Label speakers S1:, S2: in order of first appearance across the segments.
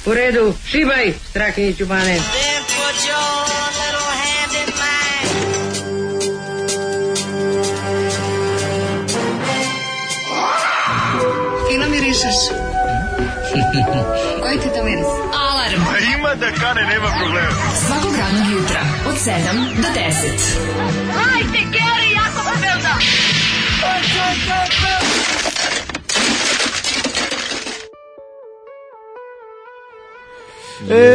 S1: U redu, šibaj, Strahinjiću Bane.
S2: Fino mirišeš. Koji ti to miris?
S3: Alarm.
S4: Ima da kane, nema problema.
S3: Svakog radnog jutra od 7 do 10.
S2: Hajde, Geri, jako se velda.
S5: Ej,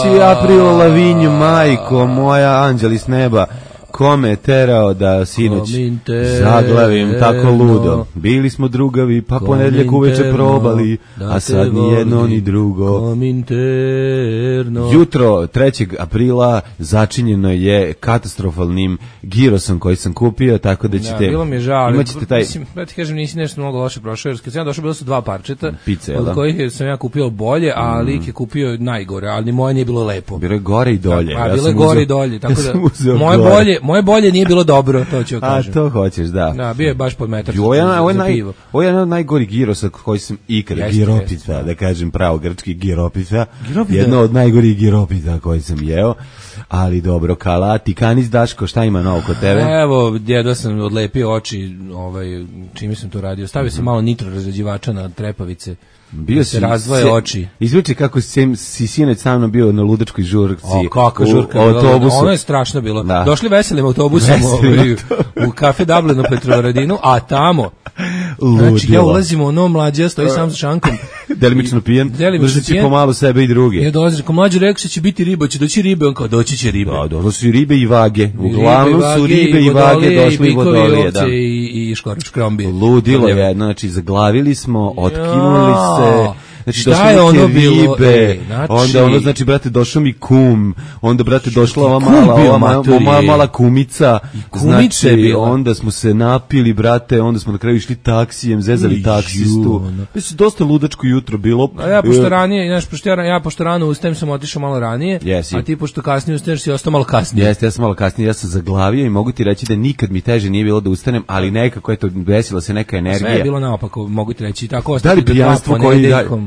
S5: 3. april, Lavinju, majko moja, anđeli s neba, kome je terao da sinoć zaglavim tako ludo. Bili smo drugavi, pa ponedjeljak uveče probali, a sad ni jedno ni drugo. Jutro 3. aprila začinjeno je katastrofalnim girosom koji sam kupio, tako da ćete...
S6: Bilo mi je žao, ali
S5: taj...
S6: mislim, da ti kažem, nisi nešto mnogo loše prošao, jer kad sam ja došao, bilo su 2 parčeta,
S5: Pice,
S6: od kojih sam ja kupio bolje, a lik je kupio najgore, ali ni moje nije bilo lepo.
S5: Bilo je gore i dolje.
S6: A bilo je gore i dolje, tako da moje bolje nije bilo dobro, to ću kažem.
S5: A to hoćeš, da.
S6: Da, bio je baš pod metar
S5: Ovo je
S6: pivo.
S5: jedan od najgorih girosa koji sam ikada, giropita, da kažem pravo grčki giropita, jedno od najgorih giropita koji sam jeo, ali dobro, kala, ti kanis Daško, šta ima novo kod tebe?
S6: Evo, jedva sam odlepio oči, čime sam to radio, stavio sam malo nitro razređivača na trepavice, bio se razvoje oči.
S5: Izvuči kako si sinoć sa mnom bio na ludačkoj žurci.
S6: O, kakva žurka. Ono je strašno bilo. Da. Došli veselim autobusom u kafe Dublin u Petrovaradinu, a tamo znači ja ulazim u ono, mlađa stoji sam sa šankom.
S5: Delimično pijen, držeći pomalo sebe i druge.
S6: Ja dolazim, rekao, mlađa rekao što će biti riba, će doći ribe, on kao doći će ribe.
S5: Da, došli su ribe i vage. Uglavnom su ribe i vage, došli i vodolije.
S6: I škrombije.
S5: Ludilo je, znači zaglavili smo, otkinuli se. Znači,
S6: šta je ono bilo?
S5: Onda ono, znači, brate, došao mi kum, onda, brate, došla ova mala kumica, znači, onda smo se napili, brate, onda smo na kraju išli taksijem, zezali taksistu. Mislim, dosta ludačko jutro bilo.
S6: A ja, pošto ranije, pošto rano ustajem, sam otišao malo ranije, a ti, pošto kasnije ustaješ, si ostao malo kasnije.
S5: Jeste, ja sam malo kasnije, ja sam zaglavio i mogu ti reći da nikad mi teže nije bilo da ustanem, ali nekako, eto, desila se neka energija.
S6: Sve je bilo naopako, mogu ti reći, tako
S5: ostati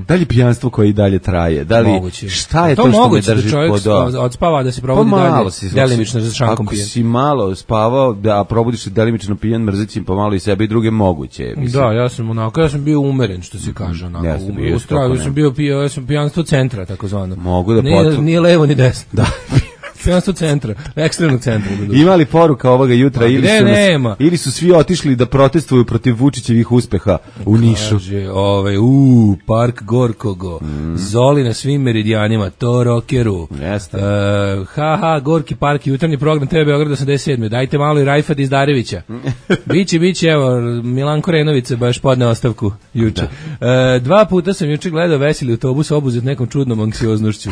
S5: da li pijanstvo koje i dalje traje? Da li moguće. Šta je to što me drži
S6: pod odspava da se probudi dalje delimično za šankom pijen?
S5: Ako si malo spavao da probudiš se delimično pijen, mrzeći pomalo i sebe i druge moguće.
S6: Mislim. Da, ja sam bio umeren, što se kaže, onako. Ja sam pijanstvo centra, takozvano.
S5: Mogu da
S6: nije levo ni desno.
S5: Da.
S6: Pijanstvo centra, ekstremnog centra.
S5: Ima li poruka ovoga jutra ili su svi otišli da protestuju protiv Vučićevih uspeha u Nišu?
S6: Kaže, park Gorkogo, Zoli na svim meridijanima, to rokeru.
S5: Jeste.
S6: Gorki park, jutarnji program TV Beograd 87. Dajte malo i Rajfa Dizdarevića. Biće, evo, Milanko Renović baš podne ostavku juče. 2 puta sam juče gledao veseli autobus obuzet nekom čudnom anksioznošću.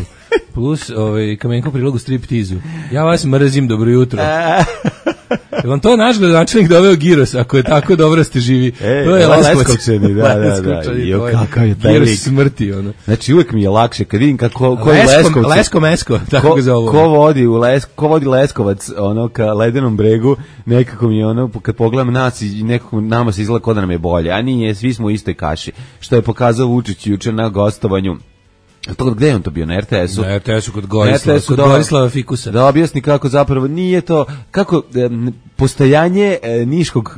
S6: Plus Kamenko prilogu striptizu. Ja vas mrzim, dobro jutro. Je vam to naš gradonačelnik doveo giros, ako je tako dobro ste živi? To je
S5: Leskovčani, da. Jo, kakav je taj lik.
S6: Giros smrti, ono.
S5: Znači, uvek mi je lakše, kad vidim kako
S6: Lesko-mesko, tako ga zovu.
S5: Ko vodi Leskovac, ono, ka Ledenom bregu, nekako mi je ono, kad pogledam nas i nekako nama se izgleda kod da nam je bolje, a nije, svi smo u istoj kaši. Što je pokazao Vučić juče na gostovanju. Gde je on to bio, na RTS-u?
S6: Na RTS-u kod Gorislava Fikusa.
S5: Da objasni kako zapravo nije to, kako postojanje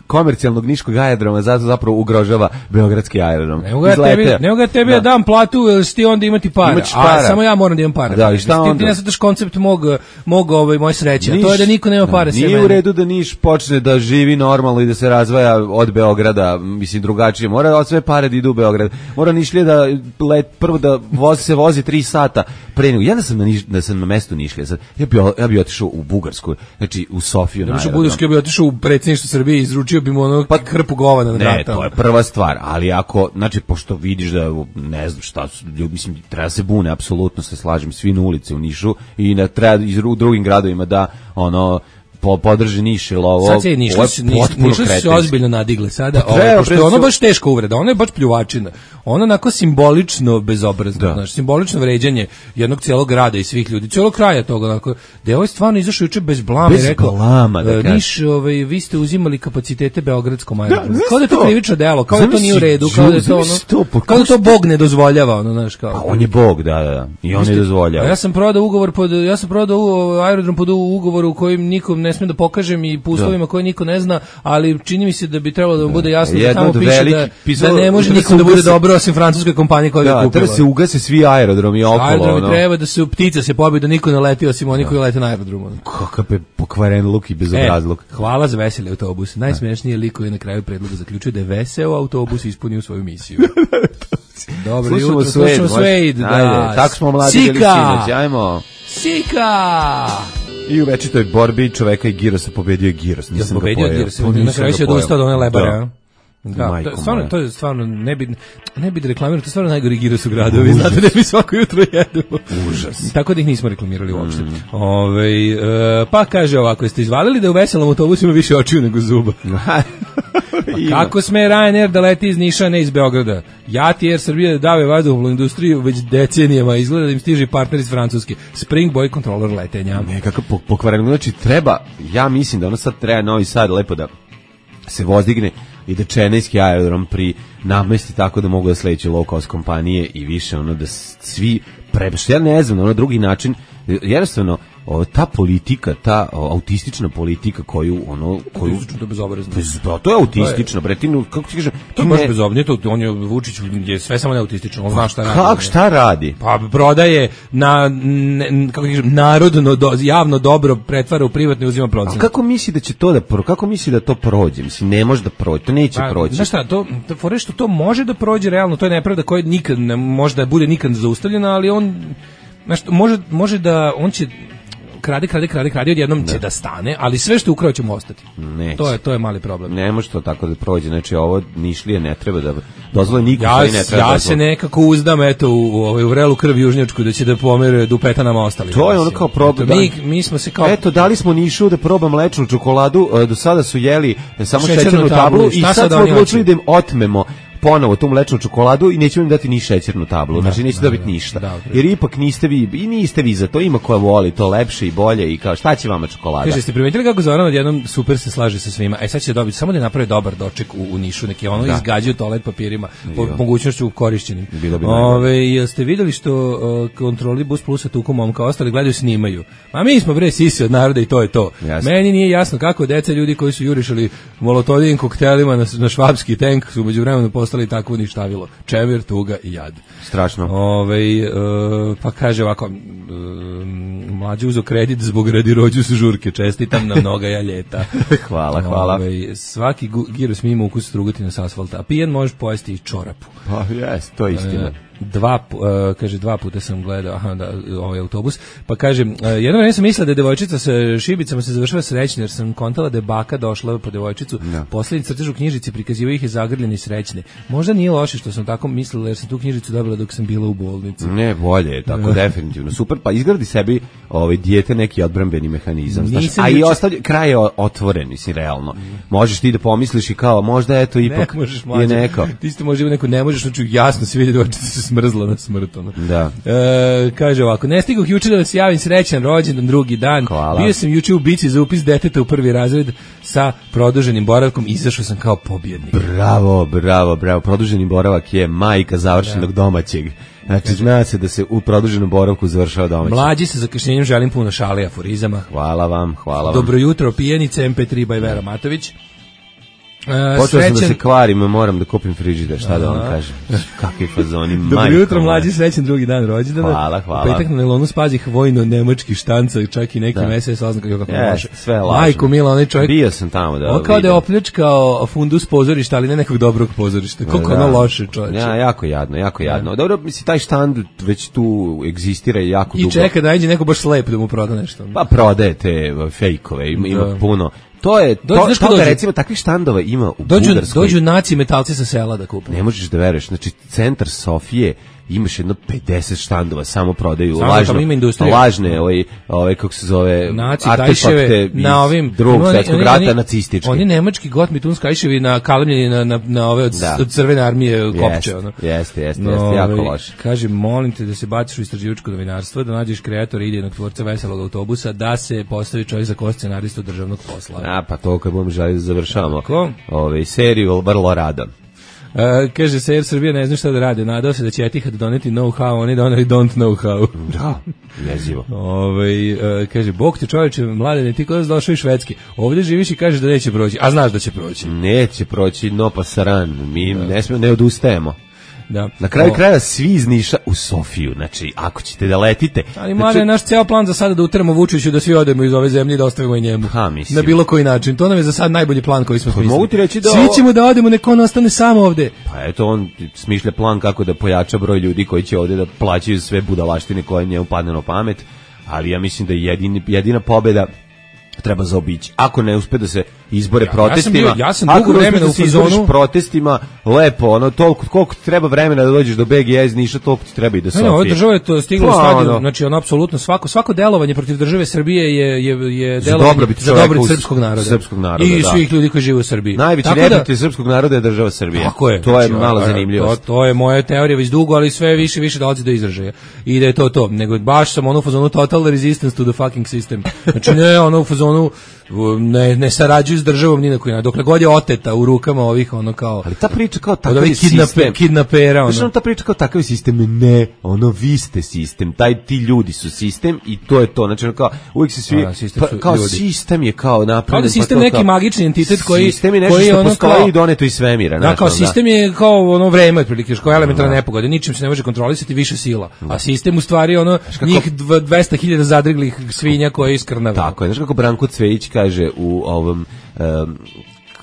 S5: komercijalnog niškog aerodroma zapravo ugrožava beogradski aerodrom.
S6: Nego ga tebi dam platu, jer si ti onda imati para. A samo ja moram da imam para.
S5: Da, i šta onda?
S6: Ti ne znaš koncept moje sreće, a to je da niko nema para.
S5: Nije u redu da Niš počne da živi normalno i da se razvaja od Beograda, mislim drugačije. Mora od sve pare da idu u Beograd. Mora Nišlije da prvo da se vozi 3 sata pre nego. Ja da sam na mestu Nišlija, ja bi otišao u Bugarsku, znači u Sofiju.
S6: Ja bi otišao u predsjedništvo Srbije i izručio bi mu ono hrpu govana na vrata.
S5: Ne, to je prva stvar, ali ako, znači, pošto vidiš da, ne znam šta su, mislim, treba se bune, apsolutno se slažem, svi na ulici u Nišu i treba u drugim gradovima da, ono, podrži Niš ili ovo.
S6: Sad se Niš se ozbiljno nadigle sada, pošto je ono baš teška uvreda, ono je baš pljuvačina. Ono onako simbolično bezobrazno, znači simbolično vređanje jednog cijelog grada i svih ljudi, cijelog kraja toga, onako. Da je ovaj stvarno izašao juče bez blama i rekao, Niš, vi ste uzimali kapacitete beogradskom aerodromu. Kao da je to krivično delo, kao da to nije u redu, kao da je to ono, kao da to Bog ne dozvoljava, ono, znaš, kao.
S5: A on je Bog, da, i on ne dozvoljava.
S6: Ja sam prodao aerodrom pod ugovoru u kojem nikom ne smem da pokažem i po uslovima koje niko ne zna, ali čini mi se da bi trebalo da vam bude jasno da tamo piše da ne može nikom da bude dobro osim francuske kompanije koja ga kupila.
S5: Da se ugase svi aerodromi okolo.
S6: Aerodromi treba da se ptica se pobije da niko ne leti osim oni koji lete na aerodromu.
S5: Kakav je pokvaren luk i bezobrazluk.
S6: Hvala za veseli autobus. Najsmešnije liko je na kraju predloga zaključio da je veseo autobus ispunio svoju misiju. Dobro jutro, slušamo Suede.
S5: Ajde, tako smo mladi bili sinoć, ajmo.
S6: Sika!
S5: I u večitoj borbi čoveka i Girosa pobedio je Giros.
S6: Nisam pobedio Girosa, na kraju se odustao od one lebare. Da, to je stvarno, ne bi da reklamirao, to je stvarno najgori Giros u gradu, vi znate da mi svako jutro jedemo.
S5: Užas.
S6: Tako da ih nismo reklamirali uopšte. Pa kaže ovako, jeste izvalili da u veselom autobusu ima više očiju nego zuba? Kako sme Ryanair da leti iz Niša, ne iz Beograda? Jati Air Srbija da dave vazduhoplovnu industriju već decenijama, izgleda da im stiže partner iz Francuske. Spring Boy kontrolor letenja.
S5: Nekako pokvareno, znači treba, ja mislim da ono sad treba Novi Sad lepo da se vozdigne i da Čenejski aerodrom pri namesti tako da mogu da sledeće low cost kompanije i više ono da svi što ja ne znam, ono drugi način, jednostavno ta politika, ta autistična politika koju
S6: to bezobrazno.
S5: To je autistično, bre, ti kako ti kažeš,
S6: to je baš bezobrazno, on je Vučić je sve samo ne autistično, on zna šta radi.
S5: Kako šta radi?
S6: Pa prodaje kako kažem, narodno javno dobro pretvara u privatno i uzima procent.
S5: A kako misli da će to kako misli da to prođe? Mislim ne može da prođe, to neće proći.
S6: Znaš šta, to fore što to može da prođe realno, to je nepravda koja nikad ne može da bude nikad zaustavljena, ali on može da on će krade, odjednom će da stane, ali sve što je ukrao će mu ostati. To je mali problem.
S5: Ne može to tako da prođe, znači ovo Nišlije ne treba da dozvole niko ne treba.
S6: Ja se nekako uzdam u vrelu krv južnjačku da će da pomere dupeta nama ostali.
S5: To je ono kao problem.
S6: Mi smo se kao
S5: dali smo Nišu da proba mlečnu čokoladu, do sada su jeli samo šećernu tablu i sad smo odlučili da im otmemo ponovo tu mlečnu čokoladu i nećemo im dati ni šećernu tablu, znači neće dobiti ništa. Jer ipak niste vi za to, ima koja voli to lepše i bolje i kao šta će vama čokolada.
S6: Kaže, ste primetili kako Zoran odjednom super se slaže sa svima, sad će dobiti, samo da napravi dobar doček u Nišu, neki ono izgađaju toalet papirima, po mogućnošću korišćenim. Jeste vidjeli što kontroli Bus Plusa tuku momka, ostali gledaju snimaju. A mi smo bre sisi od naroda i to je to. Jasne. Meni nije jasno kako deca ljudi koji su jurišali molotovim koktelima na švabski tank su međuvremenu postali takvo ništavilo. Čemer, tuga i jad.
S5: Strašno.
S6: Pa kaže ovako, mlađi uzo kredit zbog radi rođu su žurke, čestitam na mnoga ja ljeta.
S5: Hvala.
S6: Svaki Giros mi ima ukus strugotina s asfalta, a pijen možeš pojesti i čorapu.
S5: Pa jes, to je istina.
S6: Dva puta sam gledao ovaj autobus, pa kaže, jedno vreme sam mislila da je devojčica sa šibicama se završava srećno, jer sam kontala da je baka došla po devojčicu, poslednji crtež u knjižici prikazivao ih je zagrljeni i srećne. Možda nije loše što sam tako mislila, jer sam tu knjižicu dobila dok sam bila u bolnici.
S5: Ne, bolje je tako, definitivno. Super, pa izgradi sebi dijete neki odbrambeni mehanizam, a i kraj je otvoren, mislim, realno. Možeš ti da pomisliš i kao, možda eto ipak je neko.
S6: Ti ste možda neko, ne možeš, znači jasno se vidi devojčica se smrzla na smrt.
S5: Da.
S6: Kaže ovako, ne stigoh juče da vas javim srećan rođendan drugi dan.
S5: Hvala.
S6: Bio sam juče u bici za upis deteta u prvi razred sa produženim boravkom, izašao sam kao pobjednik.
S5: Bravo. Produženi boravak je majka završenog domaćeg. Znači, zna se da se u produženom boravku završava domaći.
S6: Mlađi sa zakašnjenjem želim puno šale i aforizama.
S5: Hvala vam.
S6: Dobro jutro, pijenice MP3 by Vera Matović.
S5: Počeo sam da se kvarim, moram da kupim frižider, šta da vam kažem. Kakvi fazoni, majko.
S6: Dobro jutro, mlađi, srećan drugi dan rođendana.
S5: Hvala.
S6: Petak na nelonu spazih vojno-nemački štanca, čak i nekim SS oznaka kako može.
S5: Sve lažno.
S6: Majko mila, onaj čovjek.
S5: Bio sam tamo da.
S6: On kao da je opljačkao fundus pozorišta, ali ne nekog dobrog pozorišta. Koliko ono loše, čovječe.
S5: Ja, jako jadno. Dobro, mislim, taj štand već tu egzistira jako dugo.
S6: I čeka da nađe neko baš slep da mu proda nešto.
S5: Pa prodaje te fejkove, ima puno. Recimo, takvih štandova ima u Bugarskoj.
S6: Dođu naci metalci sa sela da kupe.
S5: Ne možeš da veruješ, znači centar Sofije imaš jedno 50 štandova, samo prodaju
S6: lažne,
S5: kako se zove,
S6: naci
S5: artefakte
S6: na ovim
S5: Drugog svjetskog rata, nacistički.
S6: Oni nemački Gottmituns kajševi na kalemljeni na ove od Crvene armije kopče.
S5: Jeste, jako loše.
S6: Kaže, molim te da se baciš u istraživačko novinarstvo, da nađeš kreatora idejnog tvorca veselog autobusa, da se postavi čovjek za kost scenaristu državnog posla.
S5: Pa to kad budemo želi da završavamo seriju, vrlo rado.
S6: Kaže se, Air Srbija ne zna šta da rade. Nadao se da će Etihad doneti know-how, oni doneli don't know how.
S5: Da, jezivo.
S6: Kaže, Bog te čovječe, mladene, ti kod nas došao iz Švedske. Ovdje živiš i kažeš da neće proći, a znaš da će proći.
S5: Neće proći, no pa saran. Mi ne odustajemo.
S6: Da.
S5: Na kraju krajeva svi iz Niša u Sofiju, znači ako ćete da letite.
S6: Ali mlade, naš ceo plan za sada da uteramo Vučiću da svi odemo iz ove zemlje i da ostavimo i njemu. Na bilo koji način. To nam je za sad najbolji plan koji smo smislili.
S5: Mogu ti reći da
S6: svi ćemo da odemo, neko on ostane samo ovde.
S5: Pa eto, on smišlja plan kako da pojača broj ljudi koji će ovde da plaćaju sve budalaštine koje njemu padne na pamet, ali ja mislim da je jedina pobeda treba zaobići. Ako ne uspe da se izbore protestima,
S6: ja sam dugo vremena u fazonu
S5: protestima, lepo, toliko koliko treba vremena da dođeš do BG iz Niša, toliko ti treba i do Sofije.
S6: Ova država je to stigla u stadiju, znači apsolutno svako delovanje protiv države Srbije je delovanje za dobrobit srpskog naroda i svih ljudi koji žive u Srbiji.
S5: Najveći neprijatelj srpskog naroda je država Srbija.
S6: Tako je.
S5: To je malo zanimljivost.
S6: To je moja teorija već dugo, ali sve više dolazi do izražaja. I da je to. Nego baš sam u fazonu total resistance to the fucking system. Znači ne, u fazonu ne sarađuju s državom ni na koji način. Dokle god je oteta u rukama ovih kao.
S5: Ali ta priča kao takav sistem.
S6: Kidnapera.
S5: Znači ta priča kao takav sistem, ne, vi ste sistem. Ti ljudi su sistem i to je to. Znači kao uvijek se svi kao sistem je kao napravljen.
S6: Kao da sistem neki magični entitet koji
S5: sistem je nešto što postoji i doneto iz svemira.
S6: Da, kao sistem je kao vreme otprilike, kao elementarna nepogoda, ničim se ne može kontrolisati, više sila. A sistem u stvari njih 200.000 zadriglih svinja koje iskrnave.
S5: Tako je, znači kako Branko Cvejić kaže u ovom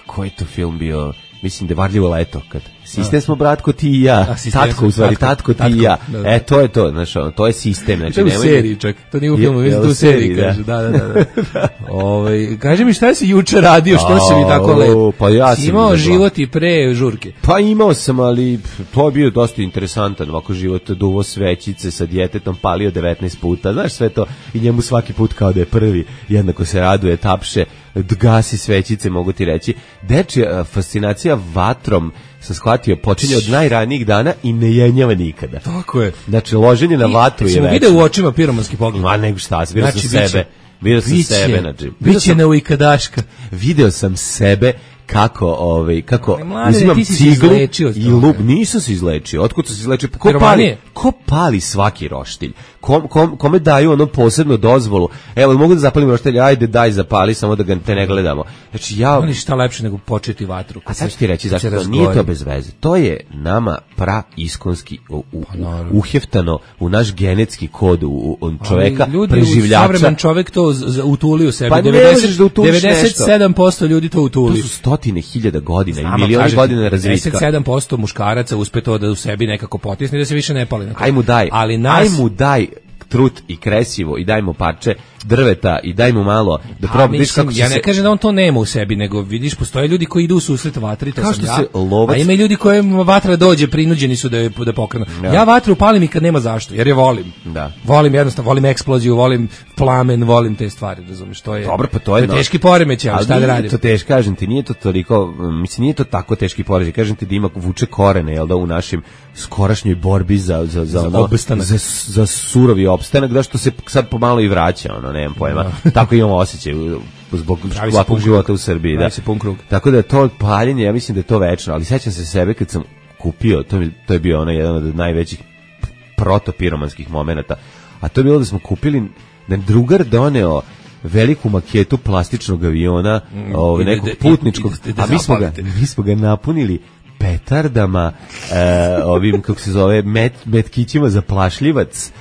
S5: koji je to film bio, mislim da je Varljivo leto, kad sistem smo bratko ti i ja, tatko ti i ja, to je to, znači to je sistem, znači
S6: to je u seriji čak, to nije u filmu, mislim da u seriji kaže, da. Kaže mi šta si juče radio, što si mi tako lep?
S5: Pa ja sam
S6: imao život i pre žurke.
S5: Pa imao sam, ali to je bio dosta interesantan, ovako život, duvo svećice sa djetetom, palio 19 puta, znaš sve to, i njemu svaki put kao da je prvi, jednako se raduje, tapše, gasi svećice, mogu ti reći. Dečija fascinacija vatrom, sam shvatio, počinje od najranijih dana i ne jenjava nikada.
S6: Tako je.
S5: Znači, loženje na vatru je već.
S6: Vidio u očima piromanski pogled.
S5: Ma nego šta, vidio sam sebe. Vidio sam sebe, znači.
S6: Biće neujkadaška.
S5: Video sam sebe kako uzimam ciglu i lub, nisam se izlečio. Otkud sam se izlečio? Ko pali svaki roštilj? Kome daju posebno dozvolu? Evo, mogu da zapalim roštilj, ajde daj zapali, samo da ga te ne gledamo. Znači
S6: oni šta lepše nego početi vatru.
S5: A sad ću ti reći zašto, nije to bez veze. To je nama praiskonski uheftano u naš genetski kod u čoveka, preživljača.
S6: Savremen čovek to utuli u sebi.
S5: Pa ne možeš da utuliš
S6: 97% ljudi to utuli.
S5: To su 100.000 godina i milioni godina razvitka.
S6: 97% muškaraca uspe to da u sebi nekako potisne da se više ne pali.
S5: Aj mu daj trut i kresivo i daj mu parče drveta i daj mu malo da proba.
S6: Ja ne kažem da on to nema u sebi, nego vidiš, postoje ljudi koji idu u susret vatri, to sam ja, a ima i ljudi kojim vatra dođe, prinuđeni su da pokrenu. Ja vatru palim i kad nema zašto, jer je volim. Volim jednostavno, volim eksploziju, volim plamen, volim te stvari, razumiješ, to je.
S5: Dobro, pa to je
S6: teški poremećaj, ali šta da radim?
S5: To teško, kažem ti, nije to toliko, mislim, nije to tako teški poremećaj, kažem ti da ima vuče korene, jel da, u našim skorašnjoj borbi za surovi opstanak, da što se sad pomalo i vraća, nemam pojma. Tako imamo osjećaj zbog ovakvog života u Srbiji. Tako da to paljenje, ja mislim da je to večno, ali sećam se sebe kad sam kupio, to je bio jedan od najvećih protopiromanskih momenata, a to je bilo da smo kupili, da drugar doneo veliku maketu plastičnog aviona, nekog putničkog, a mi smo ga napunili petardama, ovim, kako se zove, metkićima za plašljivac,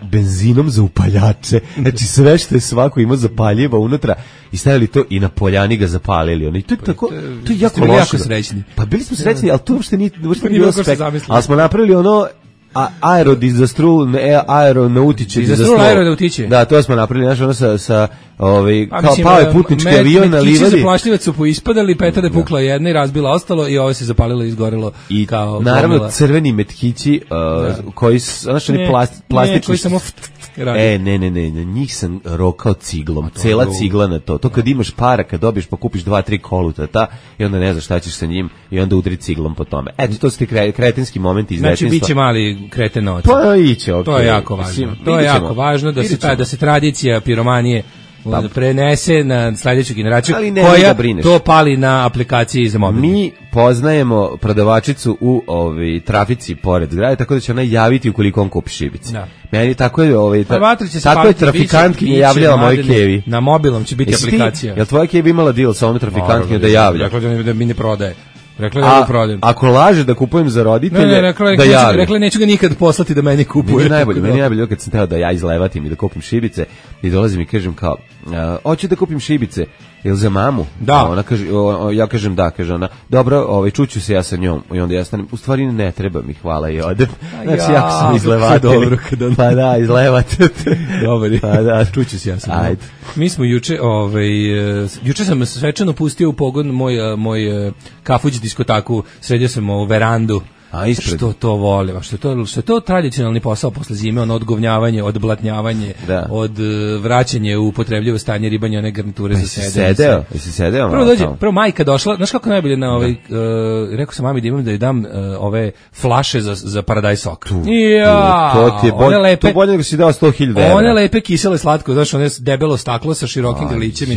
S5: benzinom za upaljače, znači sve što je svako imao zapaljiva unutra i stavili to i na poljani ga zapalili. I to je tako, to je jako loše.
S6: Srećni.
S5: Pa bili smo srećni, ali to uopšte nije bilo spek. Ali smo napravili aeronautiće
S6: dizastrul aeronautiće.
S5: Da, to smo napravili, znaš, ono sa kao pao je putnički avion na livadi.
S6: Metkići za plašljivac su poispadali, petada pukla jedna i razbila ostalo i ovo se zapalilo i izgorilo
S5: i
S6: kao
S5: naravno
S6: gomila.
S5: Crveni metkići koji su, znaš, oni plastični.
S6: Koji samo
S5: ne, njih sam rokao ciglom, cela cigla na to. To kad imaš para, kad dobiješ pa kupiš 2-3 kolutata i onda ne znaš šta ćeš sa njim i onda udri ciglom po tome. Eto, to su ti kretenski momenti iz detinjstva.
S6: Znači, biće mali kretenovac.
S5: Pa iće, okej.
S6: To je jako važno. To je jako važno da se tradicija piromanije prenese na sledeću generaciju koja to pali na aplikaciji za mobil.
S5: Mi poznajemo prodavačicu u trafici pored zgrade, tako da će ona javiti ukoliko on kupi šibice. Da. Meni tako je tako je trafikantkinja javljala moj kevi.
S6: Na mobilom će biti aplikacija.
S5: Jel tvoja kevi imala deal sa ovom trafikantkinjom da javlja?
S6: Rekla da mi ne prodaje.
S5: Ako laže da kupujem za roditelje, da javi.
S6: Rekla neću ga nikad poslati da meni kupuje.
S5: Meni najbolje kad sam teo da ja izlevatim i da kupim šibice i dolazim i kažem kao, hoću da kupim šibice, jel za mamu?
S6: Da.
S5: Ona kaže, ja kažem da, kaže ona, dobro, čuću se ja sa njom i onda ja stanem, u stvari ne treba mi, hvala i odem. Znači, jako sam izlevatelj. Pa da, izlevatelj.
S6: Dobar,
S5: pa da,
S6: čuću se ja sa njom.
S5: Ajde.
S6: Mi smo juče sam svečano pustio u pogon moj kafuć diskotaku, sredio sam u verandu. Što to volim, što je to tradicionalni posao posle zime, ono odgovnjavanje, odblatnjavanje, od vraćanje u upotrebljivo stanje, ribanje one garniture za sede.
S5: Jesi sedeo?
S6: Prvo majka došla, znaš kako najbolje na rekao sam mami da imam da joj dam ove flaše za paradajz sok.
S5: To bolje nego si dao 100.000 €.
S6: One lepe kisele slatko, znaš, one debelo staklo sa širokim grlićem.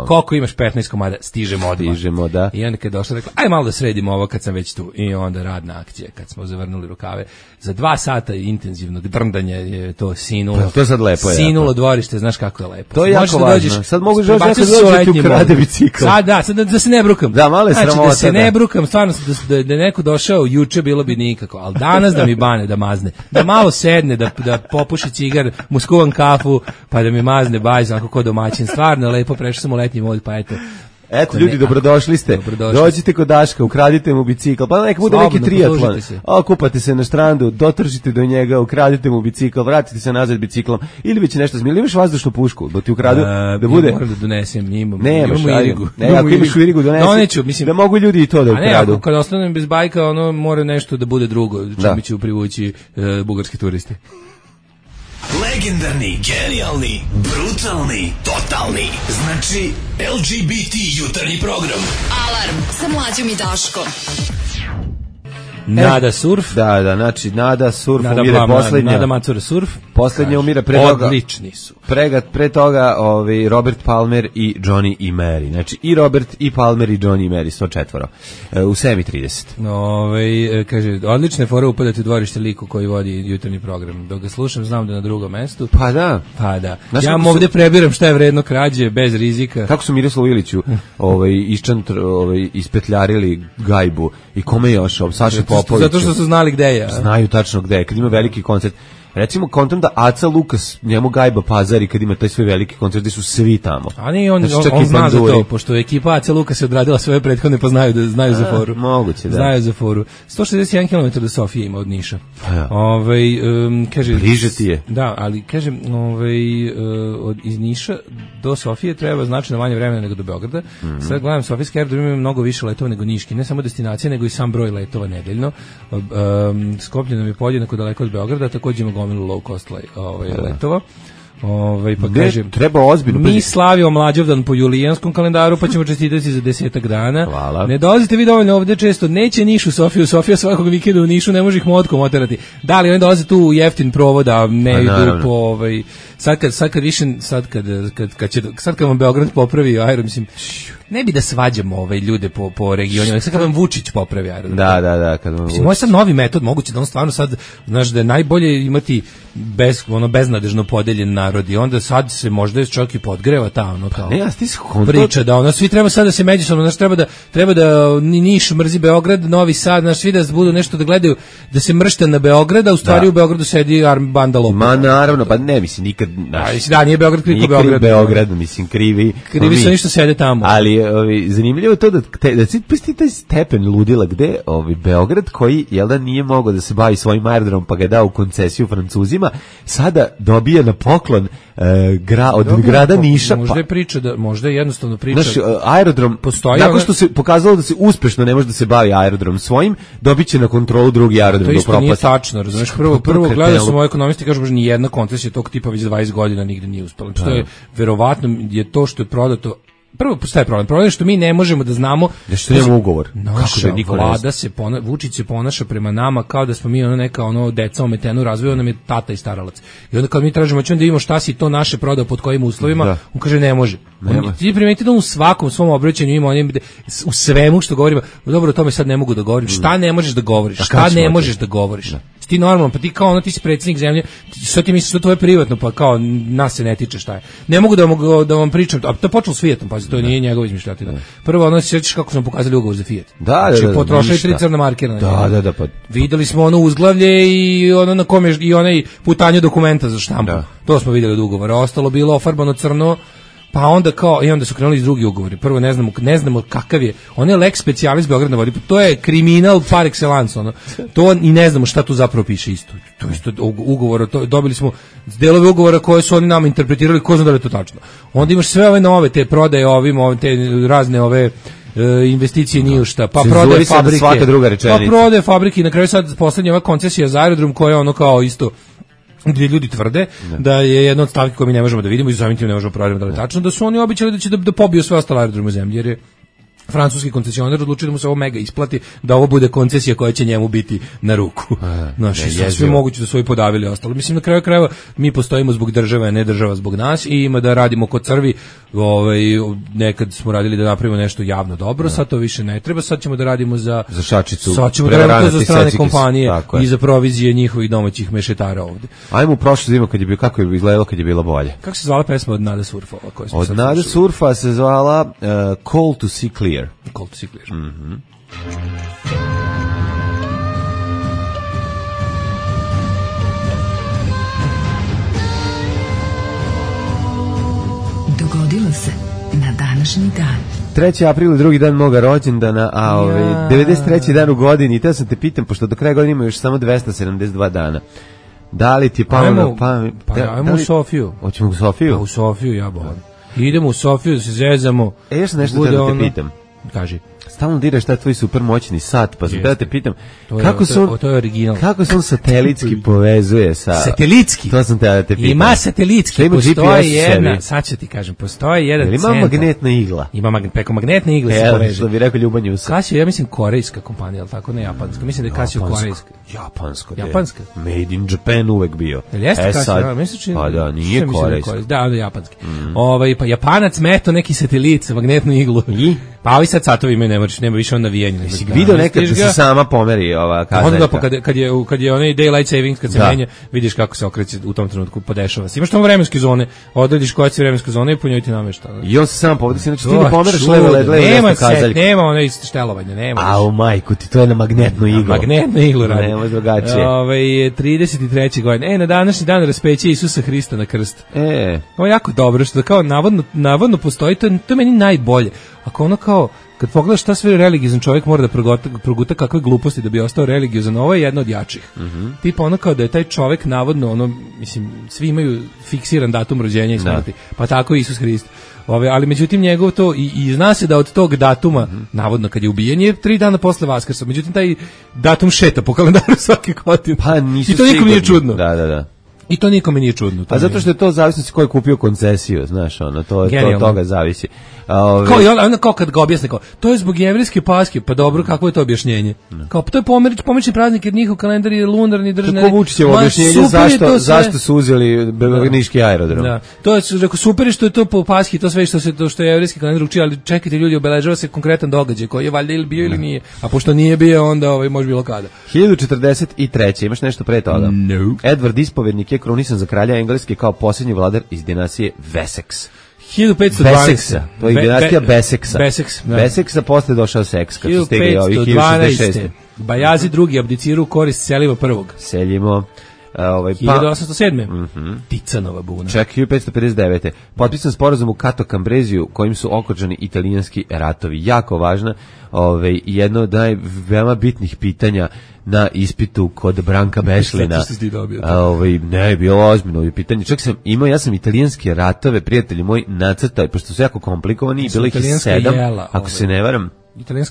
S6: Koliko imaš 15 komada, stižemo odmah.
S5: Da.
S6: I onda kad je došla, rekla, aj malo da sredimo ovo kad sam već tu. I onda radna akcija, kad smo zavrnuli rukave. Za 2 sata intenzivnog drndanja je to sinulo.
S5: To je sad lepo.
S6: Sinulo dvorište, znaš kako je lepo.
S5: To je jako važno. Sad mogu da dođe tu krade bicikl.
S6: Sad da se ne brukam.
S5: Da, malo je sramota.
S6: Znači, da se ne brukam, stvarno da je neko došao juče bilo bi nikako, ali danas da mi bane, da mazne. Da malo sedne, da popuši cigar, mu skuvam kafu, pa da mi mazne bajz, onako ko domaćin. Stvarno lepo, prešao sam u letnji mod, pa eto.
S5: Eto, ljudi, dobrodošli ste. Dođite kod Daška, ukradite mu bicikl. Pa neka bude neki triatlon. Okupate se na štrandu, dotržite do njega, ukradite mu bicikl, vratite se nazad biciklom. Ili već nešto zmijeli. Imaš vazdušnu pušku da ti ukradu, da bude...
S6: Ja moram da donesem, imam u Irigu.
S5: Ne, ako imaš u Irigu, donesi. Da mogu ljudi i to da ukradu.
S6: A ne, kad ostanem bez bajka, ono mora nešto da bude drugo, čime ću privući bugarski turisti.
S7: Legendarni, genijalni, brutalni, totalni. Znači, LGBT jutarnji program.
S3: Alarm sa Mlađom i Daškom.
S6: Nada Surf.
S5: Da, znači Nada Surf umire poslednja.
S6: Nada Macura Surf.
S5: Poslednja umire pre toga.
S6: Odlični su.
S5: Pre toga Robert Palmer i Johnny i Mary. Znači i Robert i Palmer i Johnny i Mary, 104. U 7:30.
S6: Kaže, odlične fore upadati u dvorište liku koji vodi jutarnji program. Dok ga slušam, znam da je na drugom mestu.
S5: Pa da.
S6: Znaš, ja ovdje prebiram šta je vredno krađe, bez rizika.
S5: Kako su Miroslavu Iliću ispetljarili gajbu i kome još? Saša Popović.
S6: Zato što su znali gde je.
S5: Znaju tačno gde je. Kad ima veliki koncert. Recimo, kontam da Aca Lukas njemu gajba pazari kad ima taj svoj veliki koncert gdje su svi tamo.
S6: A nije, on zna za to, pošto ekipa Aca Lukas je odradila svoje prethodne, pa znaju za foru.
S5: Moguće, da.
S6: Znaju za foru. 161 km do Sofije ima od Niša. Kaže,
S5: bliže ti je.
S6: Da, ali kažem, iz Niša do Sofije treba značajno manje vremena nego do Beograda. Sad gledam, Sofijski aerodrom ima mnogo više letova nego Niški. Ne samo destinacije, nego i sam broj letova nedeljno. Skoplje nam je podjednako daleko od Beograda, također ima gomilu low cost letova. Pa kažem,
S5: treba ozbiljno.
S6: Mi slavimo Mlađavdan po julijanskom kalendaru, pa ćemo čestitati za 10 dana.
S5: Hvala.
S6: Ne dolazite vi dovoljno ovdje često, neće Niš u Sofiju, Sofija svakog vikenda u Nišu, ne može ih motkom oterati. Da li oni dolaze tu u jeftin provod, a ne idu po sad kad vam Beograd popravi aerodrom, mislim, ne bi da svađamo ljude po regionima, sad kad vam Vučić popravi aerodrom.
S5: Da, kad vam
S6: Vučić. Moj sad novi metod, moguće da on stvarno sad, znaš, da je najbolje imati beznadežno podeljen narod narod i onda sad se možda čak i podgreva ta ono kao
S5: Ne,
S6: priča da ono svi treba sad da se međusobno, znači treba da Niš mrzi Beograd, Novi Sad, znači svi da budu nešto da gledaju, da se mršte na Beograd, a u stvari u Beogradu sedi banda lopova.
S5: Ma naravno, pa ne, mislim, nikad...
S6: Da, nije Beograd kriv Beograd.
S5: Beograd, mislim, krivi
S6: su ništa sede tamo.
S5: Ali zanimljivo je to da si pusti taj stepen ludila gde Beograd koji, jel da, nije mogao da se bavi svojim aerodromom pa ga je dao u koncesiju Francuzima, sada dobija na poklon od grada Niša.
S6: Možda je priča, možda je jednostavno priča.
S5: Znaš, aerodrom,
S6: postoji,
S5: nakon što se pokazalo da se uspešno ne može da se bavi aerodrom svojim, dobit će na kontrolu drugi aerodrom.
S6: To isto nije tačno, razumiješ, prvo gledao sam moje ekonomisti, kažu, ni jedna koncesija tog tipa već 20 godina nigde nije uspela. To je, verovatno je to što je prodato. Prvo postaje problem je što mi ne možemo da znamo
S5: da što nemamo ugovor.
S6: Naša vlada Vučić se ponaša prema nama kao da smo mi neka deca ometena u razvoju, on nam je tata i staralac. I onda kad mi tražimo da vidimo šta si to naše prodao pod kojim uslovima, on kaže ne može. Ti primetite da u svakom svom obraćanju ima u svemu što govorimo, dobro, o tome sad ne mogu da govorim. Šta ne možeš da govoriš? Šta ne možeš da govoriš? Ti normalno, pa ti kao ti si predsjednik zemlje, sad ti misliš da to je privatno, pa kao nas se ne tiče šta je. Ne mogu da vam pričam, a to je počelo s Fiatom, pa to nije njegova izmišljotina. Prvo, se sjećaš kako smo pokazali ugovor za Fiat. Znači, potrošili 3 crna markera.
S5: Da, pa.
S6: Videli smo ono uzglavlje i ono na kome i onaj putanje dokumenta za štampu. To smo videli od ugovora. Ostalo bilo ofarbano crno. Pa onda onda su krenuli iz drugi ugovori. Prvo ne znamo kakav je. On je lex specialis Beograd na vodi. To je kriminal par excellence, To i ne znamo šta tu zapravo piše isto. To isto ugovor, dobili smo delove ugovora koje su oni nama interpretirali, ko zna da je to tačno. Onda imaš sve ove nove te prodaje te razne ove investicije nije šta, pa prodaje fabrike.
S5: Svaka druga rečenica.
S6: Pa prodaje fabrike i na kraju sad poslednja ova koncesija za aerodrom koja je kao isto gdje ljudi tvrde da je jedna od stavki koje mi ne možemo da vidimo i samim tim ne možemo provjeriti da li je tačno, da su oni obećali da će da pobiju sve ostale aerodrome u zemlji, jer je francuski koncesionar odlučio da mu se ovo mega isplati, da ovo bude koncesija koja će njemu biti na ruku. Sve moguće da su ovi podavili ostalo. Mislim, na kraju krajeva mi postojimo zbog države, a ne država zbog nas i ima da radimo kod crvi. Nekad smo radili da napravimo nešto javno dobro, sad to više ne treba, sad ćemo da radimo za
S5: šačicu,
S6: sad ćemo da radimo za strane kompanije i za provizije njihovih domaćih mešetara ovde.
S5: Ajmo u prošlu zimu kako je izgledalo kad je bilo bolje.
S6: Kako se zvala pesma od Nada Surfa?
S5: Od Nada Surfa se zvala Call to See Clear.
S6: Call to See Clear.
S5: Mm-hmm.
S3: Dogodilo se na današnji dan.
S5: 3. april, drugi dan moga rođendana, a 93. dan u godini. I te sam te pitam, pošto do kraja godine ima još samo 272 dana. Da li ti palo na pamet?
S6: Ajmo u Sofiju.
S5: Hoćemo u Sofiju?
S6: U Sofiju, ja bolam. Idemo u Sofiju da se zezamo.
S5: Još sam nešto da te pitam.
S6: Kaži.
S5: Stalno diraš taj tvoj super moćni sat, pa da te pitam,
S6: to je original.
S5: Kako se on satelitski povezuje sa...
S6: Satelitski?
S5: To sam te da te pitam.
S6: Ima satelitski, postoji jedna, sad ću ti kažem, postoji jedan centar.
S5: Ima magnetna igla?
S6: Ima preko magnetne igle se poveže.
S5: Što bi rekao Ljubanjusa.
S6: Casio, ja mislim korejska kompanija, ali tako ne japanska. Mislim da je Casio korejska.
S5: Japanska. Made in Japan uvek bio.
S6: Jeste Casio, mislim
S5: pa da, nije korejska.
S6: Da, onda japanski. Pa Japanac meto neki satelit sa magnetnu iglu. Pa ovi sad satovi imaju, nema više on navijanje.
S5: Jesi vidio nekad da se sama pomeri ova kazaljka?
S6: Onda kad je onaj daylight savings, kad se menja, vidiš kako se okreće u tom trenutku, podešava se. Imaš tamo vremenske zone, odrediš koja će vremenske zone i po njoj ti namešta.
S5: I on se sam povodi, znači ti ne pomeraš levo desno kazaljku.
S6: Nema onaj štelovanja, nema.
S5: A u majku ti, to je na magnetnu iglu.
S6: Magnetnu iglu radi.
S5: Nema drugačije.
S6: 33. godine. Na današnji dan raspeće Isusa Hrista na krst. Ovo je jako dobro, što kao navodno postoji, to je meni najbolje. Ako ono kao, kad pogledaš šta sve religiozan čovjek mora da proguta kakve gluposti da bi ostao religiozan, ovo je jedno od jačih. Tipa ono kao da je taj čovjek navodno, mislim, svi imaju fiksiran datum rođenja i smrti, pa tako i Isus Hrist. Ali međutim njegov to, i zna se da od tog datuma, navodno kad je ubijen, je 3 dana posle Vaskrsa. Međutim taj datum šeta po kalendaru svake godine.
S5: Pa nisu
S6: i to nikom nije čudno.
S5: Da.
S6: I to nikome nije čudno.
S5: A zato što je to zavisno ko je kupio koncesiju, znaš, to od toga zavisi.
S6: Kao kad ga objasne, to je zbog jevrijske Paske, pa dobro, kako je to objašnjenje? Kao, to je pomerični praznik, jer njihov kalendar je lunarni državni.
S5: Kako Vučićevo objašnjenje zašto su uzeli niški aerodrom?
S6: Da. To je, rekao, super je što je to po Paski, to sve što je jevrijski kalendar uči, ali čekajte ljudi, obeležava se konkretan događaj koji je valjda ili bio ili nije. A pošto nije bio, onda može bilo kada.
S5: 1043. Imaš nešto pre toga?
S6: No.
S5: Edward Ispovednik je krunisan za kralja Engleske kao posljednji vladar iz dinastije Wessex.
S6: 1512.
S5: Beseksa, to je dinastija Beseksa.
S6: Da.
S5: Beseksa, posle došao Seks, kad su stigli ovi
S6: 1512. Bajazi II. Abdiciru u korist Seliva I.
S5: Seljimo.
S6: 1807. Ticanova buna.
S5: Čak 1559. Potpisan sporazum u Kato Kambreziju kojim su okončani italijanski ratovi. Jako važna, jedno od veoma bitnih pitanja na ispitu kod Branka Bešlina.
S6: Zato što si ti dobio.
S5: Ne, bilo ozbiljno pitanje. Čak sam imao, ja sam italijanske ratove, prijatelji moji, nacrtao, pošto su jako komplikovani, bilo ih 7, ako se ne varam.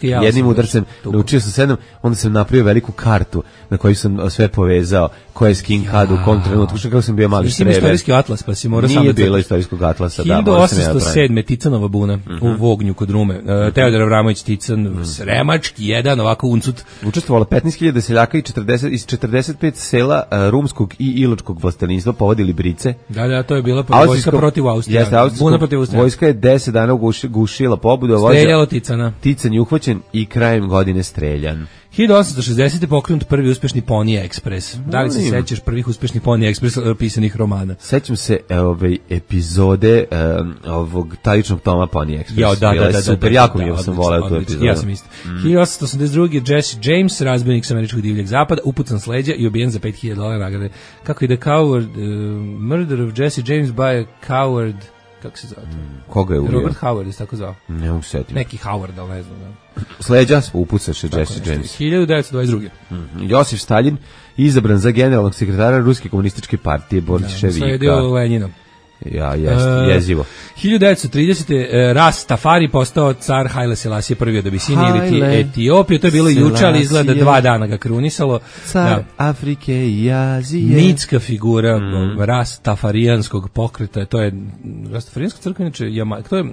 S5: Jednim udarcem naučio sam 7, onda sam napravio veliku kartu na kojoj sam sve povezao, ko je s kim kad u kom trenutku, što kako sam bio mali štreber.
S6: Istorijski atlas, pa si morao sam da...
S5: Nije bilo istorijskog atlasa,
S6: 1807. Ticanova buna u Vognju kod Rume. Teodor Avramović Tican, Sremački, jedan ovako uncut.
S5: Učestvovalo 15.000 seljaka iz 45 sela rumskog i iločkog vlastelinstva, povodili brice.
S6: Da, to je bila vojska protiv Austrije. Buna protiv Austrije.
S5: Vojska je 10 dana gušila pobudu.
S6: Streljalo Ticana.
S5: Tican je uhvaćen i krajem godine streljan.
S6: 1860. pokrenut prvi uspešni Pony Express. Da li se sećaš prvih uspešnih Pony Express pisanih romana?
S5: Sećam se epizode ovog taličnog toma Pony Express.
S6: Da,
S5: super, jako mi sam voleo tu epizodu.
S6: Ja sam isto. 1882. Jesse James, razbojnik sa američkog divljeg zapada, upucan s leđa i ubijen za $5.000 nagrade. Kako ide Coward, Murder of Jesse James by a Coward, kako se zove?
S5: Koga je ubio?
S6: Robert Howard je tako zvao.
S5: Ne mogu setiti.
S6: Neki Howard, ali ne znam.
S5: Sleđa upucaše Jesse James.
S6: 1922.
S5: Josif Stalin izabran za generalnog sekretara Ruske komunističke partije Bolševika.
S6: Sledio Lenjinom.
S5: Jezivo.
S6: 1930. Rastafari postao car Haile Selassie I od Abisini ili Etiopije. To je bilo juče, ali izgleda 2 dana ga krunisalo.
S5: Car Afrike i Azije.
S6: Mitska figura rastafarijanskog pokreta. To je rastafarijanska crkva, inače to je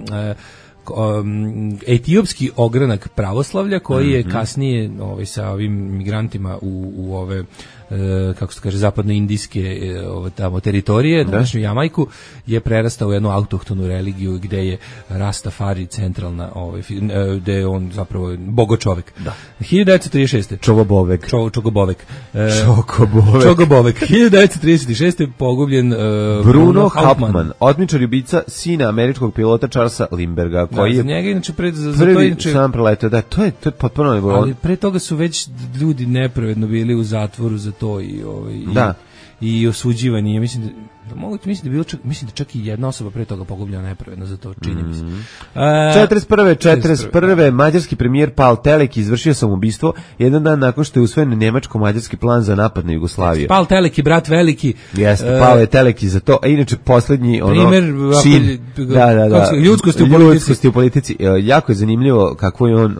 S6: etiopski ogranak pravoslavlja koji je kasnije sa ovim migrantima u ove kako se kaže zapadnoindijske tamo teritorije, današnju Jamajku, je prerastao u jednu autohtonu religiju gde je Rastafari centralna, gde je on zapravo bogočovek.
S5: Da.
S6: 1936.
S5: Čogobovek.
S6: 1936. pogubljen
S5: Bruno Hauptmann, otmičar i ubica sina američkog pilota Charlesa Lindbergha, koji je
S6: njega inače
S5: prvi sam preletao. Da, to je potpuno ne bilo.
S6: Ali pre toga su već ljudi nepravedno bili u zatvoru za to i osuđivani. Ja mislim da čak i jedna osoba pre toga pogubljena nepravedno za to, čini mi se.
S5: 41. mađarski premijer Pal Telek izvršio samoubistvo jedan dan nakon što je usvojen nemačko-mađarski plan za napad na Jugoslaviju.
S6: Pal Teleki, brat veliki.
S5: Jeste, Pal je Teleki za to, a inače poslednji
S6: primjer
S5: čin ljudskosti u politici. Jako je zanimljivo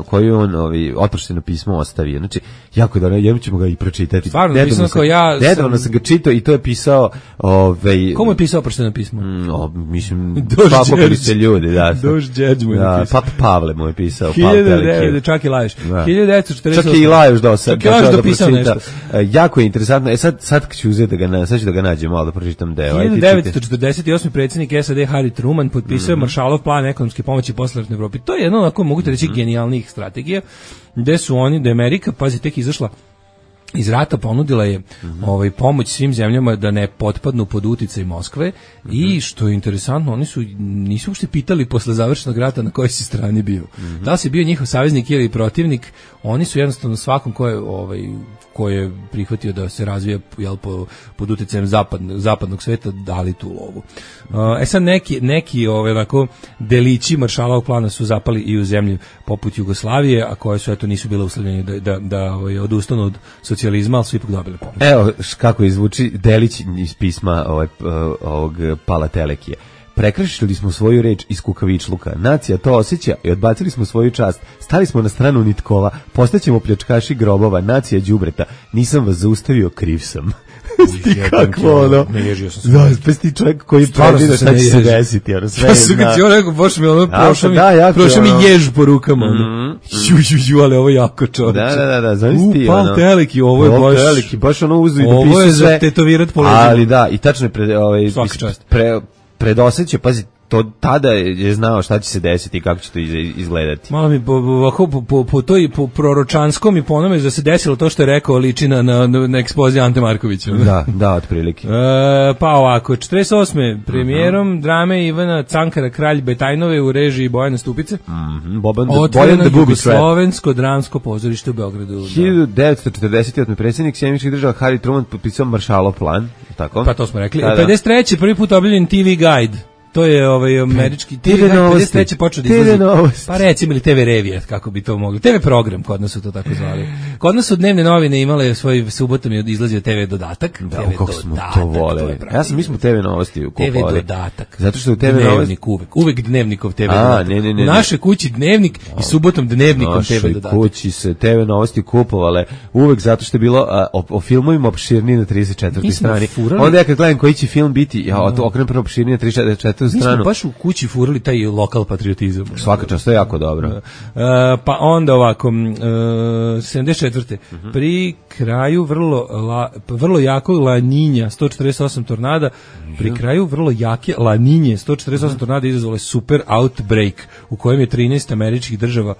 S5: koju je on oprošteno pismo ostavio. Znači, jako je dobro, jednom ćemo ga i pročitati.
S6: Stvarno, pisano kao ja...
S5: Nedavno sam ga čitao i to je pisao...
S6: Komu je pisao oprošteno pismo?
S5: Mislim, papali se ljudi, da.
S6: Dož Đeđ mu je pisao.
S5: Papa Pavle mu je pisao.
S6: Čak i Lajuš.
S5: 1948. Čak i Lajuš
S6: dopisao nešto.
S5: Jako je interesantno. Sad ću uzeti sad ću da ga nađem malo da pročitam deo.
S6: 1948. predsjednik SAD Harry Truman potpisao Marshallov plan ekonomske pomoći posleratnoj Evropi. To je jedno, onako mogu te reći, genijalnih strategija, gde su oni, da je Amerika, pazi, tek izašla iz rata, ponudila je pomoć svim zemljama da ne potpadnu pod uticaj Moskve i što je interesantno, oni nisu uopšte pitali posle završenog rata na kojoj si strani bio. Da li si bio njihov saveznik ili protivnik, oni su jednostavno svakom ko je prihvatio da se razvija pod uticajem zapadnog sveta dali tu lovu. Sad neki onako delići Marshallovog plana su zapali i u zemlji poput Jugoslavije, a koje su nisu bile uslovljene da odustanu od socijalizma, ali su ipak dobili pomoć.
S5: Evo kako izvuči delić iz pisma ovog Pala Telekije. Prekršili smo svoju reč iz kukavičluka. Nacija to osjeća i odbacili smo svoju čast. Stali smo na stranu nitkova. Postaćemo pljačkaši grobova. Nacija đubreta. Nisam vas zaustavio, kriv sam. Kakvo ono?
S6: Neježio sam se.
S5: Da, spesti čovjek koji pravi da šta će se desiti.
S6: Ja sam ga ti rekao, boš mi prošao mi jež po rukama. Ali ovo je jako čovječe.
S5: Da, znaš ti.
S6: Pal Teleki, ovo je baš...
S5: Teleki, baš ono uzu i dopisu sve.
S6: Ovo je za tetovirat po leđima.
S5: Ali da, i tačno je predoseće, pazi, to tada je znao šta će se desiti i kako će to izgledati.
S6: Malo mi po toj proročanskom i po onome da se desilo to što je rekao liči na ekspoziju Ante Markovića.
S5: Da, otprilike.
S6: Pa ovako, 48. premijerom drame Ivana Cankara Kralj Betajnove u režiji Bojana Stupice. Otvoreno Jugoslovensko dramsko pozorište u Beogradu.
S5: 1948. predsjednik Sjedinjenih Država Harry Truman potpisao Marshallov plan. Tako?
S6: Pa to smo rekli. 53. prvi put objavljen TV Guide. To je američki TV Guide, 53. počeo da izlazi. Pa recimo ili TV Revija, kako bi to mogli. TV program, kod nas su to tako zvali. Kod nas su dnevne novine imale svoj subotom je izlazio TV dodatak.
S5: Da, kako smo to voleli. Mi smo TV novosti kupovali.
S6: TV dodatak.
S5: Zato što u TV
S6: novosti uvek dnevnikov TV dodatak. U našoj kući dnevnik i subotom dnevnikom TV dodatak.
S5: U našoj kući se TV novosti kupovale uvek zato što je bilo o filmovima opširniji na 34. strani. Onda ja kad gledam koji će film biti, ja okrenem prvo opširniji na 34.
S6: Mi smo baš u kući furali taj lokal patriotizam.
S5: Svaka čast, to je jako dobro.
S6: Pa onda ovako, 74. Pri kraju vrlo jako La Niña, 148 tornada, pri kraju vrlo jake La Niñe, 148 tornada izazvale super outbreak u kojem je 13 američkih država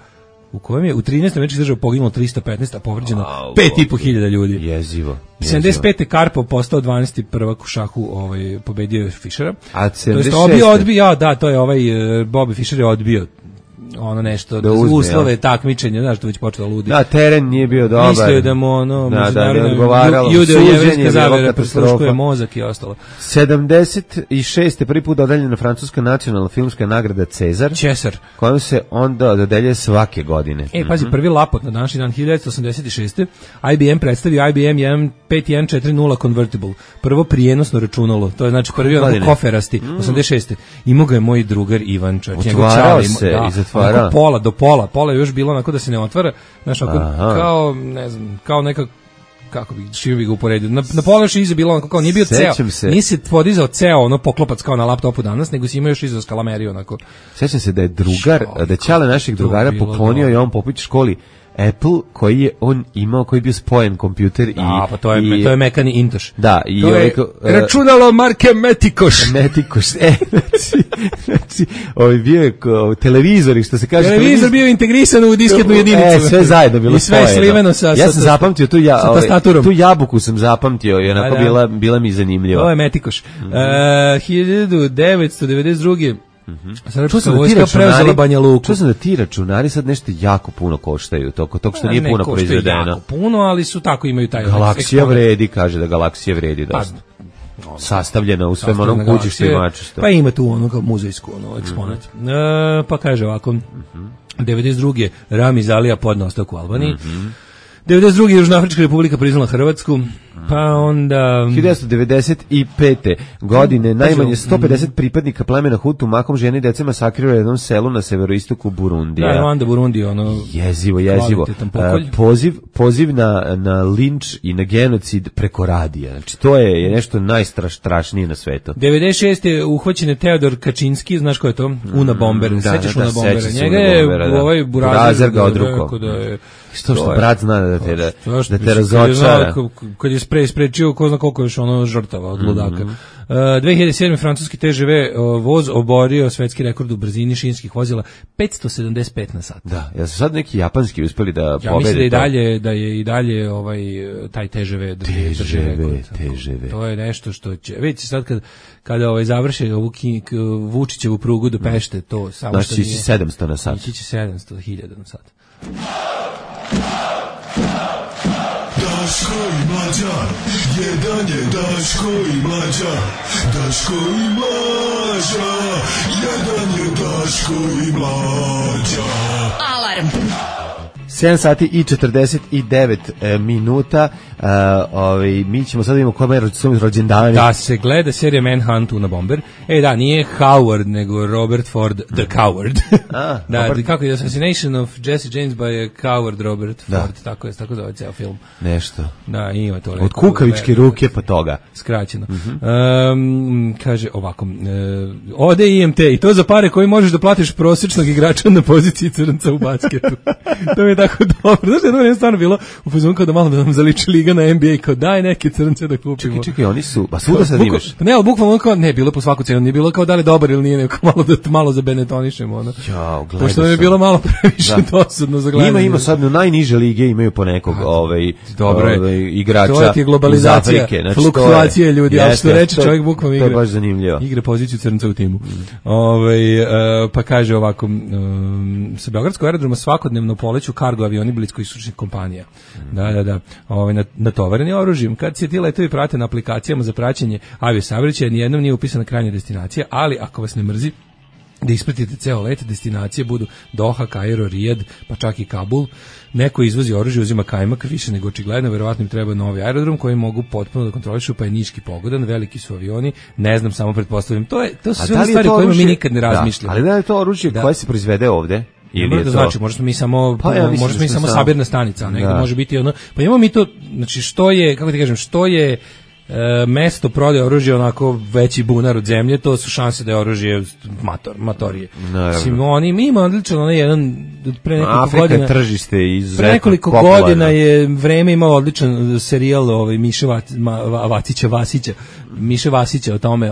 S6: u kojem je u 13 američkih država poginulo 315, a povređeno 5.500 ljudi.
S5: Jezivo.
S6: 75. Karpov postao 12. prvak u šahu, pobedio je Fischera.
S5: A
S6: 76. odbio, to je Bobby Fischer je odbio ono nešto, da uzme, uslove takmičenja, znaš, to već počelo ludi.
S5: Da, teren nije bio dobar.
S6: Mislio da mu judeo-jevrijska zavera prisluškuje mozak i ostalo.
S5: 76. prvi put dodeljena francuska nacionalna filmska nagrada Cezar, kojom se onda dodeljuje svake godine.
S6: Pazi, prvi lapot na današnji dan 1986. IBM predstavio IBM 5140 Convertible. Prvo prijenosno računalo, to je znači prvi onako koferasti, 86. Imao ga je moj drugar Ivan Čač.
S5: Otvarao se i zatvarao.
S6: Pola do pola je još bilo onako da se ne otvara, znaš, kao, ne znam, kao neka, kako bi, šio bi ga uporedio, na pola još iza bilo onako, kao nije bio ceo, nije se podizao ceo ono poklopac kao na laptopu danas, nego si imao još iza skalameriju onako.
S5: Sećam se da je drugar, da je Ćale naših drugara poklonio i on Popić školi Apple koji je on imao, koji je bio spojen kompjuter i...
S6: pa to je mekani Intoš.
S5: Da, i
S6: to je računalo marke Metikoš.
S5: Znači, bio je televizor, što se kaže...
S6: Televizor bio integrisan u disketnu jedinicu.
S5: Sve zajedno bilo spojeno.
S6: I sve sliveno sa
S5: ja sam zapamtio
S6: tastaturom.
S5: Tu jabuku sam zapamtio i onako bila mi zanimljiva.
S6: To je Metikoš. 1992.
S5: Čuo sam da ti računari sad nešto jako puno koštaju, toko što nije puno proizvedeno.
S6: Jako puno, ali su tako, imaju taj...
S5: Galaksija vredi, kaže da Galaksija vredi dosta. Sastavljena u svem onom kućištu i mačištu.
S6: Pa ima tu ono kao muzejsku eksponat. Pa kaže ovako, 92. Ramiz Alija podneo ostavku u Albaniji. 92. Južnoafrička republika priznala Hrvatsku, pa onda...
S5: 1995. godine najmanje 150 pripadnika plemena Hutu mahom žene i dece masakrirali u jednom selu na severoistoku Burundija.
S6: Da, onda Burundi, ono...
S5: Jezivo. Poziv na linč i na genocid preko radija. Znači, to je nešto najstrašnije na svetu.
S6: 96. je uhvaćen Teodor Kačinski, znaš ko je to? Una Bomber. Sećaš Una Bombera? Njega je ovaj Burazer
S5: ga odruko. Što brat zna da te razočara.
S6: Kad je sprečio ko zna koliko još ono žrtava od ludaka. 2007. francuski TGV voz oborio svetski rekord u brzini šinskih vozila 575 na sat.
S5: Da, ja su sad neki japanski uspeli da pobede.
S6: Ja mislim da je i dalje taj TGV drži rekord. To je nešto što će... Vidite sad kada završe ovu Vučićevu prugu do Pešte, to samo što nije...
S5: Znači 700 na sat.
S6: Ići 700.000 na sat.
S7: Daško i Mlađa, jedan je Daško i Mlađa, Daško i Mlađa, jedan je Daško i Mlađa.
S3: Alarm.
S5: 7 sati i 49 minuta. Mi ćemo sad imamo kome rođendani.
S6: Da se gleda serija Manhunt Una Bomber. Da, nije Howard, nego Robert Ford the Coward. Da, kako je Assassination of Jesse James by Coward Robert Ford. Tako zove ceo film.
S5: Nešto.
S6: Da, ima to.
S5: Od kukavičke ruke pa toga.
S6: Skraćeno. Kaže ovako. Ode IMT i to za pare koji možeš da platiš prosječnog igrača na poziciji crnca u basketu. To mi je tako dobro. Znaš, jedno je stvarno bilo u fazonu kao da malo da nam zaliči liga na NBA, kao daj neke crnce da kupimo.
S5: Čekaj, oni su, ba svuda sad imaš.
S6: Ne, ali bukvalno kao, ne, bilo po svaku cenu, nije bilo kao da li dobar ili nije, nego malo zabetonišemo, ono.
S5: Jao, gledao
S6: pošto nam je bilo malo previše dosadno za gledanje.
S5: Ima sad u najniže lige imaju po nekog igrača.
S6: To je globalizacija,
S5: Afrike,
S6: fluktuacije ljudi, ali što reče čovjek bukvalno igra.
S5: To je baš zanimljivo.
S6: Igra poziciju crnca u timu. Pa kaže ovako, sa Beogradskog aerodroma svakodnevno poleću kargo avioni bliskoistočnih kompanija. Da. Natovareni oružjem. Kad se ti letovi prate na aplikacijama za praćenje aviosaobraćaja, nijednom nije upisana krajnja destinacija, ali ako vas ne mrzi da ispratite ceo let, destinacije budu Doha, Kairo, Rijad, pa čak i Kabul. Neko izvozi oružje, uzima kajmak, više nego očigledno, verovatno im treba novi aerodrom koji mogu potpuno da kontrolišu, pa je niški pogodan, veliki su avioni, ne znam, samo pretpostavljam. To su sve stvari o kojima mi nikad ne razmišljamo.
S5: Ali da je to oružje koje se proizvede ovde?
S6: Ili je to znači, možda mi samo samo sabirna stanica, a nego može biti ono. Pa imamo mi to, znači što je, kako ti kažem, što je mesto prodaje oružja onako veći bunar od zemlje, to su šanse da je oružje matorije. Mislim, oni ima odličan onaj jedan pre nekoliko godina
S5: tržište izuzetno
S6: pre nekoliko
S5: popularno.
S6: Godina je vreme imao odličan serijal Miše Vasića o tome,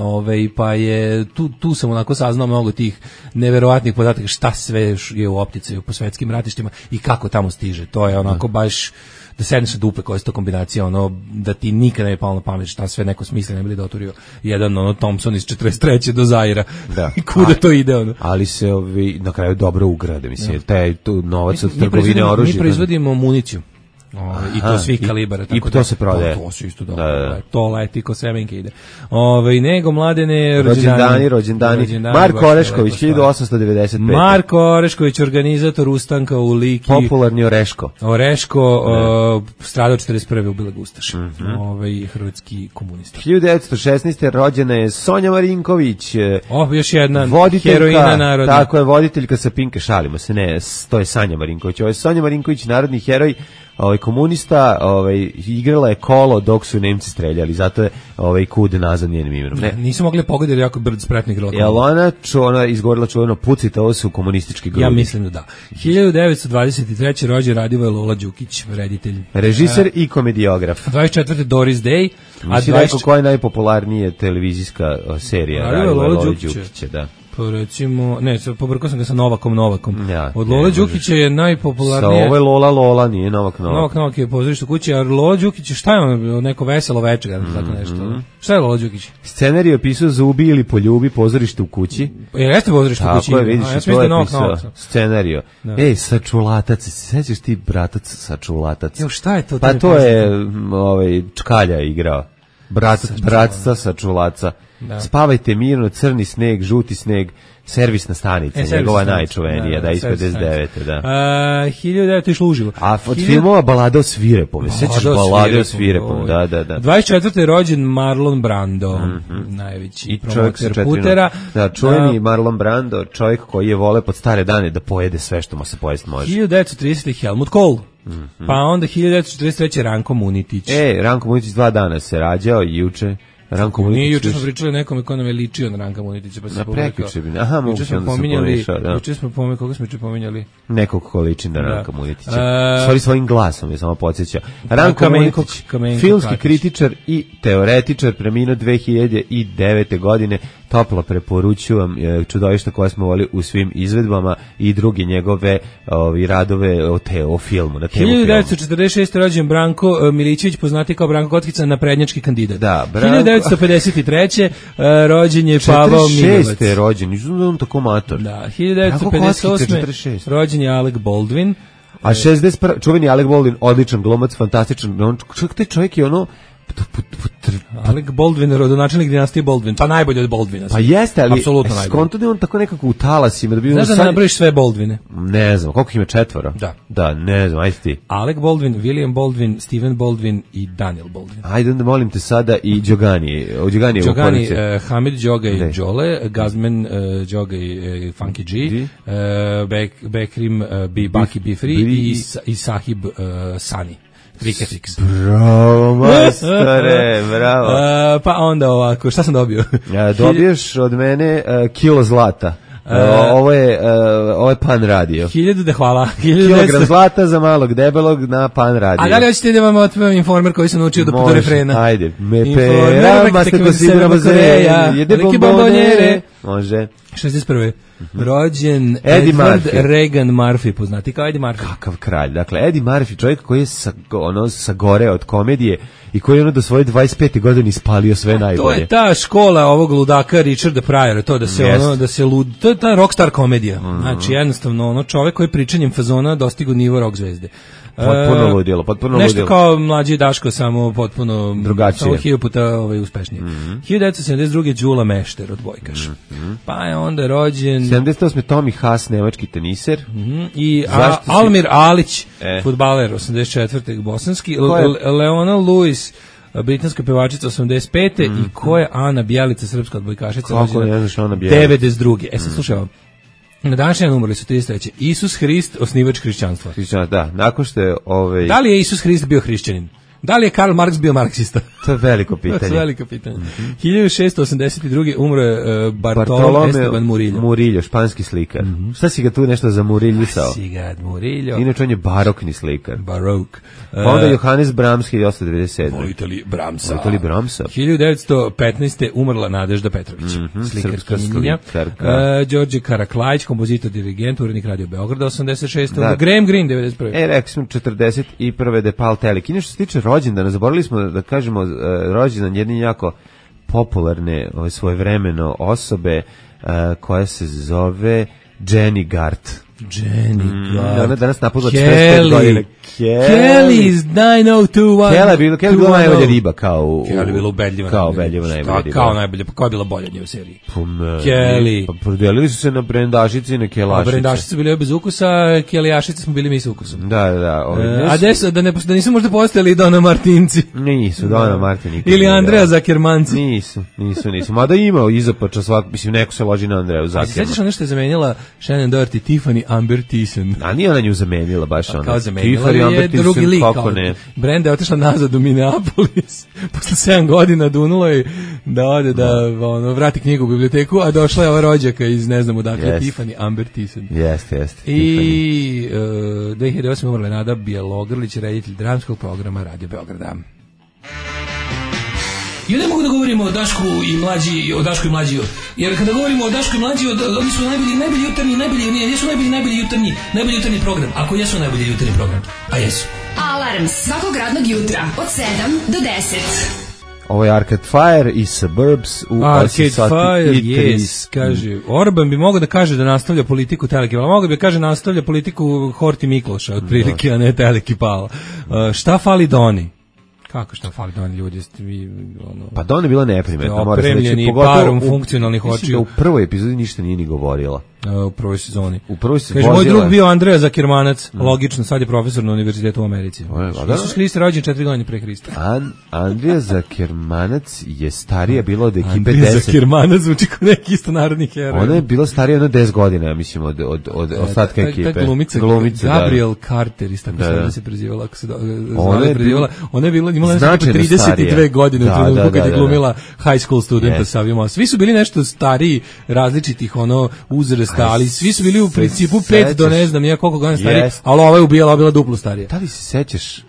S6: pa je tu sam onako saznao mnogo tih neverovatnih podataka šta sve je u opticaju po svetskim ratištima i kako tamo stiže. To je onako baš da sedneš na dupe koja je to kombinacija, ono, da ti nikad ne je palo na pamet šta sve neko smisli ne bi da oturio jedan Thompson iz 43. do Zaira. Da. I kuda to ide, ono.
S5: Ali se na kraju dobro ugrade, mislim, taj tu novac od trgovine oružja.
S6: Mi proizvodimo municiju. I to svih kalibara, tako
S5: i to se prodaje.
S6: To se isto dobro. To leti ko semenke ide. Nego mladene
S5: rođendani. Marko Orešković 1895.
S6: Marko Orešković, organizator ustanka u Liki.
S5: Popularni Oreško.
S6: Stradao 41. u Bilag Ustaš. Hrvatski komunista.
S5: 1916. rođena je Sonja Marinković.
S6: Još jedna heroina narodna.
S5: Tako je, voditeljka sa Pinke, šalimo se, ne, to je Sanja Marinković. Ovo je Sonja Marinković, narodni heroj, komunista, igrala je kolo dok su Nemci streljali, zato je kud nazad njenim imenom. Ne,
S6: nisu mogli pogoditi jako brd spretno igrala.
S5: Jel ona izgovorila čuveno pucite, ovo su komunistički grudi?
S6: Ja mislim da da. 1923. rođen Radivoje Lola Đukić, reditelj.
S5: Režiser i komediograf.
S6: 24. Doris Day.
S5: Mislim rekao koja je najpopularnija televizijska serija Radivoje Lola Đukića, da.
S6: Recimo, pobrkao sam ga sa Novakom. Od Lola Đukića je najpopularnije.
S5: Sa ovo je Lola, nije Novak.
S6: Novak je pozorište u kući, a Lola Đukić, šta je ono, neko veselo večer, tako nešto. Šta je Lola Đukić?
S5: Scenarij opisao Zubi ili poljubi, pozorište u kući.
S6: Jeste pozorište u kući?
S5: Tako je, vidiš, to je pisao scenarij. Sačulatac, sećaš ti bratac Sačulatac?
S6: Šta je to?
S5: Pa to je Čkalja igrao. Bratca Sačulaca. Da. Spavajte mirno, crni sneg, žuti sneg, servisna stanica, njegova najčuvenija, da, iz 59. Da.
S6: 1900 išlo uživo.
S5: A od filmova Balada o svirepome, sećaš Balada o svirepome, da.
S6: 24. rođen Marlon Brando, najveći promoter putera.
S5: Da, čuveni Marlon Brando, čovjek koji je vole pod stare dane da pojede sve što mu se pojesti može.
S6: 1930. Helmut Kohl. Pa onda 1943. Ranko Munitić.
S5: Ranko Munitić 2 dana se rađao i juče. Ranko Munitić.
S6: Nije, juče smo pričali nekome ko nam je ličio na Ranka Munitića, pa se juče smo pomenuli, koga smo juče pominjali?
S5: Nekog ko liči na Ranka Munitića. Svojim glasom je samo podsjeća. Ranko Munitić, filmski kritičar i teoretičar, preminuo 2009. godine. Toplo preporučujem čudovišta koje smo volili u svim izvedbama i druge njegove radove o filmu, na temu filmu.
S6: 1946. rođen Branko Milićević, poznati kao Branko Kockica, naprednjački kandidat.
S5: Da,
S6: 1953. rođen je Pavao Minovac.
S5: 46. rođen, nisam da on tako mator.
S6: Da, 1958. rođen je Alec Baldwin.
S5: A 61. čuveni Alec Baldwin, odličan glumac, fantastičan. Taj čovjek je ono...
S6: Alec Baldwin, rodonačelnik dinastije Baldwin, pa najbolje od Baldwina.
S5: Pa jeste, ali skonto da je on tako nekako u talasima.
S6: Znaš da nabraviš sve Baldwine?
S5: Ne znam, koliko ima 4? Da, ne znam, ajde ti.
S6: Alec Baldwin, William Baldwin, Stephen Baldwin i Daniel Baldwin.
S5: Ajde onda molim te sada i Đogani.
S6: Đogani, Hamid Đoga i Đole, Gazmen Đoga i Funky G, Bekrim Baki Bifri i Sahib Sani.
S5: Bravo, majstore, bravo.
S6: Pa onda ovako, šta sam dobio?
S5: Dobiješ od mene kilo zlata. Ovo je Pan radio.
S6: 1000 hvala.
S5: Kilogram zlata za malog debelog na Pan radio.
S6: A da li hoćete da vam otpevam informer koji sam naučio do refrena?
S5: Ajde. Me pera, maste ko si bravazeja, jede bombonjere. Može.
S6: 61. Rođen Edward Regan Murphy, poznati kao Eddie Murphy.
S5: Kakav kralj. Dakle, Eddie Murphy, čovjek koji je sagoreo od komedije i koji je do svoje 25. godine ispalio sve najbolje.
S6: To je ta škola ovog ludaka Richarda Pryora, to da se to je ta rockstar komedija. Znači, jednostavno, čovjek koji je pričanjem fazona dostigao nivo rock zvezde.
S5: Potpuno ludilo.
S6: Nešto kao mlađi Daško, samo potpuno
S5: drugačije.
S6: Samo 1000 puta uspešnije. 1972. Đula Mešter, odbojkaš. Pa je onda rođen
S5: 78. Tommy Haas, nemački teniser.
S6: I Almir Alić, fudbaler, 84. bosanski. Leona Lewis, britanska pevačica, 85. I ko je Ana Bjelica, srpska odbojkašica,
S5: kako ne znaš Ana Bjelica?
S6: 92. Sad slušaj ovo. Na današnji dan umrli su 33. Isus Hrist, osnivač hrišćanstva.
S5: Da, nakon što je
S6: Da li je Isus Hrist bio hrišćanin? Da li je Karl Marx bio marksista?
S5: To je veliko pitanje.
S6: To je veliko pitanje. 1682. umro je Bartolomé Esteban Murillo.
S5: Murillo, španski slikar. Šta si ga tu nešto zamuriljisao?
S6: Si ga Murillo.
S5: Inače on je barokni slikar.
S6: Barok.
S5: Pa onda Johannes Brahms, 1897.
S6: Vojteli Brahmsa. 1915. umrla Nadežda Petrović. Slikarka. Đorđe Karaklajić, kompozitor, dirigent, urednik Radio Beograda, 86. Graham Greene, 91.
S5: Rekli smo 41. Depal Telik. Inače što se tiče rođendana, zaboravili smo da kažemo rođendan jedne jako popularne svojevremeno osobe koja se zove Jenny Gart. Ona danas napunila 45 godina.
S6: Kelly is 9021.
S5: Kelly je bila najbolja riba kao
S6: Kelly je bila ubedljiva.
S5: Kao ubedljiva najbolja riba.
S6: Kao najbolja, pa koja je bila bolja od nje u seriji? Kelly.
S5: Pa podelili su se na brendašice i na kelašice.
S6: Brendašice bile bez ukusa, kelijašice smo bili mi sa ukusom.
S5: Da.
S6: Da nisu možda postojali Dona Martinci?
S5: Nisu, Dona Martin.
S6: Ili Andreja Zakermanci?
S5: Nisu. Mada ima izapača svak, mislim, neko se loži na Andreju Zakerman.
S6: Sjećaš ono što je zamenjala Shannon Doherty, Tiffany Amber Thiessen?
S5: A nije ona nju zamenila baš ona.
S6: Kao zamenila je drugi lik. Brenda je otišla nazad u Minneapolis. Posle 7 godina dunulo je da ode da vrati knjigu u biblioteku, a došla je ova rođaka iz ne znam odakle, Tiffany Amber Thiessen.
S5: Jeste.
S6: I 2008. umrla Nada Bjelogrlić, reditelj dramskog programa Radio Beograda. I ne mogu da govorimo o Dašku i mlađi, jer kada govorimo o Dašku i mlađi, oni su najbolji jutarnji, jesu najbolji jutarnji program, ako jesu najbolji jutarnji program, a jesu.
S3: Alarm svakog radnog jutra od 7 do 10.
S5: Ovo je Arcade Fire i Suburbs u
S6: Arcade Fire, yes, kaže. Orban bi mogao da kaže da nastavlja politiku Telekipala, mogao bi da kaže nastavlja politiku Horti Mikloša, otprilike, a ne Telekipala. Šta fali Doni? Kako šta fali Doni, ljudi?
S5: Pa Doni je bila neprimetna, moram se reći.
S6: Parom funkcionalnih očiju.
S5: U prvoj epizodi ništa nije ni govorila.
S6: U prvoj sezoni.
S5: Kaže,
S6: moj drug bio Andreja Zakermanac, logično, sad je profesor na univerzitetu u Americi. Isus Hrist je rođen 4 godine pre Hrista.
S5: Andreja Zakermanac je starija bila od ekipe 10.
S6: Andreja Zakermanac zvuči kao neki isto narodni heroj.
S5: Ona je bila starija jedno 10 godina, mislim, od ostatka ekipe.
S6: Ta glumica Gabriel Carter, isto tako da se prezivala, ako se ona je bila, imala 32 godine u trenutku kad je glumila high school studenta sa ovima. Svi su bili nešto stariji, različitih uzrasta, ali svi su bili u principu 5 do ne znam koliko godina stariji, ali ova je bila duplo starija.
S5: Da li se sećaš,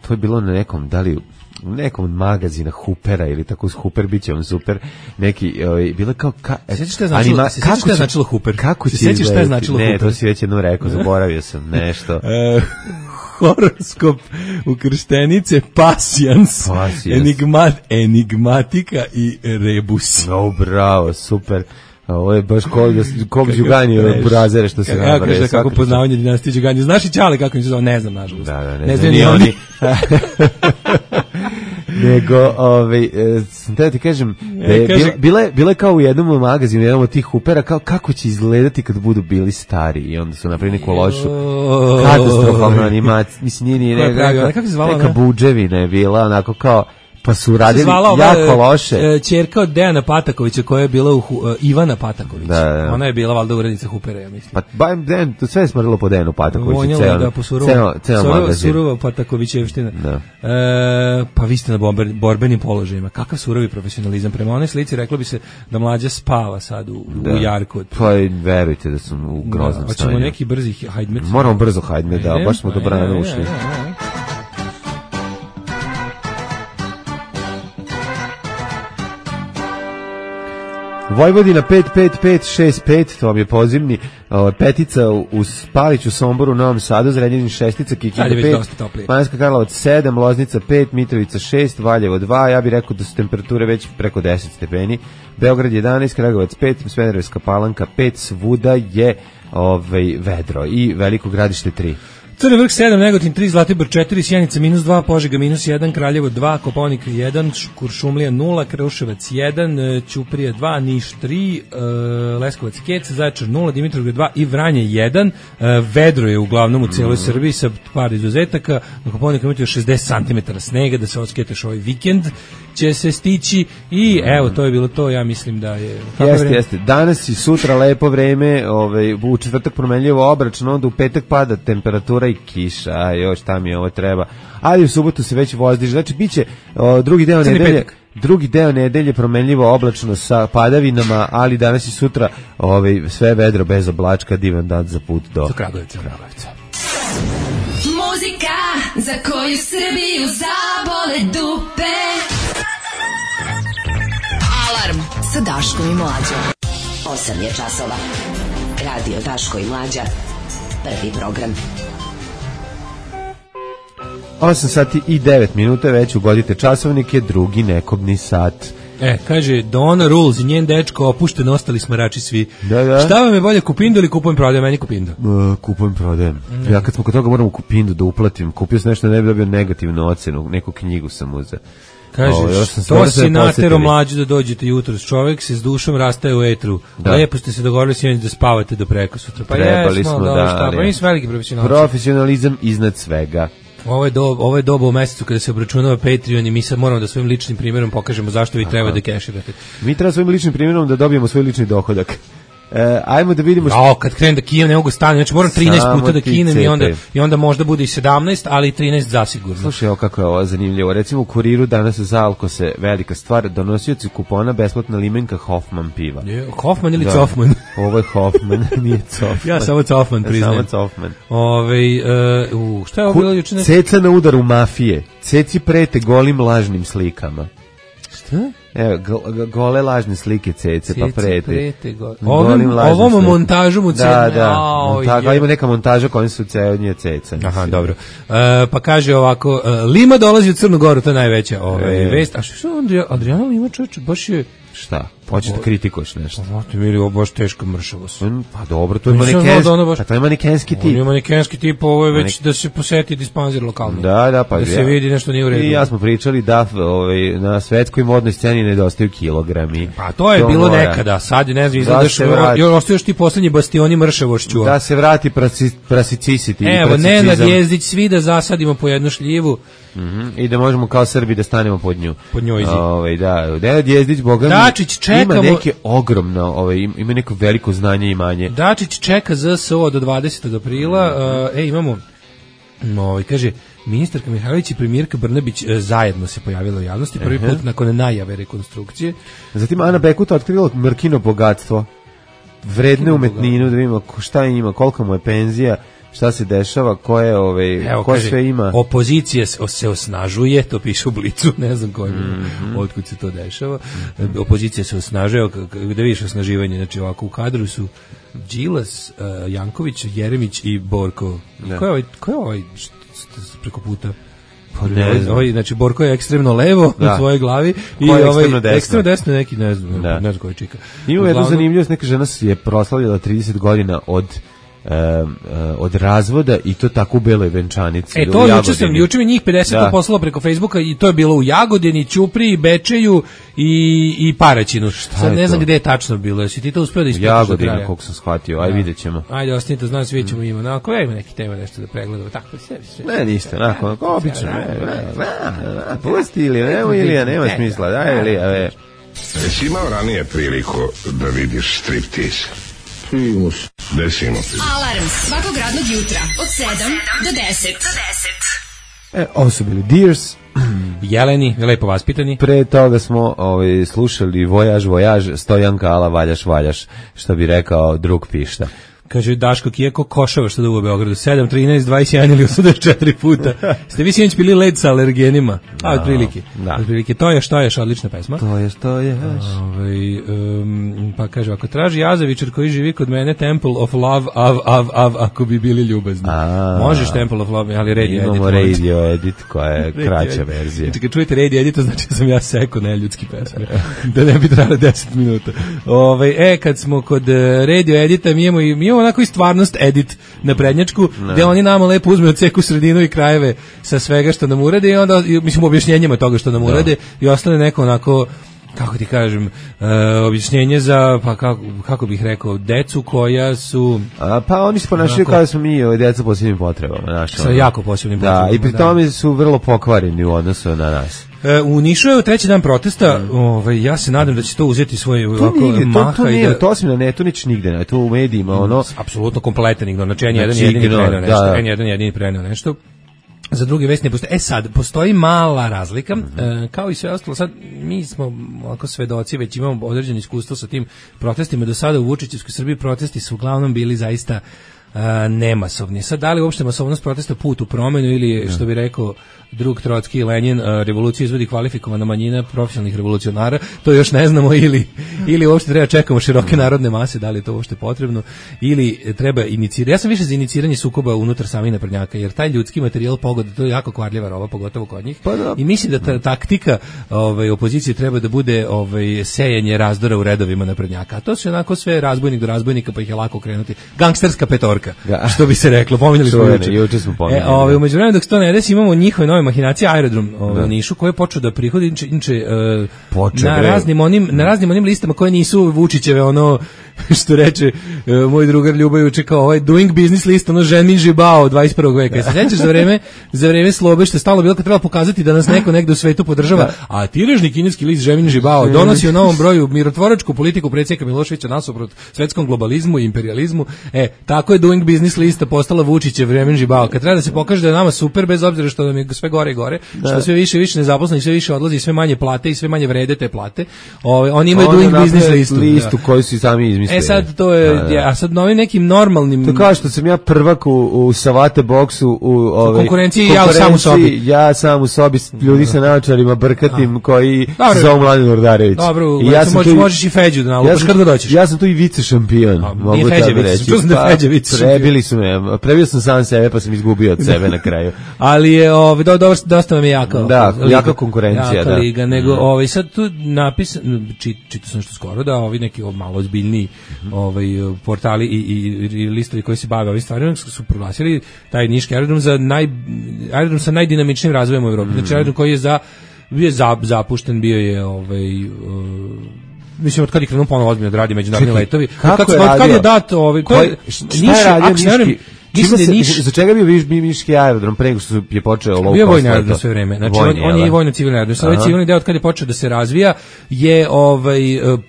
S5: to je bilo na nekom, da li u nekom magazina Hoopera ili tako s Hooper biće on super neki bilo kao
S6: sećaš šta je značilo Hooper?
S5: Kako
S6: se sećaš šta je značilo Hooper?
S5: Ne, to si već jednom rekao, zaboravio sam nešto.
S6: Horoskop ukrštenice pasijans, enigmatika i rebus.
S5: Bravo, super. Ovo je baš kog Đugani burazere što se nabrije.
S6: Ja kažem kako poznavanje dinastije Đugani. Znaš i Ćale kako im se zove? Ne znam, nažalost.
S5: Ne znam ni oni. Nego, da ti kažem, bile kao u jednom magazinu, jednom od tih Hoopera, kao kako će izgledati kad budu bili stari. I onda su napravili neku lošu katastrofalnu animaciju. Mislim, nije
S6: kako se zvala
S5: neka buđevina je bila, onako kao Pa su radili jako loše.
S6: Ćerka od Dejana Patakovića koja je bila Ivana Pataković. Da. Ona je bila valjda urednica Hupera, ja mislim.
S5: Pa Dejan, to sve je smrdilo po Dejanu Patakoviću.
S6: Vonjala da po surova Patakovićevština. Pa vi ste na borbenim položajima. Kakav surovi profesionalizam. Prema onoj slici reklo bi se da Mlađa spava sad u jarku.
S5: Pa verujte da sam u groznom stanju.
S6: Hoćemo neki brzi hajdmet.
S5: Moramo brzo hajdmet, da, baš smo dobrano ušli. Vojvodina 55565, to vam je pozivni, petica u Spaliću, Somboru, Novom Sadu, Zrenjanin 6, Kikinda 5, Banjska Karlovac 7, Loznica 5, Mitrovica 6, Valjevo 2, ja bih rekao da su temperature već preko 10 stepeni, Beograd 11, Kragujevac 5, Smederevska Palanka 5, svuda je vedro i Veliko Gradište 3.
S6: Crni vrh 7, Negotin 3, Zlatibor 4, Sjenica -2, Požega -1, Kraljevo 2, Kopaonik 1, Kuršumlija 0, Kruševac 1, Ćuprija 2, Niš 3, Leskovac Kec, Zaječar 0, Dimitrovgrad 2 i Vranje 1. Vedro je uglavnom u cijeloj Srbiji sa par izuzetaka. Na Kopaoniku imate 60 cm snega da se osketeš ovaj vikend će se stići i evo to je bilo to, ja mislim da je
S5: jeste. Danas i sutra lepo vreme, u četvrtak promenljivo oblačno, onda u petak pada temperatura i kiša, još šta mi ovo treba, ali u subotu se već vozdiže, znači biće drugi deo nedelje promenljivo oblačno sa padavinama, ali danas i sutra sve vedro bez oblačka, divan dan za put do
S6: Kragujevca.
S3: Muzika za koju Srbiju zabole dupe. Alarm sa Daškom i Mlađom.
S8: 8 je časova. Radio Daško i Mlađa. Prvi program.
S5: 8 sati i 9 minuta, već ugodite časovnike, drugi nekobni sat.
S6: Kaže, Donna Rules i njen dečko opušten, ostali smarači svi.
S5: Da.
S6: Šta vam je bolje, Kupindu ili kupujem prodajem? Meni Kupindu.
S5: Kupujem prodajem. Ja kad smo kod toga moram u Kupindu da uplatim. Kupio sam nešto da ne bi dobio negativnu ocenu, neku knjigu sam uzeo.
S6: Kaže, to si natero Mlađu da dođete jutro. Čovjek se s dušom rastaje u etru. Lepo ste se dogovorili sinoć da spavate do prekosutra. Pa
S5: trebali smo, da.
S6: Pa mi smo veliki profesionalci.
S5: Profesionalizam iznad svega.
S6: Ovo je doba u mesecu kada se obračunava Patreon i mi sad moramo da svojim ličnim primjerom pokažemo zašto vi treba da keširate.
S5: Mi treba svojim ličnim primjerom da dobijemo svoj lični dohodak. Ajmo da vidimo
S6: kad krenem da kinem ne mogu stane, znači moram 13 puta da kinem i onda možda bude i 17, ali 13 zasigurno.
S5: Slušaj, evo kako je ovo zanimljivo. Recimo u Kuriru danas za Alkose velika stvar, donosioci kupona besplatna limenka Hoffman piva.
S6: Hoffman ili Cofman?
S5: Ovo je Hoffman, nije Cofman.
S6: Ja samo Cofman priznajem.
S5: Samo Cofman.
S6: Šta je ovo bilo juče?
S5: Ceca na udaru mafije. Ceci prete golim lažnim slikama.
S6: Šta?
S5: Evo, gole lažne slike Cece, pa prete.
S6: Ovom montažom u Ceca.
S5: Da, ima neka montaža kojom su Ceca Ceca.
S6: Aha, dobro. Pa kaže ovako, Lima dolazi u Crnu Goru, to je najveća vest. A što Adriana Lima, čovječe, baš je...
S5: Šta? Hoćeš da kritikuješ nešto?
S6: Pa mi je baš teško mršavost.
S5: Pa dobro, to je manekenski tip.
S6: On je manekenski tip, ovo je već da se poseti dispanzir lokalno.
S5: Da, pa
S6: da se vidi nešto nije u redu.
S5: I ja smo pričali da na svetskoj modnoj sceni nedostaju kilogrami.
S6: Pa to je bilo nekada, sad ne znam, izgledaš, još ti poslednji bastioni mršavošću.
S5: Da se vrati prasicisiti.
S6: Evo, Nenad Jezdić, svi da zasadimo po jednu šljivu.
S5: I da možemo kao Srbi da stanemo pod nju.
S6: Pod njoj.
S5: Da, Nenad Jezdić, boga mi,
S6: Dačić čekamo,
S5: ima neke ogromno, ima neko veliko znanje i imanje.
S6: Dačić čeka ZSO do 20. aprila. Imamo, kaže, ministarka Mihajlović i premijerka Brnabić zajedno se pojavila u javnosti, prvi put nakon najave rekonstrukcije.
S5: Zatim Ana Bekuta otkrila Mrkino bogatstvo, vredne umetninu, da vidimo šta ima, kolika mu je penzija, šta se dešava, koje sve ima.
S6: Opozicija se osnažuje, to piše u Blicu, ne znam otkud se to dešava. Opozicija se osnažuje, gde vidiš osnaživanje, znači ovako u kadru su Đilas, Janković, Jeremić i Borko. Ko je ovaj preko puta? Znači Borko je ekstremno levo u svojoj glavi i ekstremno desno neki, ne znam koji čika.
S5: Ima jednu zanimljivost, neka žena je proslavljala 30 godina od od razvoda i to tako u beloj venčanici.
S6: To juče mi njih 50 poslalo preko Facebooka i to je bilo u Jagodini, Ćupriji, Bečeju i Paraćinu. Sad ne znam gde je tačno bilo. Jesi ti to uspeo da ispitaš?
S5: Jagodina, koliko sam shvatio. Ajde, vidjet ćemo.
S6: Ajde, ostanite, znam, svi ćemo ima. Ako ima neki tema nešto da pregledamo. Tako, sve.
S5: Ne, niste, onako, obično. Pusti Ilija, nema smisla. Daj, Ilija,
S7: Jesi imao ranije priliku da vidiš striptease?
S9: Primus.
S7: Desimo.
S3: Alarm svakog radnog jutra od 7 do 10.
S5: Ovo su bili Deers.
S6: Jeleni, lepo vaspitani.
S5: Pre toga smo slušali Vojaž, Stojanka, ala valjaš, što bi rekao drug Pišta.
S6: Kaže Daško Kijeko, košava što da u Beogradu 7, 13, 21 ili 84 puta. Ste vi sinoć bili led sa alergenima? Otprilike. To je odlična pesma.
S5: To je.
S6: Pa kaže, ako traži Jazavičar koji živi kod mene, Temple of Love, ako bi bili ljubazni. Možeš Temple of Love, ali radio edit.
S5: Imamo radio edit koja je kraća verzija.
S6: Znači, kad čujete radio edit, znači da sam ja seko neljudski pesme. Da ne bi trajalo 10 minuta. Kad smo kod radio edita, mi imamo onako i stvarnost edit na prednjačku, gde oni nama lepo uzme od ceku sredinu i krajeve sa svega što nam urade i onda, mislim, objašnjenjima toga što nam urade i ostane neko onako, kako ti kažem, objašnjenje za, pa kako bih rekao, decu koja su...
S5: Pa oni se ponašaju kao da smo mi deca posebnim potrebama.
S6: Sa jako posebnim potrebama.
S5: Da, i pri tome su vrlo pokvareni u odnosu na nas.
S6: U Nišu je treći dan protesta, ja se nadam da će to uzeti svoj maha.
S5: To nije, to osim na netu nič nigde, to u medijima,
S6: apsolutno kompletan ignoran, znači jedan jedini preneo nešto. Za druge vesti ne postoji. Sad, postoji mala razlika, kao i sve ostalo. Sad, mi smo ovako svedoci, već imamo određeno iskustvo sa tim protestima. Do sada u Vučićevskoj Srbiji protesti su uglavnom bili zaista nemasovni. Sad, da li uopšte masovnost protesta put u promenu ili, što bi rekao drug Trotski i Lenin, revolucija izvodi kvalifikovana manjina profesionalnih revolucionara, to još ne znamo, ili uopšte treba čekamo široke narodne mase, da li je to uopšte potrebno, ili treba inicirati. Ja sam više za iniciranje sukoba unutar samih naprednjaka, jer taj ljudski materijal pogoda, to je jako kvarljiva roba, pogotovo kod njih. I mislim da ta taktika opozicije treba da bude sejanje razdora u redovima naprednjaka. A to su onako sve razbojnik do razbojnika, pa ih je lako krenuti. Gangsterska petorka, što bi se reklo. Pominjali smo
S5: juče smo pominjali.
S6: U međuvremenu dok se to ne desi, imamo njihove nove mahinacije, aerodrom u Nišu, koji je počeo da prihodi na raznim onim listama koje nisu Vučićeve, što reče moj drugar Ljuba juče, kao doing business list, Ženmin Žibao 21. veka. Se sećaš za vreme Slobe, što je stalno bilo kad treba pokazati da nas neko negde u svetu podržava, a tiražni kineski list Ženmin Žibao donosi u novom broju mirotvoračku politiku predsjednika Miloševića nasuprot svetskom globalizmu i imperializmu. Tako je doing business lista postala Vučićev Ženmin Žibao. Kad treba da se pokaže da je nama super, bez obzira što nam je sve gore i gore, što sve više i više nezaposleni, sve više odlazi, sve manje plate i sve manje vrede te plate. Oni imaju doing business listu
S5: koju su sami izmislili.
S6: Sad to je, a sad novim nekim normalnim...
S5: To kao što sam ja prvak u savate boksu, u
S6: konkurenciji, ja
S5: sam u sobi, ljudi sa naočarima brkatim koji se zovu Mladen Urdarević.
S6: Dobro, možeš i Feđu da nalupaš kad god doćeš.
S5: Ja sam tu i vice šampion.
S6: Nije Feđević, čuo sam da je Feđević.
S5: Prebili su me, prebio sam sam sebe pa sam izgubio od sebe na kraju.
S6: Ali je, dosta vam je
S5: jaka konkurencija.
S6: Jaka liga, nego sad tu napisano, čitao sam što skoro, da ovi neki malo ozbiljniji portali i listovi koji se bave ovim stvarima su proglasili taj niški aerodrom za aerodrom sa najdinamičnijim razvojem u Evropi. Znači aerodrom koji je bio zapušten, bio je mislim, od kada je krenuo ponovno ozbiljno da radi međunarodni letovi. Kad je dat
S5: za čega bio niški aerodrom pre nego što je počeo low cost?
S6: Bio vojni aerodrom sve vreme. Znači on je i vojno-civilni aerodrom. Sad ovaj civilni deo od kada je počeo da se razvija je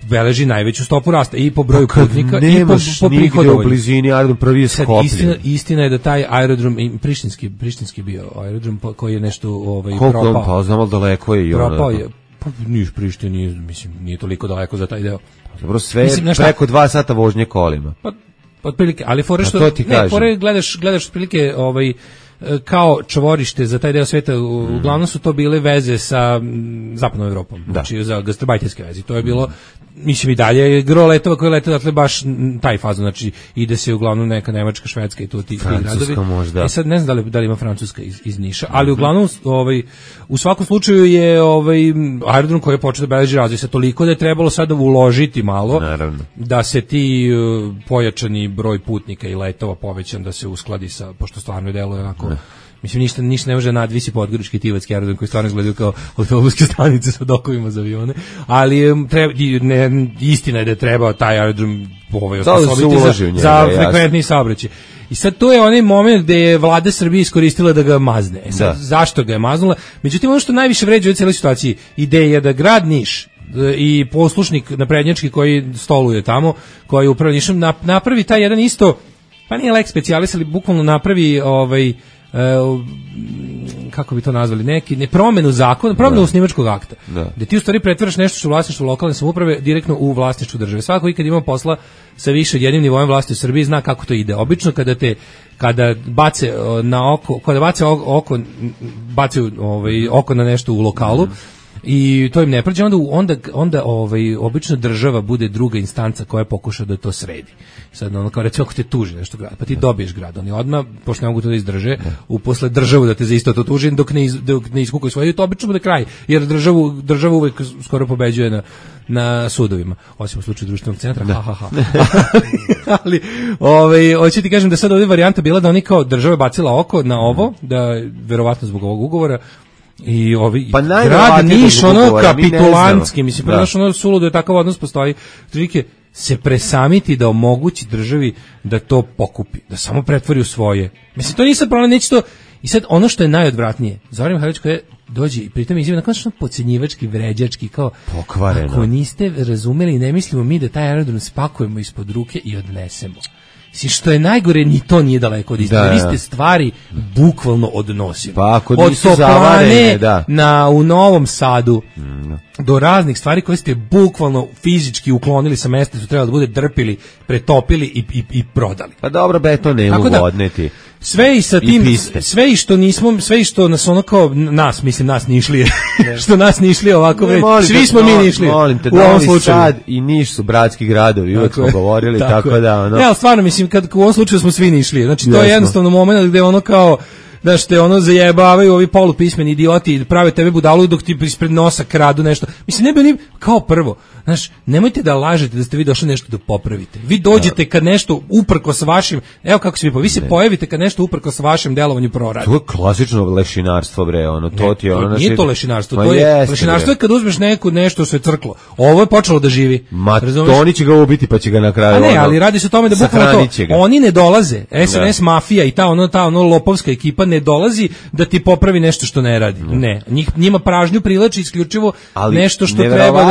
S6: beleži najveću stopu rasta i po broju putnika i po prihodovanju.
S5: U blizini aerodrom prvi je Skoplje.
S6: Istina je da taj aerodrom prištinski bio aerodrom koji je nešto propao.
S5: Koliko on pa znamo daleko je i on.
S6: Propao je. Pa Niš Priština nije toliko daleko za taj deo.
S5: Dobro, sve preko 2 sata vožnje kolima.
S6: Otprilike, ali fore što
S5: gledaš
S6: otprilike kao čvorište za taj deo sveta, uglavnom su to bile veze sa zapadnom Evropom, znači za gastarbajterske veze. To je bilo, mislim i dalje, gro letova koje lete, dakle baš taj fazon, znači ide se uglavnom neka Nemačka, Švedska i to ti gradovi.
S5: Možda.
S6: Sad ne znam da li ima Francuska iz Niša, ali uglavnom u svakom slučaju je aerodrom koji je počeo da beleži razvoj sa toliko da je trebalo sada uložiti malo,
S5: naravno,
S6: da se ti pojačani broj putnika i letova povećan, da se uskladi sa, pošto stvarno deluje onako, mislim ništa ne može nadvisi Podgorički Tivatski aerodrom koji stvarno izgledaju kao autobuske stanice sa dokovima za avione, ali istina je da je trebao taj aerodrom osposobiti za frekventni saobraćaj. I sad to je onaj moment gde je vlada Srbije iskoristila da ga mazne. Zašto ga je maznula? Međutim, ono što najviše vređa u cijeloj situaciji, ideja da grad Niš i poslušnik naprednjački koji stoluje tamo, koji upravo Nišom, napravi taj jedan isto, pa nije lex specialis, ali bukvalno napravi kako bi to nazvali, promenu zakona, promenu osnivačkog akta, gde ti u stvari pretvaraš nešto što je vlasništvo lokalne samouprave direktno u vlasništvo države. Svako ikad ima posla sa više od jednim nivojem vlasti u Srbiji zna kako to ide. Obično kada bace na oko, kada bace oko, bacaju oko na nešto u lokalu, i to im ne prođe, onda obično država bude druga instanca koja pokuša da to sredi. Sad ono kao recimo ako te tuži nešto grad, pa ti dobiješ grad, oni odmah, pošto ne mogu to da izdrže, uposle državu da te za isto to tuži, dok ne iskukaju svoje, to obično bude kraj, jer država uvek skoro pobeđuje na sudovima, osim u slučaju društvenog centra, ali hoću ti kažem da sad ovdje varijanta bila da oni kao država bacila oko na ovo, da verovatno zbog ovog ugovora, i grad Niš kapitulantski, mislim, prenaš suludo je takav odnos postoji, se presamiti da omogući državi da to pokupi, da samo pretvori u svoje. Mislim, to nije sad problem, neće to. I sad ono što je najodvratnije, Zoran Mihajlović koji dođe i pritom izjave nakon što podcenjivački, vređački, kao pokvareno. Ako niste razumeli, ne mislimo mi da taj aerodrom spakujemo ispod ruke i odnesemo. Što je najgore, ni to nije daleko od istine. Vi ste stvari bukvalno odnosili.
S5: Pa ako
S6: od
S5: nisu zavarene,
S6: u Novom Sadu do raznih stvari koje ste bukvalno fizički uklonili sa mesta, su trebali da bude drpili, pretopili i prodali.
S5: Pa dobro, beton ne mogu odneti.
S6: Sve i sa tim, sve i što nismo, sve i što nas ono kao nas, mislim nas Nišlije, što nas Nišlije ovako vreći, svi smo mi Nišlije.
S5: Molim te, Novi Sad i Niš su bratski gradovi, uvek smo govorili, tako da ono.
S6: Ne, ali stvarno, mislim, kad u ovom slučaju smo svi Nišlije, znači to je jednostavno moment gde ono kao, znaš, te ono zajebavaju ovi polupismeni idioti, prave tebe budalu dok ti ispred nosa kradu nešto. Mislim, ne bi oni, kao prvo, znaš, nemojte da lažete da ste vi došli nešto da popravite. Vi dođete kad nešto uprkos vašim, evo kako se vi se pojavite kad nešto uprkos vašem delovanju proradi.
S5: To je klasično lešinarstvo, bre, ono, to ti je ono.
S6: Nije to lešinarstvo, to je lešinarstvo je kad uzmeš nešto što je crklo. Ovo je počelo da živi.
S5: Oni će ga ubiti pa će ga na kraju.
S6: Ne, ali radi se o tome da bukvalno to, oni ne dolaze, SNS mafija i ta ono lopovska ekipa ne dolazi da ti popravi nešto što ne radi. Ne, njima pražnju privlači isključivo nešto što treba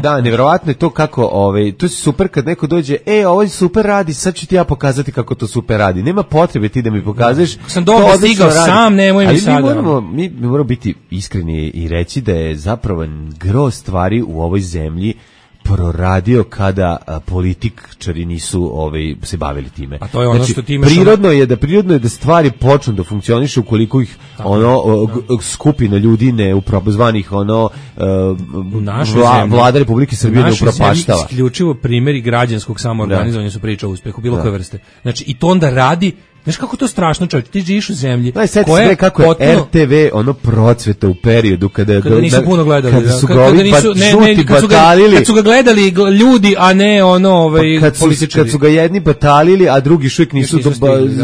S6: da
S5: Verovatno je to kako, to je super kad neko dođe, ovo super radi, sad ću ti ja pokazati kako to super radi. Nema potrebe ti da mi pokažeš.
S6: Sam dobro stigao sam, nemoj mi sada.
S5: Ali mi moramo biti iskreni i reći da je zapravo gro stvari u ovoj zemlji proradio kada političari nisu se bavili time.
S6: A to je ono znači, što ti imaš.
S5: Prirodno je da stvari počnu da funkcionišu ukoliko ih skupina ljudi zvanih vlada Republike Srbije ne upropaštava.
S6: Isključivo primjeri građanskog samoorganizovanja su priča o uspehu bilo koje vrste. Znači i to onda radi. Znaš kako to strašno, čovječ, ti živiš u zemlji
S5: koja je kako je RTV procveta u periodu kada
S6: nisu puno gledali,
S5: kada su ga
S6: gledali ljudi, a ne političari.
S5: Kad su ga jedni batalili, a drugi šujek nisu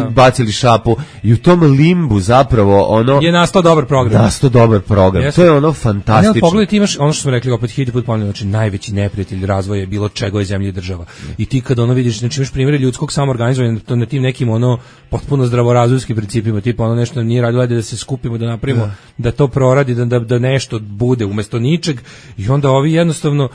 S5: bacili šapu i u tom limbu zapravo
S6: je nastao dobar program.
S5: To je fantastično.
S6: Ne, pogledaj, ti imaš ono što smo rekli opet hiljadu put ponavljam, znači najveći neprijatelj razvoja je bilo čega je zemlja i država. I ti kad vidiš, znači imaš primjere ljudskog samoorganizovanja na tim nekim potpuno zdravorazumskim principima, tipa nešto nije radilo, da se skupimo, da napravimo, da to proradi, da nešto bude umjesto ničeg, i onda ovi jednostavno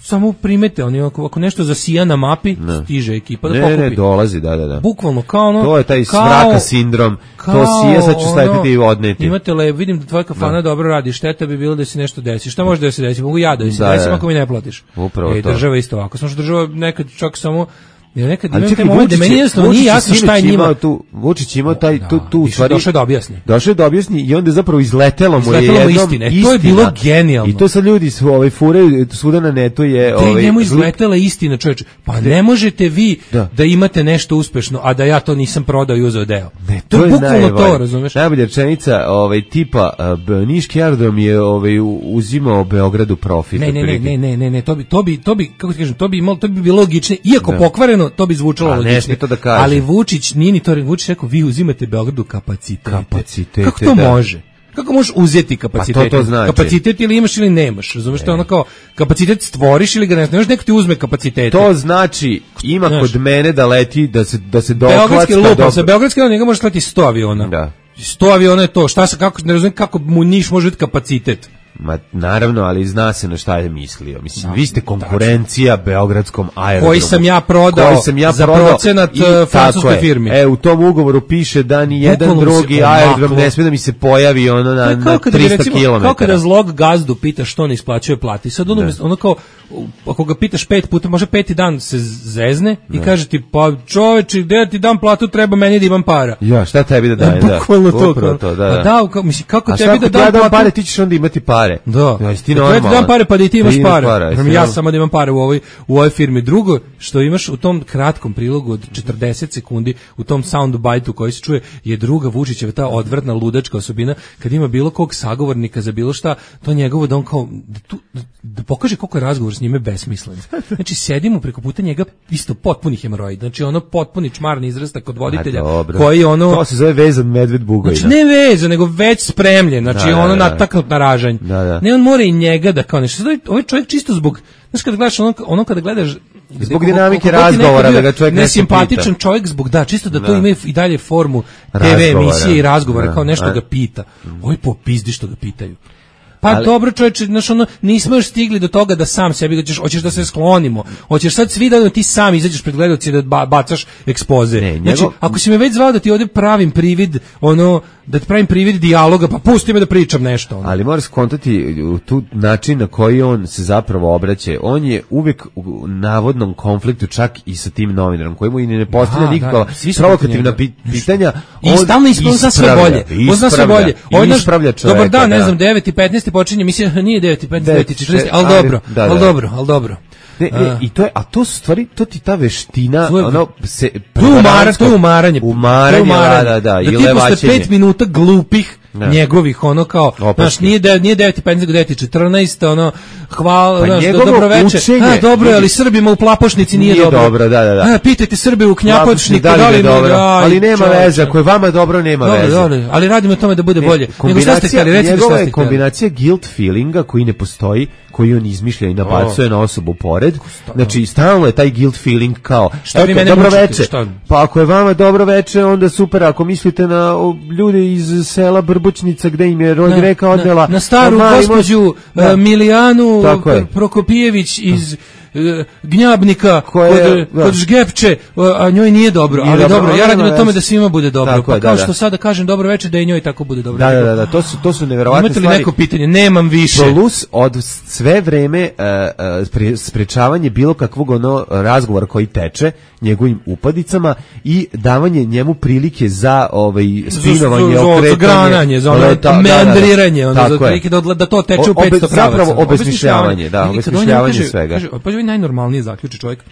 S6: samo primete, oni ako nešto zasija na mapi, stiže ekipa da pokupi.
S5: Ne, dolazi, da.
S6: Bukvalno, kao
S5: to je taj smraka sindrom, to sija, sad ću staviti i odneti.
S6: Imate vidim da tvoja kafana dobro radi, šteta bi bilo da se nešto desi. Šta može da se desi? Mogu ja da se desim ako mi ne platiš.
S5: Upravo to.
S6: Država isto ovako, samo što država nekad čak samo Jer nekad imam taj moment da meni jednostavno nije jasno šta je njima.
S5: Vučić imao tu u stvari.
S6: Došao da objasni.
S5: I onda je zapravo izletelo mu je jednom
S6: istina. To je bilo genijalno.
S5: I to sad ljudi furaju svuda na netu je...
S6: njemu izletela istina, čoveče. Pa ne možete vi da imate nešto uspešno, a da ja to nisam prodao i uzeo deo. To je bukvalno to, razumeš?
S5: Najbolja rečenica tipa Niški aerodrom je uzimao Beogradu profit.
S6: Ne, to bi kako ti kažem, to bi bilo logičnije, iako pokvareno, to bi zvučalo logičnije. Ali Vučić nije ni to, Vučić rekao, vi uzimate Beogradu kapacitete. Kako to može? Kako možeš uzeti kapacitet?
S5: Pa to znači.
S6: Kapacitet ili imaš ili nemaš, razumeš? To je ono kao, kapacitet stvoriš ili ga ne znaš, neko ti uzme kapacitete.
S5: To znači, ima kod mene da leti, da se doklacka.
S6: Sa Beogradske njega može leti 100 aviona.
S5: Da.
S6: 100 aviona je to, ne razumijem kako mu Niš može biti kapacitet.
S5: Ma naravno, ali zna se na šta je mislio. Mislim, vi ste konkurencija Beogradskom aerodromu.
S6: Koji sam ja prodao za procenat francuskoj firmi.
S5: U tom ugovoru piše da ni jedan drugi aerodrom ne smije da mi se pojavi na 300 km.
S6: Kao kada zlog gazdu pita što ne isplaćuje plati. Sad ono kao, ako ga pitaš 5 puta, može 5. dan se zezne i kaže ti, pa čoveče, gde ti dam platu, treba meni da imam para.
S5: Ja, šta tebi da daje?
S6: Bukvalno to. Da, mislim, kako tebi da dam
S5: platu? Pare, ti ćeš onda imati pare.
S6: Da. Ti dam pare pa da i ti imaš pare. Ja samo da imam pare u ovoj firmi. Drugo, što imaš u tom kratkom prilogu od 40 sekundi, u tom soundbite-u koji se čuje, je druga Vučićeva ta odvratna ludačka osobina, kad ima bilo kog sagovornika za bilo šta, to njegovo da on kao da pokaže koliko je razgovor s njime besmislen. Znači, sedimo preko puta njega isto potpuni hemoroid. Znači, ono potpuni čmarni izrastak kod voditelja koji ono...
S5: To se zove vezan medved Bugojna.
S6: Znači, ne vezan, nego već spremljen. Znači, nataknut na ražanj. Ne, on mora i njega da kao nešto. Ovaj čovjek čisto zbog, znaš kada gledaš ono kada gledaš
S5: zbog dinamike razgovora da ga čovjek
S6: nesimpatičan čovjek zbog čisto da to ima i dalje formu TV emisije i razgovora kao nešto ga pita. Oj popizdi što ga pitaju. Pa dobro čovječe, znaš nismo još stigli do toga da sam sebi hoćeš da se sklonimo. Hoćeš sad svi da ti sam izađeš pred gledaoce da bacaš ekspoze. Znači, ako si me već zvao da ti ovdje pravim privid, da ti pravim privid dijaloga, pa pusti me da pričam nešto.
S5: Ali moraš skontati tu način na koji on se zapravo obraća. On je uvijek u navodnom konfliktu čak i sa tim novinarom, koji mu i ne postavlja nikakva provokativna pitanja.
S6: I stalno zna sve bolje.
S5: Ispravlja čoveka.
S6: Dobar dan, ne znam, 9:15 počinje, mislim, nije 9:15, 9:40, ali dobro.
S5: I to je, a to stvari, to ti ta veština,
S6: to je umaranje,
S5: da,
S6: i levačenje. Da ti posle 5 minuta glupih njegovih, kao, znaš, nije 9:15, nego 9:14, hvala, dobro večer, dobro, ali Srbima u Plapošnici nije dobro.
S5: Da.
S6: Pitajte Srbe u Knjapočniku, da li dobro,
S5: ali nema veze, ako je vama dobro, nema veze.
S6: Ali radimo o tome da bude bolje. Nego šta ste htjeli, recimo šta ste htjeli.
S5: Kombinacija guilt feelinga koji ne postoji, koji on izmišlja i nabacuje na osobu pored. Znači, stalno je taj guilt feeling kao, dobro veče. Pa ako je vama dobro veče, onda super. Ako mislite na ljude iz sela Brbućnica, gde im je reka odnela...
S6: Na staru gospođu Milijanu Prokopijević iz... Gnjabnika kod Žgepče, a njoj nije dobro, ali dobro, ja radim na tome da svima bude dobro, pa kao što sada kažem dobro večer, da i njoj tako bude dobro.
S5: Da, to su neverovatne stvari.
S6: Imate li neko pitanje? Nemam više.
S5: Plus od sve vreme sprečavanje bilo kakvog razgovora koji teče njegovim upadicama i davanje njemu prilike za spinovanje, okretanje,
S6: za meandriranje, da to teče u 500 pravaca.
S5: Zapravo obesmišljavanje svega.
S6: Najnormalnije zaključi čovjek.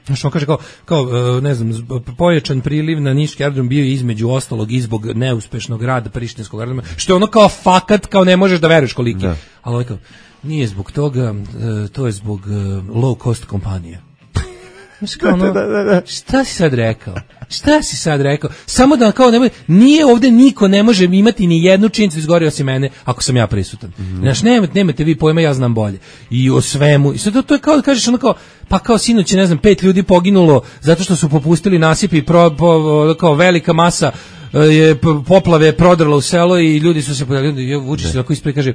S6: Znaš, on kaže kao ne znam, pojačan priliv na niški aerodrom bio između ostalog i zbog neuspešnog rada prištinskog aerodroma, što je ono kao fakat, kao ne možeš da veruješ koliki. Ali ovaj kao, nije zbog toga, to je zbog low cost kompanija. Znaš, kao šta si sad rekao? Samo da kao nije ovdje niko ne može imati ni jednu činjenicu izgorio osim mene ako sam ja prisutan. Znaš, nemate vi pojma, ja znam bolje. I o svemu. I sad to je kao da kažeš pa kao sinoć je, ne znam, 5 ljudi poginulo zato što su popustili nasipi, kao velika masa je poplave prodrla u selo i ljudi su se podavili. Vučić se ovako ispred kaže,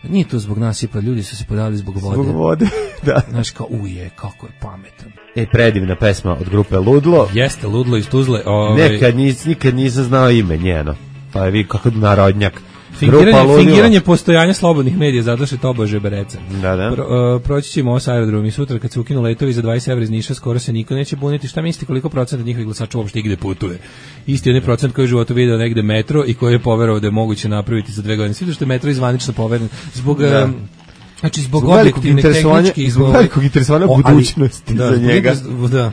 S6: nije to zbog nasipa, ljudi su se podavili zbog vode.
S5: Zbog vode, da.
S6: Znaš, kao kako je pametan.
S5: Predivna pesma od grupe Ludlo.
S6: Jeste, Ludlo iz Tuzle.
S5: Nikad nisam znao ime njeno. Pa je vi kako narodnjak.
S6: Fingiranje postojanja slobodnih medija, zato što je tobože bereca.
S5: Da.
S6: Proći ćemo ovo s aerodromom i sutra kad se ukinu letovi za 20 evra iz Niša, skoro se niko neće buniti. Šta mislite koliko procenta njihovih glasača uopšte igde putuje? Isti onaj procent koji je u životu video negde metro i koji je poverovao da je moguće napraviti za 2 godine. Svi što je metro izvanično poveren zbog... Znači, zbog objektivne tehničke...
S5: Zbog velikog interesovanja budućnosti za njega.
S6: Da.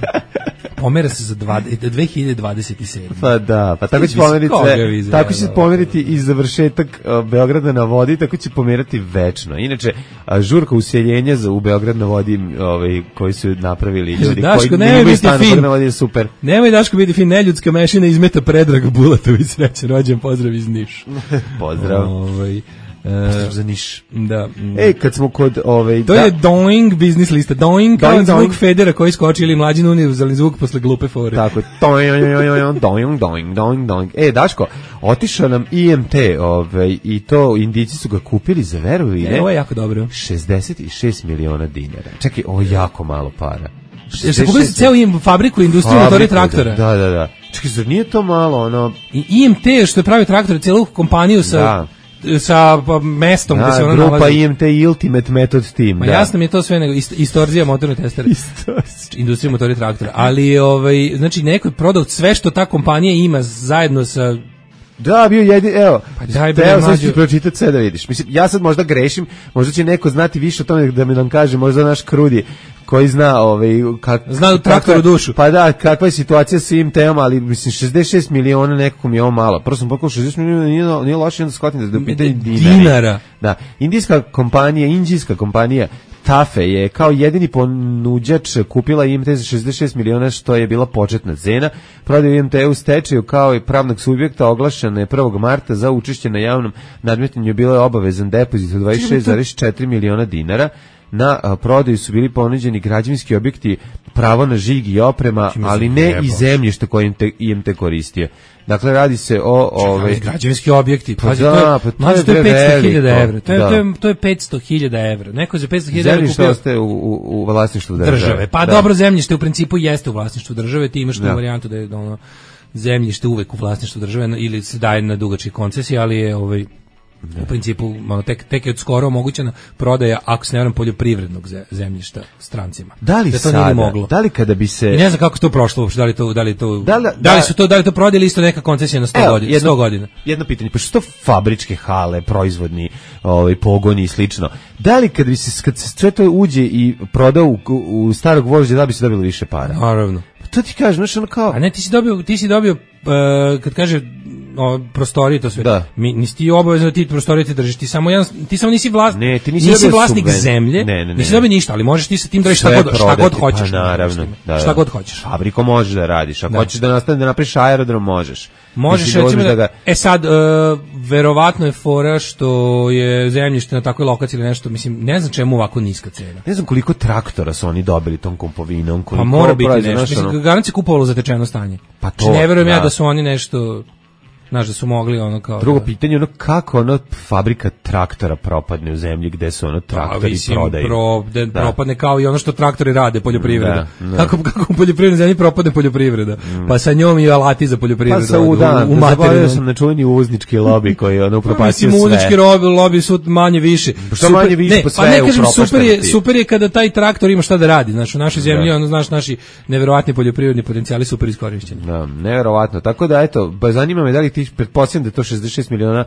S6: Pomera se za 2027.
S5: Pa da, pa tako će pomeriti tako će pomeriti i završetak Beograda na vodi, tako će pomerati večno. Inače, žurka useljenja u Beograd na vodi, koji su napravili ljudi
S6: Daško,
S5: koji nemaju stan na vodi, je super. Nemoj
S6: Daško biti fin, neljudska mešina izmeta Predrag Bulatović, srećan rođen, pozdrav iz Niš.
S5: Pozdrav. Pozdrav za Niš.
S6: Da.
S5: Kad smo kod
S6: to je Doing biznis lista. Doing kao zvuk Federa koji skoči ili mlađi univerzalni zvuk posle glupe fore.
S5: Tako je. Doing. Daško, otišao nam IMT, i to Indici su ga kupili za veru ili ne?
S6: Ovo je jako dobro.
S5: 66 miliona dinara. Čekaj, ovo je jako malo para.
S6: Se pogledajte ceo fabriku industriju motori traktora.
S5: Da. Čekaj, zar nije to malo
S6: I IMT što je pravi traktor, celu kompaniju sa mestom gde se ona nalazi.
S5: Grupa IMT Ultimate Method Team.
S6: Ma jasno mi je to sve nego istorzija motorne testere. Industrija motori traktora. Ali znači neko je prodao sve što ta kompanija ima zajedno sa...
S5: Da, bio jedin, sad ću pročitati sve da vidiš. Mislim, ja sad možda grešim, možda će neko znati više o tome da mi nam kaže, možda naš Krudi koji zna
S6: zna traktoru dušu.
S5: Pa da, kakva je situacija sa IMT-om, ali mislim 66 miliona nekako mi je ovo malo. Prvo sam pokao 60 miliona, nije loše, onda shvatim da je pitanje
S6: dinara.
S5: Da, indijska kompanija Tafe je kao jedini ponuđač kupila IMT za 66 miliona, što je bila početna cena. Prodaja IMT u stečaju kao i pravnog subjekta oglašena je 1. marta za učešće na javnom nadmetanju, bilo je obavezan depozit od 26,4 miliona dinara. Na prodaju su bili ponuđeni građevinski objekti, pravo na žig i oprema, ali ne i zemljište koje IMT koristio. Dakle, radi se o
S6: građevinski objekti. To je 500.000 evra. To je 500.000 evra. Neko za 500.000 evra kupio...
S5: Zemljište ostaje u vlasništvu države.
S6: Pa dobro, zemljište u principu jeste u vlasništvu države. Ti imaš tu varijantu da je zemljište uvek u vlasništvu države ili se daje na dugačke koncesije, ali je u principu tek je od skoro omogućena prodaja, ako se ne varam, poljoprivrednog zemljišta strancima.
S5: Da li kada bi se...
S6: I ne znam kako to prošlo uopšte, da li to prodali isto neka koncesija na 100 godina.
S5: Jedno pitanje, pa što fabričke hale, proizvodni pogoni i slično, da li kad se sve to uđe i prodao u starog vožđa, da bi se dobilo više para?
S6: Naravno.
S5: To ti kažeš, znaš, ono kao...
S6: A ne, ti si dobio kad kaže prostorije, to sve.
S5: Da.
S6: Nisi ti obavezno da ti prostorije ti držiš, ti samo nisi vlasnik.
S5: Ne, ti nisi
S6: vlasnik zemlje. Nisi dobio ništa, ali možeš ti sa tim da šta god hoćeš.
S5: Pa naravno,
S6: šta god hoćeš.
S5: Fabriko možeš da radiš, ako hoćeš da napraviš aerodrom, možeš.
S6: Možeš recimo sad verovatno je fora što je zemljište na takvoj lokaciji ili nešto, mislim, ne znam čemu ovako niska cena.
S5: Ne znam koliko traktora su oni dobili tom kompovinom,
S6: pa mora biti nešto, mislim, garancija kupovalo zatečeno stanje.
S5: Pa to,
S6: ne verujem ja da su oni nešto, znaš, da su mogli ono kao...
S5: Drugo pitanje, kako fabrika traktora propadne u zemlji gde su traktori prodaju.
S6: Propadne kao i ono što traktori rade, poljoprivreda. Kako u poljoprivrednoj zemlji propadne poljoprivreda. Pa sa njom i alati za poljoprivredu.
S5: Pa zaboravio sam na čuveni uvoznički lobby koji je upropastio sve.
S6: Uvoznički lobby su manje više.
S5: Što manje više, pa sve je upropašteno.
S6: Super je kada taj traktor ima šta da radi. Znaš, u našoj zemlji, znaš, naši neverovatni poljoprivredni potencijali super iskorišćeni.
S5: Da, neverovatno. Tako da, eto, zanima me da li ti pretpostavljam da je to 66 miliona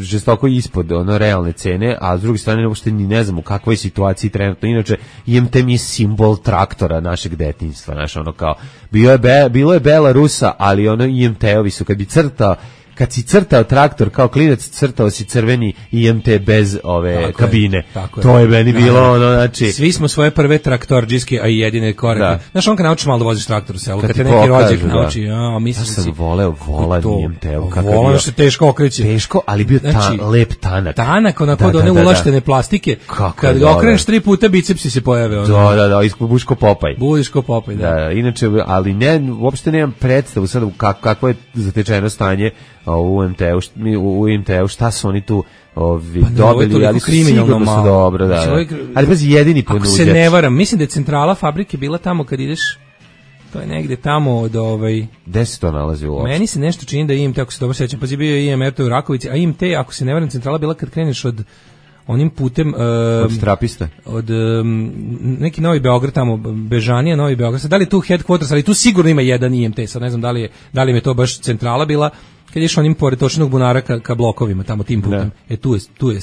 S5: žestoko ispod realne cene, a s druge strane uopšte ni ne znam u kakvoj situaciji trenutno. Inače, IMT mi je simbol traktora našeg detinjstva, znaš, kao bilo je Belarusa, ali IMT-ovi su kad si crtao traktor kao klinac, crtao si crveni IMT bez kabine. To je meni bilo znači...
S6: Svi smo svoje prve traktorđiske, a i jedine korake. Znaš, on kad naučiš malo da voziš traktor u selu, kad te neki rođak nauči, mislim
S5: da sam voleo volan IMT-u.
S6: Volan što teško okreće.
S5: Teško, ali bio lep tanak.
S6: Tanak, onako da one ulaštene plastike. Kad ga okreneš 3 puta, bicepsi se pojave.
S5: Da, Buško Popaj.
S6: Buško Popaj, da.
S5: Inače, ali uopšte nemam predstavu sad kakvo je zatečeno stanje u IMT-u, šta su oni tu dobili, ali su sigurno su dobro, da. Ali bez jedini ponuđač.
S6: Ako se ne varam, mislim da je centrala fabrike bila tamo kad ideš To je negde tamo od
S5: Gde se to nalazi uopšte?
S6: Meni se nešto čini da IMT, ako se dobro sećam, pa je bio IMR to u Rakovici, a IMT, ako se ne varam, centrala bila kad kreneš od onim putem
S5: od Trapista,
S6: od neki Novi Beograd tamo, Bežanija, Novi Beograd. Sad, da li je tu headquarters, ali tu sigurno ima jedan IMT, sad ne znam da li je to baš centrala bila, kad ješ onim pored točnog bunara ka blokovima, tamo tim putem. Tu je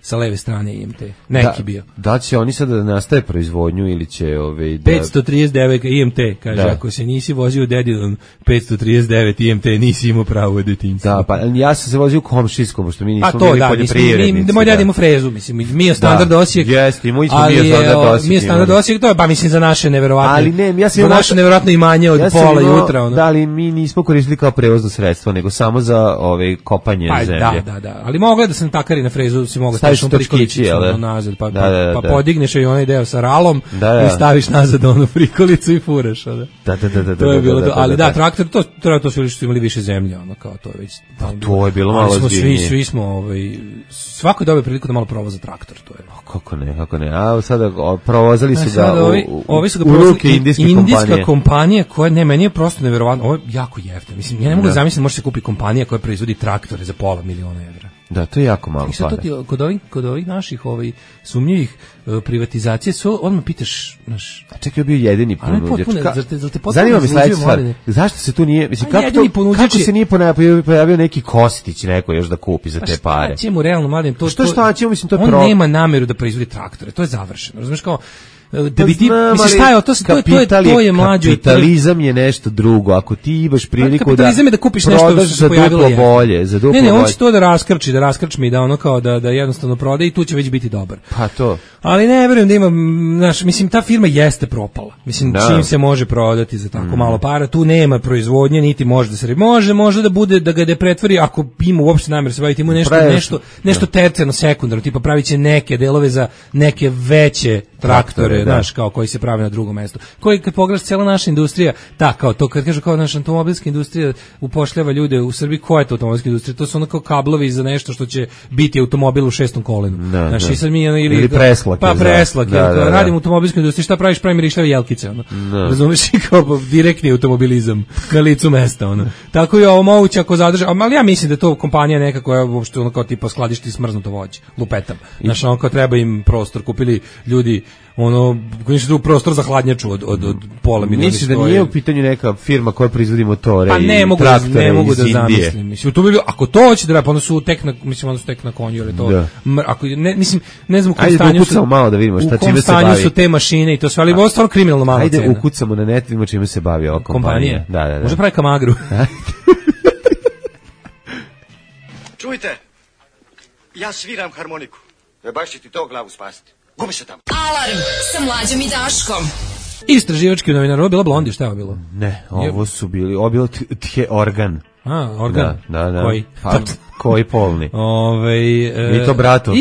S6: sa leve strane IMT. Neki bio.
S5: Da će oni sada da nastaje proizvodnju ili će da
S6: 539 IMT, kaže, ako se nisi vozio dedinom 539 IMT, nisi imao pravo u detinjstvu.
S5: Da, pa ja sam se vozio u komšijskom, pošto mi nismo bili poljoprivrednici.
S6: Moj dad ima frezu, mislim, mi je standard Osijek.
S5: Jeste, i moj smo mi je standard Osijek.
S6: Mi je standard Osijek, to je, mislim, za naše neverovatne.
S5: Ali ne, ja sam
S6: za naše neverovatno imanje od pola jutra.
S5: Da, ali mi nismo koristili kao prevozno sredstvo, nego samo za kopanje zemlje.
S6: Da. Ali mogla da se natakari na frezu, si mogla
S5: staviš prikolicu
S6: nazad, pa podigneš i onaj deo sa ralom i staviš nazad onu prikolicu i furaš.
S5: Da.
S6: To je bilo to. Ali da, traktor, to su imali više zemlje, ono kao to već.
S5: To je bilo malo ozbiljnije.
S6: Svi smo, svako dobio priliku da malo provoza traktor, to je.
S5: Kako ne. A sada provozali su ga
S6: u
S5: ruke indijska
S6: kompanija koja, ne, meni je prosto neverovatno, ovo je jako jeftino. Mislim, ja ne mogu da zamislim, može se kupi kompanija koja proizvodi traktore za $500.000 evra.
S5: Da, to je jako malo para.
S6: I sad kod ovih naših sumnjivih privatizacije, odmah pitaš, znaš...
S5: A čekaj, je bio jedini ponuđač.
S6: Zanima
S5: me sledeća stvar, zašto se tu nije... Mislim, kako se nije pojavio neki Kostić, neko još da kupi za te pare?
S6: Šta će mu realno, mladen?
S5: Šta će mu, mislim, to je
S6: on nema nameru da proizvodi traktore, to je završeno, razumiješ kao... Da bi ti, misliš, šta je to je mlađo.
S5: Kapitalizam je nešto drugo. Ako ti imaš priliku da
S6: kupiš nešto
S5: za duplo bolje, za duplo bolje.
S6: Ne, on će to da raskrčmi i da ono kao da jednostavno prode i tu će već biti dobar.
S5: Pa to.
S6: Ali ne verujem da ima, znaš, mislim, ta firma jeste propala. Mislim, čim se može prodati za tako malo para, tu nema proizvodnje, niti može da se može da bude, da ga pretvori, ako ima uopšte namjer se baviti, ima nešto tercijarno, sekundarno, tipa pravit će neke delove za neke veće traktore, znaš, kao koji se pravi na drugom mestu. Koji, kad pogledaš, cijela naša industrija, kao to, kad kažu kao naša automobilska industrija upošljava ljude u Srbiji, koja je to automobilska industrija? To su onako kablovi za nešto što će biti automobil u 6. kolenu. Znaš, i sad mi, ili
S5: preslak.
S6: Pa preslak, radim u automobilskoj industriji, šta praviš? Pravim rišljave jelkice, razumiješ, i kao direktni automobilizam na licu mesta, Tako je ovo moguće ako zadrže, ali ja mislim da je to kompanija neka koja uopšte kao tipa skladišti smrznuto voće, lupetam. Znaš, kao treba im prostor, kupili ljudi koji su prostor za hladnjaču od $500.000.
S5: Misliš da nije u pitanju neka firma koja proizvodi motore
S6: i traktore ne mogu da zamislim. Mislim, to bi bilo, ako to hoće da radi, onda su tek na konju, jer to, ako, ne znam u kom stanju su,
S5: malo da vidimo šta čime se
S6: bavi. Su te mašine i to sve, ali ovo je stvarno kriminalno malo cena.
S5: Ajde ukucamo na net, vidimo čime se bavi ova kompanija. Da.
S6: Može pravi kamagru.
S4: Čujte, ja sviram harmoniku. Baš će ti to glavu spasiti. Gubi se tamo.
S3: Alarm sa Mlađom i Daškom.
S6: Istraživački novinar, ovo je bila Blondi, šta je ovo bilo?
S5: Ne, ovo je bilo organ.
S6: Organ?
S5: Da.
S6: Koji?
S5: Koji polni?
S6: I
S5: to brato,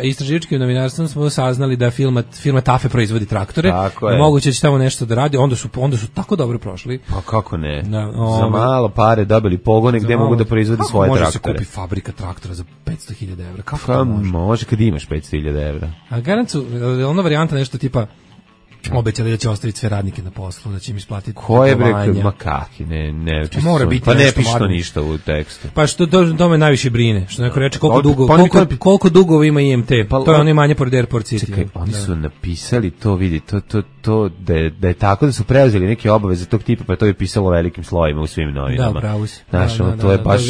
S6: istraživačkim novinarstvom smo saznali da firma Tafe proizvodi traktore. Moguće će tamo nešto da radi, onda su tako dobro prošli.
S5: Pa kako ne? Za malo pare dobili pogone gde mogu da proizvodi svoje traktore.
S6: Može se kupi fabrika traktora za $500.000 evra? Kako
S5: to može? Može kad imaš $500.000 evra.
S6: A garancu, ona varijanta nešto tipa obećali da će ostaviti sve radnike na poslu, da će im isplatiti
S5: koje makaki, ne
S6: mora biti,
S5: pa ne piše to ništa u tekstu.
S6: Pa što to me najviše brine, što neko reče koliko dugo ima IMT, to je ono imanje pored Airport City.
S5: Čekaj, oni su napisali to, vidi, to da je tako da su preuzeli neke obaveze tog tipa, pa to je pisalo velikim slovima u svim novinama.
S6: Da, pravo si.
S5: Znaš, to je baš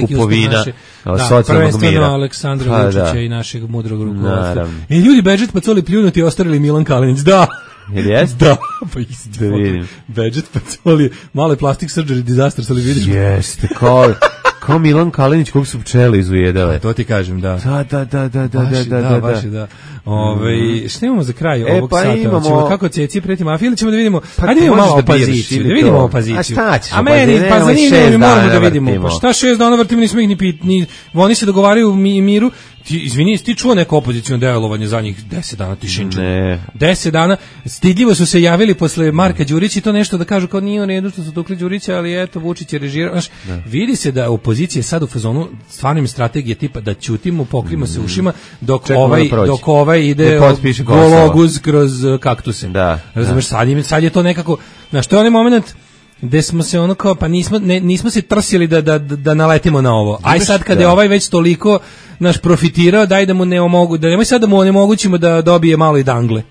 S5: kupovina socijalnog mira.
S6: Prvenstveno Aleksandra Vučića i našeg mudrog rukovodstva. I ljudi Bedžet Pacoli pljunuti ostavili Milan Kalinić, da.
S5: Jel jest?
S6: Da, pa isti. Da vidim. Bedžet Pacoli, malo plastic surgery disaster, ali vidiš?
S5: Jeste, kao Milan Kalinić kog su pčele izujedale.
S6: To ti kažem, da.
S5: Da.
S6: Baš je, da. Šta imamo za kraj ovog sata? Ćemo kako Ceci preti mafiji ili ćemo da vidimo? Ajde vidimo malo opoziciju. Da vidimo opoziciju.
S5: A šta ćeš?
S6: A meni, pa zanimljivo mi moramo da vidimo. Pa šta 6 dana vrtimo, nismo ih ni oni se dogovaraju u miru. Izvini, ti čuo neko opozicijno delovanje za njih 10 dana tišinča?
S5: Ne.
S6: 10 dana. Stidljivo su se javili posle Marka Đurića i to nešto da kažu kao nije u redu što su tukli Đurića, ali eto, Vučić je režirao. Vidi se da opozicija opozicija je sad u fazonu stvarnim strategije tipa da ćutimo, pokrijemo se ušima dok
S5: Čekamo da prođe.
S6: dok ovaj ide
S5: Da potpiše Kosovo.
S6: gologuz kroz kaktuse.
S5: Da,
S6: razumeš, sad je to nekako, znaš, to je onaj moment gde smo se ono kao, pa nismo se trsili da naletimo na ovo. Aj sad kada je ovaj već toliko naš profitirao, daj da mu ne omogu, da nemoj sad da mu onemogućimo da dobije malo i dangle.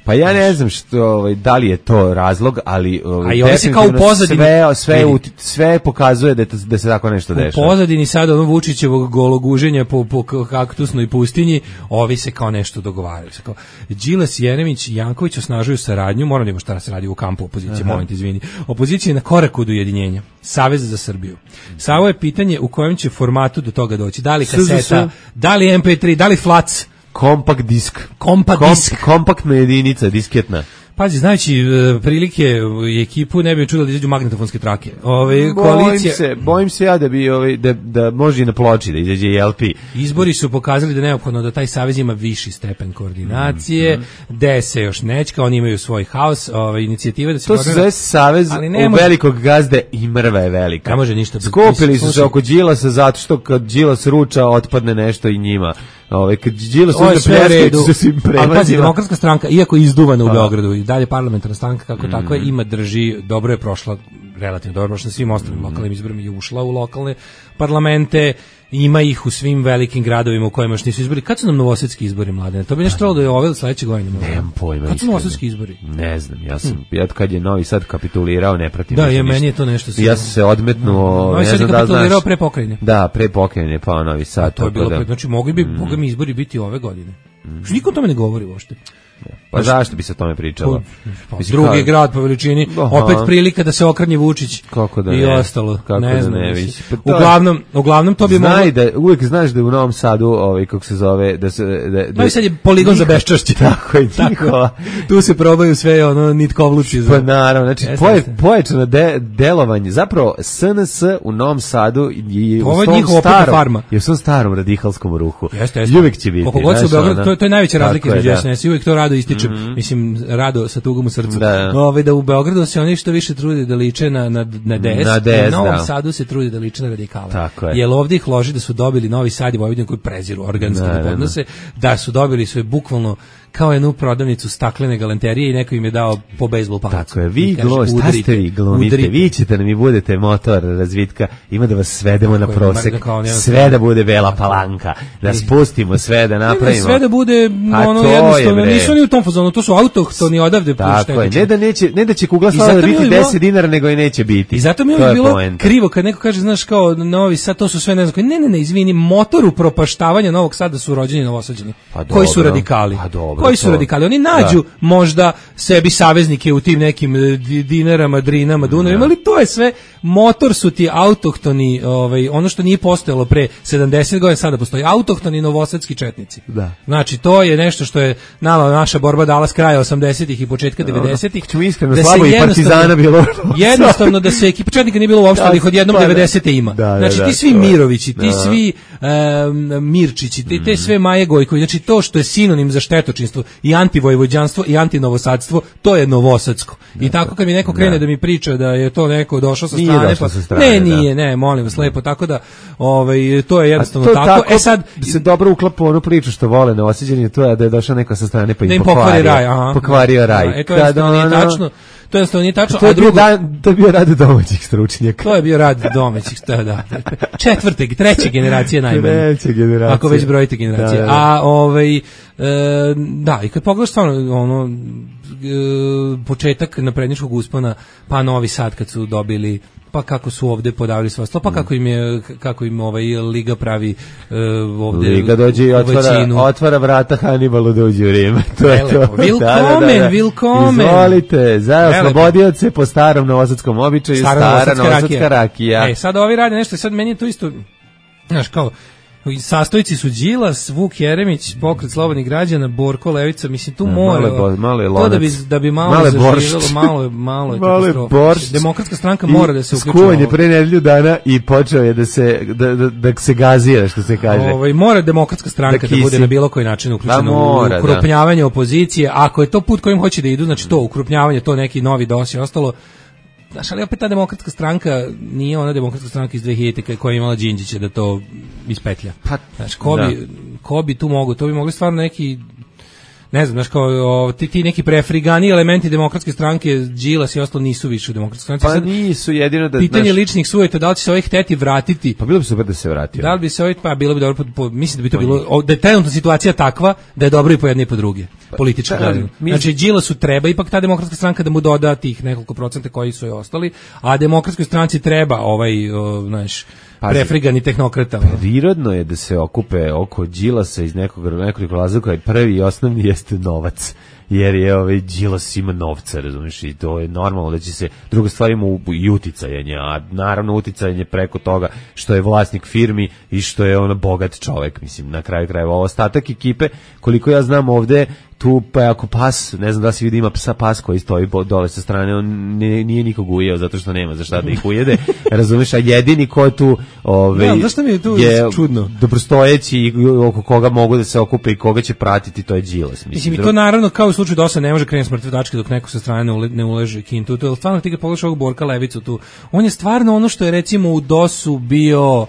S5: Pa ja ne znam što, da li je to razlog, ali
S6: se kao u pozadini
S5: sve pokazuje da se tako nešto dešava.
S6: U pozadini sada ono Vučićevog gologuženja po kaktusnoj pustinji, ovi se kao nešto dogovaraju. Kao Đilas, Jeremić i Janković osnažuju saradnju, moram da imamo šta se radi u kampu opozicije, moment, izvini. Opozicija je na koraku do ujedinjenja. Savez za Srbiju. Samo je pitanje u kojem će formatu do toga doći. Da li kaseta, da li MP3, da li flac,
S5: kompakt disk. Kompaktna jedinica, disketna.
S6: Pazi, znajući prilike i ekipu, ne bi čudo da izađu magnetofonske trake.
S5: Bojim se ja da bi da može i na ploči da izađe i LP.
S6: Izbori su pokazali da je neophodno da taj savez ima viši stepen koordinacije, da se još nečka, oni imaju svoj haos, inicijativa da se
S5: to se zove savez u velikog gazde i mrva je velika.
S6: Ne može ništa.
S5: Skopili su se oko Đilasa zato što kad Đilas ruča otpadne nešto i njima. Kad Đilas uzme pljeskajući se svim premazima.
S6: Ali pazi, Demokratska stranka, iako je izduvana u Beogradu i dalje parlamentarna stranka kako takva, ima drži, dobro je prošla, relativno dobro prošla na svim ostalim lokalnim izborima i ušla u lokalne parlamente, ima ih u svim velikim gradovima u kojima još nisu izbori. Kad su nam novosadski izbori, Mladene? To bi nešto trebalo da je ove sledeće godine.
S5: Nemam pojma.
S6: Kad su novosadski izbori?
S5: Ne znam, ja kad je Novi Sad kapitulirao, ne pratim.
S6: Da, meni je to nešto.
S5: Ja sam se odmetnuo,
S6: Novi Sad je kapitulirao pre pokrajine.
S5: Da, pre pokrajine, pa Novi Sad.
S6: To je bilo, znači mogli bi izbori biti ove godine. Niko o tome ne govori uopšte.
S5: Pa zašto bi se o tome pričalo?
S6: Drugi grad po veličini, opet prilika da se okrenje Vučić i ostalo.
S5: Kako
S6: ne znam.
S5: Uglavnom to bi moglo... Uvijek znaš da je u Novom Sadu, kako se zove, da se...
S6: No i sad je poligon za beščašće.
S5: Tako je, njihova.
S6: Tu se probaju sve nitkovluci.
S5: Pa naravno, znači pojačano delovanje. Zapravo, SNS u Novom Sadu je u svom starom radikalskom ruhu. I uvijek će biti.
S6: Koliko god su Beograd, to je najveća razlika između SNS i uvijek to rado ističem, mislim, rado sa tugom u srcu, da u Beogradu se oni što više trude da liče na DS, u Novom Sadu se trude da liče na radikale. Jer ovdje ih loži da su dobili Novi Sad i Vojvodinu koji preziru organske podnose, da su dobili sve bukvalno kao jednu prodavnicu staklene galanterije i neko im je dao po bejsbol palicu.
S5: Tako je, vi glumite, vi ćete nam i budete motor razvitka, ima da vas svedemo na prosek, sve da bude Bela Palanka, da spustimo sve, da napravimo.
S6: Sve da bude jednostavno, nisu oni u tom fazonu, to su autohtoni odavde.
S5: Tako je, ne da će kugla slava biti 10 dinara, nego i neće biti.
S6: I zato mi je bilo krivo kad neko kaže, znaš, kao Novi Sad, to su sve, ne znam, ne, izvini, motor upropaštavanja Novog Sada su rođeni Novosađani, koji su radikali. Koji su radikali? Oni nađu možda sebi saveznike u tim nekim Dinarama, Drinama, Dunavima, ali to je sve, motor su ti autohtoni, ono što nije postojalo pre 70 godina, sada postoji, autohtoni novosadski četnici. Znači, to je nešto što je naša borba dala s kraja 80-ih i početka 90-ih.
S5: Iskreno, slabo i Partizana bilo.
S6: Jednostavno da se ekipa četnika nije bilo uopšte, ali ih odjednom 90-te ima. Znači, ti svi Mirovići, ti svi Mirčići, te sve Maje Gojković, znači to što je sinonim za štetočinstvo i antivojvođanstvo i antinovosadstvo, to je novosadsko. I tako kad mi neko krene da mi priča da je to neko došao sa strane, nije, molim vas lepo, tako da to je jednostavno tako.
S5: Sad se dobro uklapa onu priču što vole Novosađani, to je da je došao neko sa strane pa im pokvario raj.
S6: To jednostavno nije tačno.
S5: To je bio rad domaćih stručnjaka.
S6: To je bio rad domaćih, da. Treće generacije najmanje.
S5: Treće generacije.
S6: Ako već brojite generacije. Da, i kad pogledaš stvarno početak naprednjačkog uspona, pa Novi Sad kad su dobili, pa kako su ovde podavili svoje sto, pa kako im Liga pravi ovde
S5: Liga dođe i otvara vrata Hannibalu da uđe u Rim. To je to.
S6: Willkommen.
S5: Izvolite, za oslobodioce po starom novosadskom običaju, stara novosadska rakija.
S6: Sad ovi rade nešto, sad meni je to isto, znaš, kao sastojci su Đilas, Vuk Jeremić, Pokret slobodnih građana, Borko Levica, mislim tu mora to da bi malo zaživjelo, malo je katastrofa. Demokratska stranka mora da se uključi.
S5: Skuvan je pre nedelju dana i počeo je da se gazira, što se kaže.
S6: Mora Demokratska stranka da bude na bilo koji način uključena u ukrupnjavanje opozicije. Ako je to put kojim hoće da idu, znači to ukrupnjavanje, to neki novi dos i ostalo, znaš, ali opet ta demokratska stranka nije ona demokratska stranka iz 2000 koja je imala Đinđića da to ispetlja.
S5: Pa,
S6: znaš, ko bi tu mogu, to bi mogli stvarno neki, ne znam, znaš, kao ti neki prefrigani elementi demokratske stranke, Đilas i ostalo nisu više u demokratskoj stranci.
S5: Pa
S6: sad,
S5: nisu jedino da...
S6: pitanje ličnih sujeta, da li će se ovaj hteti vratiti?
S5: Pa bilo bi super da se vratio.
S6: Da li bi se ovaj, pa bilo bi dobro, mislim da bi to bilo, da je trenutna situacija takva da je dobro i po jedne i po druge, politički gledano. Znači, Đilasu treba ipak ta demokratska stranka da mu doda tih nekoliko procenta koji su joj ostali, a demokratskoj stranci treba znaš, prefrigani tehnokrata.
S5: Prirodno je da se okupe oko Đilasa iz nekoliko razloga, i prvi i osnovni jeste novac. Jer je Đilas ima novca, razumiješ, i to je normalno da će se, druga stvar ima i uticajanje, a naravno uticajanje preko toga što je vlasnik firmi i što je bogat čovek, mislim, na kraju krajeva. Ostatak ekipe, koliko ja znam ovde, tu pa ako pas, ne znam da se vidi, ima pas koji stoji dole sa strane, on nije nikog ujeo zato što nema za šta da ih ujede, razumiješ, a jedini ko tu
S6: zašto mi je tu čudno?
S5: Dobrostojeći i oko koga mogu da se okupe i koga će pratiti, to je Đilas.
S6: Mislim, i to naravno kao u slučaju DOS-a ne može krenuti s mrtve tačke dok neko sa strane ne uleže kintu. To je stvarno, ti kad pogledaš ovog Borka Levicu tu, on je stvarno ono što je recimo u DOS-u bio,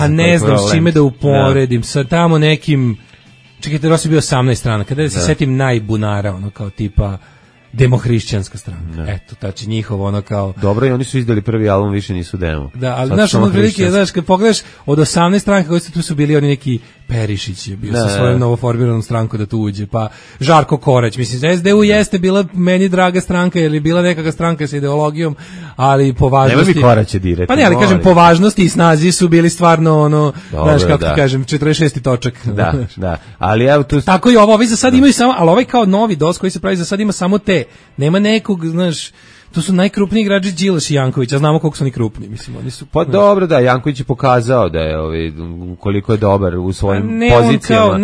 S6: ne znam s čime da uporedim, sa tamo nekim, čekajte, DOS je bio 18 strana, kada se setim najbunara, kao tipa demohrišćanska stranka. Eto, tači njihovo kao...
S5: Dobro, i oni su izdali prvi album, više nisu demo.
S6: Da, ali znaš, prilike, znaš, kad pogledaš od 18 stranka koji su tu bili oni neki Perišić je bio sa svojom novoformiranom strankom da tu uđe, pa Žarko Korać, mislim, SDU jeste bila meni draga stranka, ili bila nekakva stranka sa ideologijom, ali po važnosti...
S5: Nema mi Koraće direkt.
S6: Pa ne, ali kažem, po važnosti i snazi su bili stvarno, znaš, kako ti kažem, 46. točak.
S5: Da, ali evo tu...
S6: Tako i ovi za sad imaju samo, ali ovaj kao novi DOS koji se pravi za sad ima samo te. Nema nekog, znaš, to su najkrupniji igrači Đilas i Janković, a znamo koliko su oni krupni, mislim, oni su...
S5: Pa dobro, da, Janković je pokazao da je koliko je dobar u svojim pozicijama.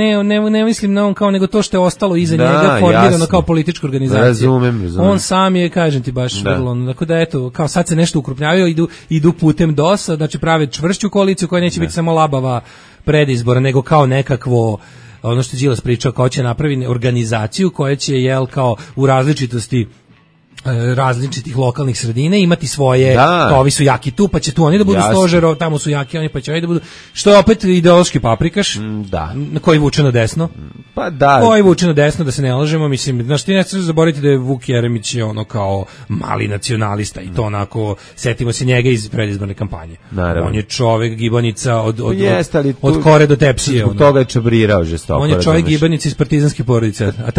S6: Ne mislim na on kao, nego to što je ostalo iza njega formirano kao politička organizacija.
S5: Razumem.
S6: On sam je, kažem ti, baš vrlo, tako da eto, kao sad se nešto ukrupnjavaju, idu putem DOS-a, znači prave čvršću koaliciju koja neće biti samo labava predizbora, nego kao nekakvo, ono što je Đilas pričao, kao će napraviti organizaciju koja će, kao u različitih lokalnih sredina imati svoje, kao ovi su jaki tu, pa će tu oni da budu stožer, tamo su jaki oni, pa će oni da budu, što je opet ideološki paprikaš, koji vuče na desno, koji vuče na desno, da se ne lažemo, mislim, znaš, ti ne ćeš zaboraviti da je Vuk Jeremić je kao mali nacionalista i to onako, setimo se njega iz predizborne kampanje.
S5: Naravno.
S6: On je čovek gibanica od Kore do Tepsije.
S5: Zbog toga je čabrirao žestoko.
S6: On je čovek gibanica iz partizanske porodice, a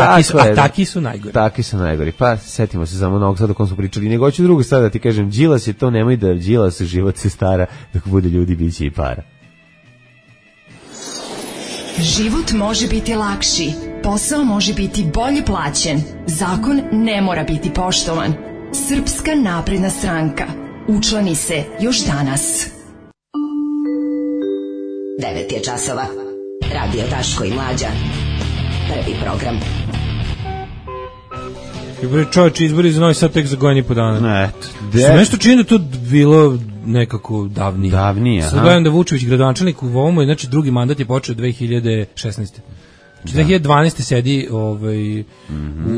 S6: taki su najgori.
S5: Taki su najgori, pa setimo se samo Novog Sada o kom smo pričali, nego hoću drugu stvar da ti kažem, Đilas je to, nemoj da Đilas život se stara, dok bude ljudi biće i para.
S3: Život može biti lakši, posao može biti bolje plaćen, zakon ne mora biti poštovan. Srpska napredna stranka. Učlani se još danas.
S8: 9 je časova. Radio Daško i Mlađa. Prvi program.
S6: Čovječe, izbori za Novi Sad tek za godinu i po dana.
S5: Eto.
S6: Nešto čini da to bilo nekako davnije. Sad gledam da Vučević gradonačelnik u ovom, znači drugi mandat je počeo 2016. Znači 2012. sedi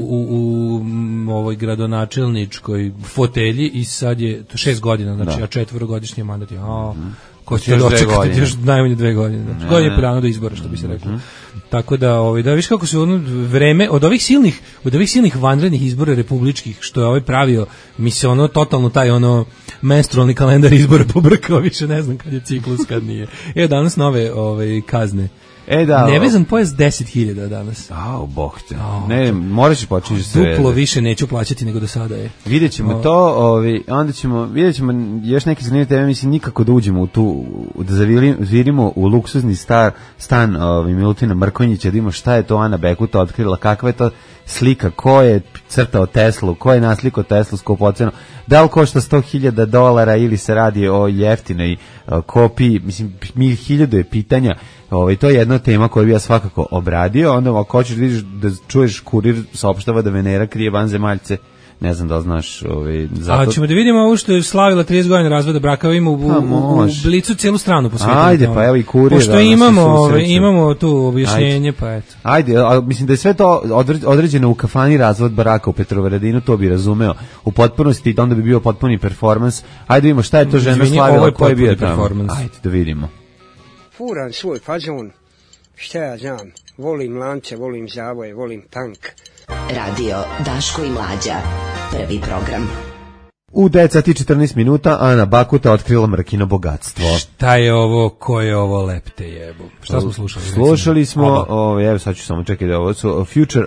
S6: u ovoj gradonačelničkoj fotelji i sad je 6 godina, znači a 4-godišnji mandat je. Ko će dočekati još najmanje 2 godine. Znači, godinu i po dana do izbora, što bi se reklo. Tako da, da viš kako se vreme od ovih silnih vanrednih izbora republičkih, što je pravio, mi se totalno taj menstrualni kalendar izbora pobrkao, više ne znam kad je ciklus, kad nije. Danas nove kazne. Nevezan pojas 10.000 danas.
S5: Bog te. Ne, moraš početi sve.
S6: Duplo više neću plaćati nego do sada je.
S5: Vidjet ćemo to, onda vidjet ćemo još neke zanimljive teme, mislim nikako da uđemo u tu, da zavirimo u luksuzni stan Milutina Mrkonjića, da imamo šta je to Ana Bekuta otkrila, kakva je to slika, ko je crtao Teslu, ko je naslikao Teslu skupoceno, da li košta $100,000 ili se radi o jeftinoj kopiji, mislim, 1000 je pitanja. To je jedna tema koju bi ja svakako obradio. Onda ako hoćeš da vidiš, da čuješ, Kurir saopštava da Venera krije vanzemaljce, ne znam da li znaš, zato...
S6: A ćemo da vidimo ovo što je slavila 30 godina razvoda braka, ima u Blicu cijelu stranu po svijetu.
S5: Ajde, pa evo i kurir.
S6: Pošto imamo tu objašnjenje, pa eto.
S5: Ajde, a mislim da je sve to određeno u kafani razvod braka u Petrovaradinu, to bi razumeo u potpunosti, da onda bi bio potpuni performans. Ajde vidimo šta je to žena slavila, ko je bio tamo. Ajde da vidimo.
S9: Furam svoj fazon, šta ja znam, volim lance, volim zavoje, volim tank.
S8: Radio Daško i Mlađa, prvi program.
S5: U 9 sati 14 minuta Ana Bakuta otkrila Mrkino bogatstvo.
S6: Šta je ovo, ko je ovo, lepte jebu? Šta smo slušali?
S5: Slušali smo, evo sad ću samo čekati da ovo su Future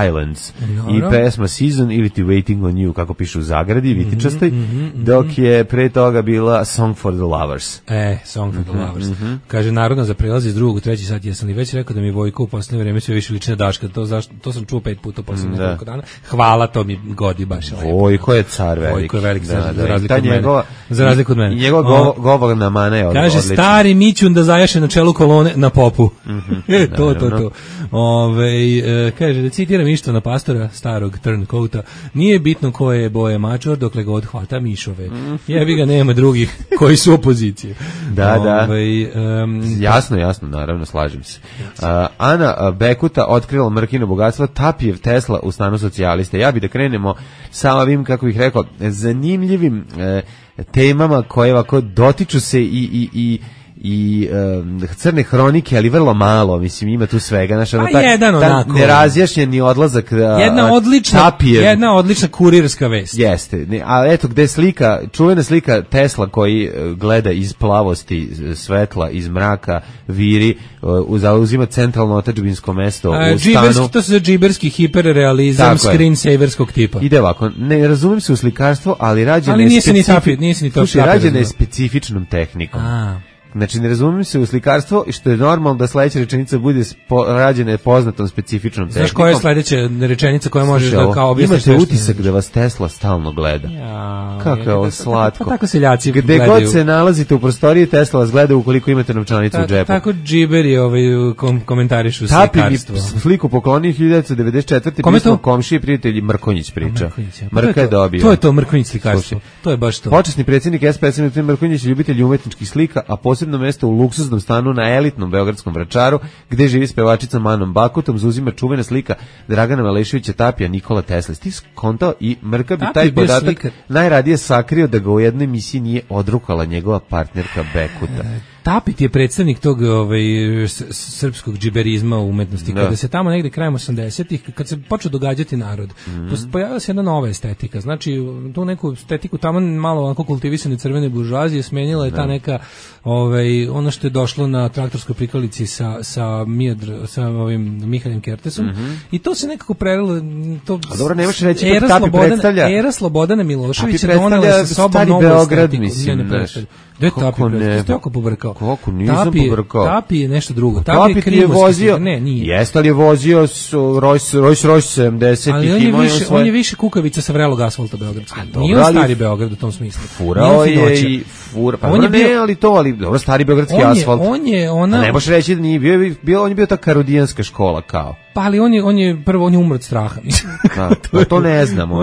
S5: Islands i pesma Season ili ti Waiting on You, kako piše u zagradi, vitičastoj, dok je pre toga bila Song for the Lovers.
S6: Song for the Lovers. Kaže, narodno za prelaz iz drugog u treći sat, jesam li već rekao da mi Vojko u poslednje vreme sve više liči na Daška, to sam čuo 5 puta u poslednje nekoliko dana. Hvala, to mi godi baš.
S5: Vojko je car velik.
S6: Vojko je velik. Za razliku od mene.
S5: I njegov govorna mana je
S6: kaže,
S5: odlična.
S6: Stari Mićun da zajaše na čelu kolone na popu. To. Kaže, da citiram Ištvana Pastora, starog turncoata, nije bitno koje je boje mačor, dokle god hvata mišove. Jebi ga, nema drugih koji su opozicije.
S5: Da. Jasno, naravno, slažem se. Ana Bekuta otkrila Mrkino bogatstvo, Tapijev Tesla u stanu socijaliste. Ja bih da krenemo sa ovim, kako bih rekao, zanimljivim temama koje ovako dotiču se i crne hronike, ali vrlo malo, mislim, ima tu svega, nerazjašnjeni odlazak
S6: jedna odlična kurirska vest.
S5: Jeste, a eto gde je slika, čuvena slika Tesla koji gleda iz plavosti svetla, iz mraka, viri, zauzima centralno otadžbinsko mesto u stanu.
S6: To se džiberski hiperrealizam screensaverskog tipa.
S5: Ide ovako, ne razumijem se u slikarstvo, ali rađeno je specifičnom tehnikom. Znači, ne razumijem se u slikarstvo i što je normalno da sledeća rečenica bude rađena poznatom specifičnom tehnikom.
S6: Znaš koja je sledeća rečenica koja možeš da kao objasniš?
S5: Imate utisak da vas Tesla stalno gleda. Kako je ovo slatko.
S6: Pa tako seljaci
S5: gledaju. Gde god se nalazite u prostoriji, Tesla vas gleda ukoliko imate novčanicu u džepu.
S6: Tako džiberi komentarišu slikarstvo.
S5: Tapi mi sliku poklonio 1994. pismo komšiji prijatelji Mrkonjić priča. Mrka je dobio.
S6: To je to Mrkonjić slikarstvo. To je baš to.
S5: Počasni predsjednik SPS Mrkonjić, ljubitelj umetničkih slika, a posebno mesto u luksuznom stanu na elitnom beogradskom Vračaru, gde živi s pevačicom Anom Bakutom, zauzima čuvena slika Dragana Maleševića Tapija Nikola Tesla. Ti skontao i Mrka bi taj podatak najradije sakrio da ga u jednoj emisiji nije odrukala njegova partnerka Bekuta.
S6: Tapit je predstavnik tog srpskog džiberizma u umetnosti. Kada se tamo negde krajem 80-ih, kad se počeo događati narod, pojavila se jedna nova estetika. Znači, tu neku estetiku tamo malo onako kultivisane crvene buržuazije smenila je ta neka ono što je došlo na traktorskoj prikolici sa Mihaljem Kertesom i to se nekako prelilo.
S5: A dobro, nemaš reći da Tapi predstavlja...
S6: Era Slobodana Miloševića donela sa sobom novu estetiku. Da je Tapi predstavlja? Ste oko pobrkao.
S5: Kako, nisam pobrkao.
S6: Tapi je nešto drugo.
S5: Tapi je vozio, ne, nije. Jeste li je vozio Rolls Royce 70
S6: ali on je više kukavica sa vrelog asfalta beogradskog. Nije on stari Beograd u tom smislu.
S5: Furao je i fura. Pa on je dobro, stari beogradski asfalt.
S6: On je ona...
S5: Ne možeš reći da nije bio, on je bio ta karudijanska škola kao.
S6: Pa ali on je umro od straha.
S5: To ne znamo.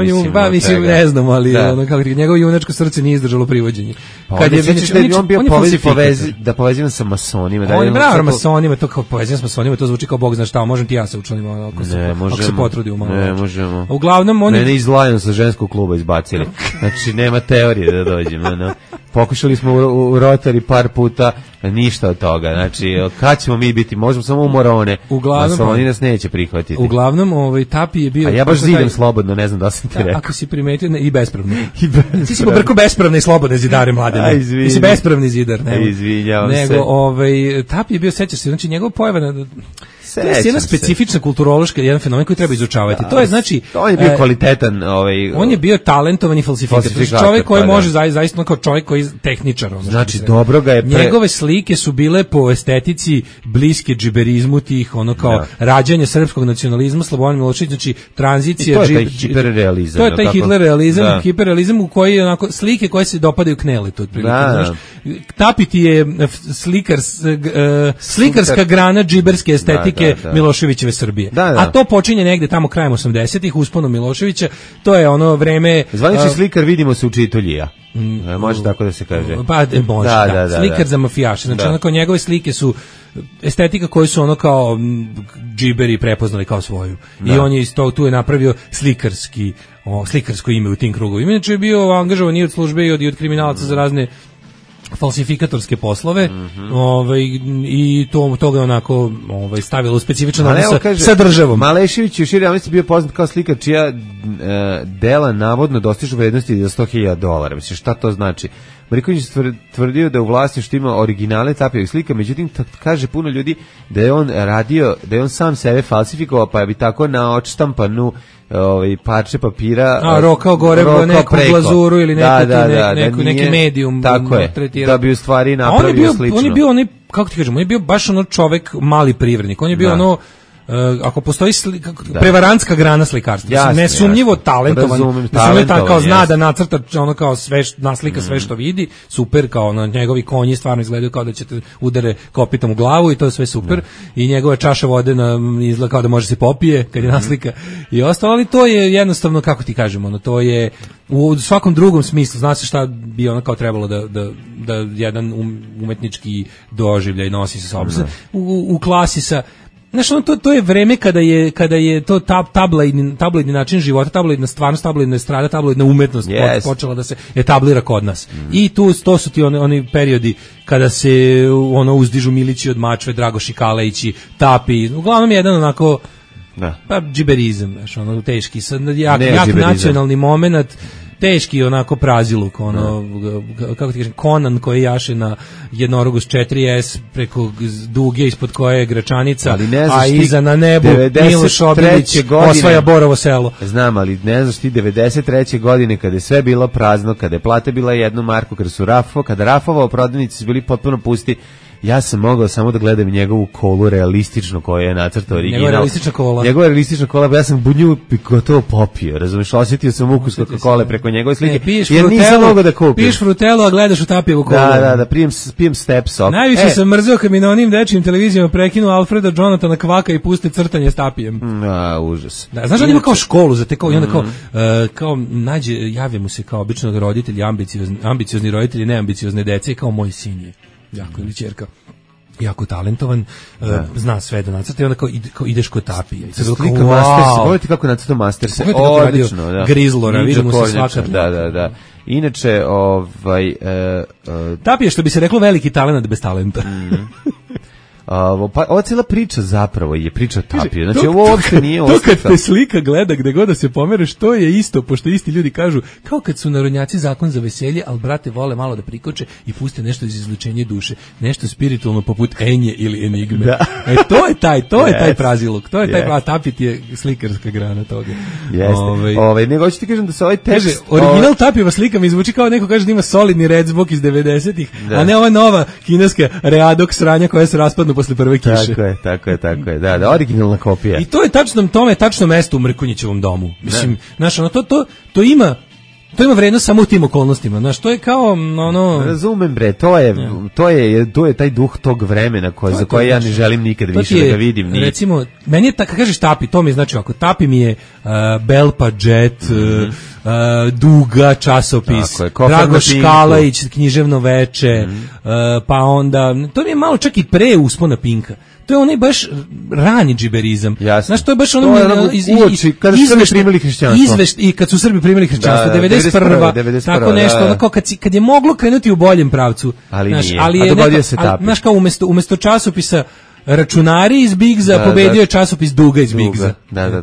S6: Mislim, ne znamo, ali njegovo junačko srce nije izdržalo privođenje.
S5: Kad je on bio da povezivan sa masonima.
S6: On je bravo masonima, to kao povezivan sa masonima, to zvuči kao Bog zna šta, možem ti ja se učlanim ako se potrudi malo.
S5: Ne možemo.
S6: Uglavnom
S5: mene iz Lions sa ženskog kluba izbacili. Znači nema teorije da dođemo. Pokušali smo u Rotary par puta, ništa od toga. Znači, kad ćemo mi biti? Možemo samo u Morone. Masoni nas neće prihvatiti.
S6: Uglavnom, Tapi je bio...
S5: A ja baš zidam slobodno, ne znam da sam ti rekao.
S6: Ako si primetio, i bespravno. Ti si pobrkao bespravne i slobodne zidare, mladene. Ti si bespravni zidar.
S5: Izvinjavam se.
S6: Nego, Tapi je bio, sećaš se, znači njegov pojava na... To je jedna specifična kulturološka, jedan fenomen koji treba izučavati. To je znači
S5: on je bio kvalitetan,
S6: on je bio talentovan i falsifikator. Čovjek koji može zaista kao čovjek koji tehničar,
S5: znači dobro ga je
S6: njegove slike su bile po estetici bliske džiberizmu tih kao rađanje srpskog nacionalizma, Slobodan Milošević, znači tranzicija,
S5: to je taj hiperrealizam.
S6: To je taj Hitlerrealizam, hiperrealizam u koji je onako slike koje se dopadaju Kneletu otprilike, znaš. Tapiti je slikarska grana džiberske estetike slike Miloševićeve Srbije. A to počinje negde tamo krajem 80-ih, usponom Miloševića, to je ono vreme...
S5: Zvanični slikar vidimo se u Čituljija. Može tako da se kaže.
S6: Pa može, slikar za mafijaše. Znači, onako, njegove slike su estetika koju su ono kao džiberi prepoznali kao svoju. I on je isto tu je napravio slikarsko ime u tim krugovima. Inače je bio angažovan i od službe i od kriminalaca za razne falsifikatorske poslove, i to ga onako stavilo u specifičan odnos sa državom.
S5: Malešević je u široj javnosti bio poznat kao slikar čija dela navodno dostižu vrednosti za $100.000. Mislim, šta to znači? Mariković tvrdio da u vlasništvu ima originale Tapijevih slika, međutim kaže puno ljudi da je on radio, da je on sam sebe falsifikovao, pa bi tako na odštampanu parče papira
S6: rokao gore neku glazuru ili neki medijum
S5: tako je, da bi u stvari napravio slično.
S6: On je bio kako ti kažem, on je bio baš ono čovek mali privrednik, on je bio ono ako postoji prevarantska grana slikarstva, nesumnjivo talentovan, kao zna da nacrta ono kao sve, naslika sve što vidi, super, kao na njegovi konji stvarno izgledaju kao da ćete udare kopitom u glavu i to je sve super, i njegova čaša vode izgleda kao da može se popije kad je naslika i ostalo, ali to je jednostavno, kako ti kažemo, ono, to je u svakom drugom smislu, zna se šta bi ono kao trebalo da jedan umetnički doživljaj nosi sa sobom. U klasi sa... Znaš, to je vreme kada je to tabloidni način života, tabloidna stvarnost, tabloidna estrada, tabloidna umetnost počela da se etablira kod nas. I to su ti oni periodi kada se uzdižu Milići od Mačve, Dragoši Kalejići, Tapi, uglavnom jedan onako džiberizam, znaš, teški, jak nacionalni moment, teški onako praziluk, kako ti kažem, Conan koji jaše na jednorogu s 4S preko duge ispod koje je Gračanica, a iza na nebu Miloš Obilić osvaja Borovo selo.
S5: Znam, ali ne znaš ti 93. godine kada je sve bilo prazno, kada je plata bila 1 marku, kada Rafova prodavnici su bili potpuno pusti, ja sam mogao samo da gledam njegovu kolu realistično koju je nacrtao original. Njegova realistična kola, ja sam bunju gotovo popio, razumiješ, osjetio sam ukus Coca-Cole preko njegove slike, jer nisam mogao da kupim.
S6: Piješ Frutelu, a gledaš u Tapijevu kolu.
S5: Da, pijem Step Sok.
S6: Najviše sam mrzeo kad mi na onim dečijim televizijama prekinu Alfreda Jonathana Kvaka i puste crtanje s Tapijem.
S5: Užas.
S6: Da, znaš da ima kao školu za te, i onda kao nađe, javlja mu se kao obično roditelji, ambiciozni roditelji, neambiciozne dece, i kao moj sin je jako ili ćerka jako talentovan, zna sve da nacrta, i onda kao ideš kod Tapije.
S5: Slika Mastersa, pogledajte kako nacrta Mastersa, odlično.
S6: Grizlora, vidimo se svakako.
S5: Da. Inače,
S6: Tapije, što bi se reklo, veliki talent bez talenta.
S5: Ova cijela priča zapravo je priča Tapije. Znači, ovo uopšte nije
S6: to kad te slika gleda gde god da se pomereš, to je isto, pošto isti ljudi kažu, kao kad su narodnjaci zakon za veselje, ali brate vole malo da prikoče i puste nešto iz izlučenja duše, nešto spiritualno poput Enje ili Enigme. To je taj praziluk, to je taj Tapit je slikarska grana toga.
S5: Jeste. Nego hoću ti kažem da se ovaj tekst...
S6: Original Tapijeva slika mi zvuči kao neko kaže da ima solidni redzbok iz 90-ih, a ne ova nova kineska readok sranja koja se raspadnu posle prve kiše.
S5: Tako je. Da, originalna kopija.
S6: I to je tačno mesto u Mrkonjićevom domu. Mislim, znaš, to ima vrednost samo u tim okolnostima. Znaš, to je kao
S5: Razumem, bre, to je taj duh tog vremena za koje ja ne želim nikad više da ga vidim.
S6: Recimo, meni je kad kažeš Tapi, to mi je znači ako Tapi mi je Belpa Jet, Duga časopis, Dragoš Kalajić, Književno veče, pa onda to mi je malo čak i pre uspona Pinka. To je onaj baš rani džiberizam. Znaš, to je baš ono
S5: kada su Srbi primili hrišćanstvo.
S6: I kad su Srbi primili hrišćanstvo, 91. Tako nešto, onako kad je moglo krenuti u boljem pravcu.
S5: Ali nije, a dogodio se Tapi.
S6: Znaš, kao umesto časopisa Računari iz Bigza, pobedio je časopis Duga iz Bigza.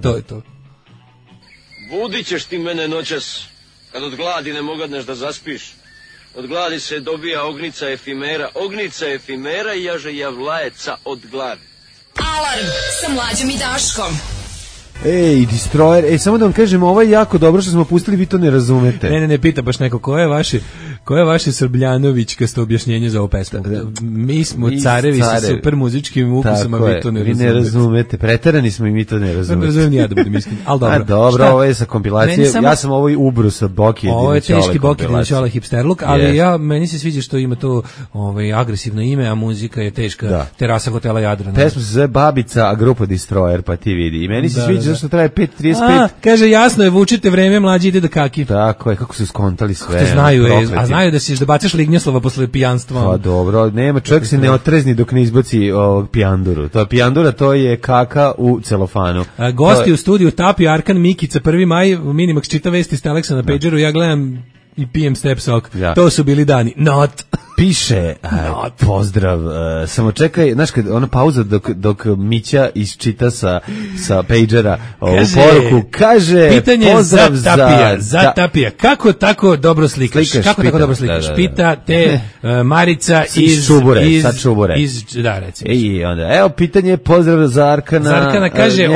S6: To je to.
S10: Budit ćeš ti mene noćas, kad od gladi ne mogadneš da zaspiš. Od gladi se dobija ognica efimera i jaže javlajeca od gladi.
S3: Alarm sa Mlađom i Daškom.
S5: Ej, Destroyer, samo da vam kažem, ovo je jako dobro što smo pustili, vi to ne razumete.
S6: Ne, pita baš neko, ko je vaše Srbljanovićkasto objašnjenje za ovu pesmu? Mi smo carevi sa super muzičkim ukusom, a vi to ne razumete.
S5: Vi ne razumete, preterani smo i mi to ne razumete.
S6: Ne razumijem ja da budem iskren, ali dobro.
S5: Dobro, ovo je sa kompilacije, ja sam ovo i ubru sa Boki Jedinićole.
S6: Ovo je teški Boki Jedinićole hipsterluk, ali meni se sviđa što ima to agresivno ime, a muzika je teška, terasa hotela Jadran.
S5: Pesma se zove Babica, a grupa Destroyer, pa ti vidi. I meni se sviđa zašto traje 5:35.
S6: Kaže, jasno je, vučite vreme, mlađi ide da kaki.
S5: Tako je, kako su skontali sve.
S6: Znaju, znaju da ćeš da bacaš lignjoslova posle pijanstva.
S5: Pa dobro, nema, čovjek se ne otrezni dok ne izbaci pijanduru. To je pijandura, to je kaka u celofanu.
S6: Gosti u studiju Tapi, Arkan, Mikica, 1. maj, Minimax čita vesti s Teleksa na pageru, ja gledam i pijem step sok. To su bili dani. Not.
S5: Piše, pozdrav, samo čekaj, znaš kad ona pauza dok Mića isčita sa pagera ovu poruku, kaže
S6: pitanje
S5: pozdrav
S6: za Tapija, kako tako dobro slikaš? Pita te Marica iz
S5: Čubure.
S6: Da, recimo.
S5: I onda, evo pitanje, pozdrav za Arkana.
S6: Arkana kaže,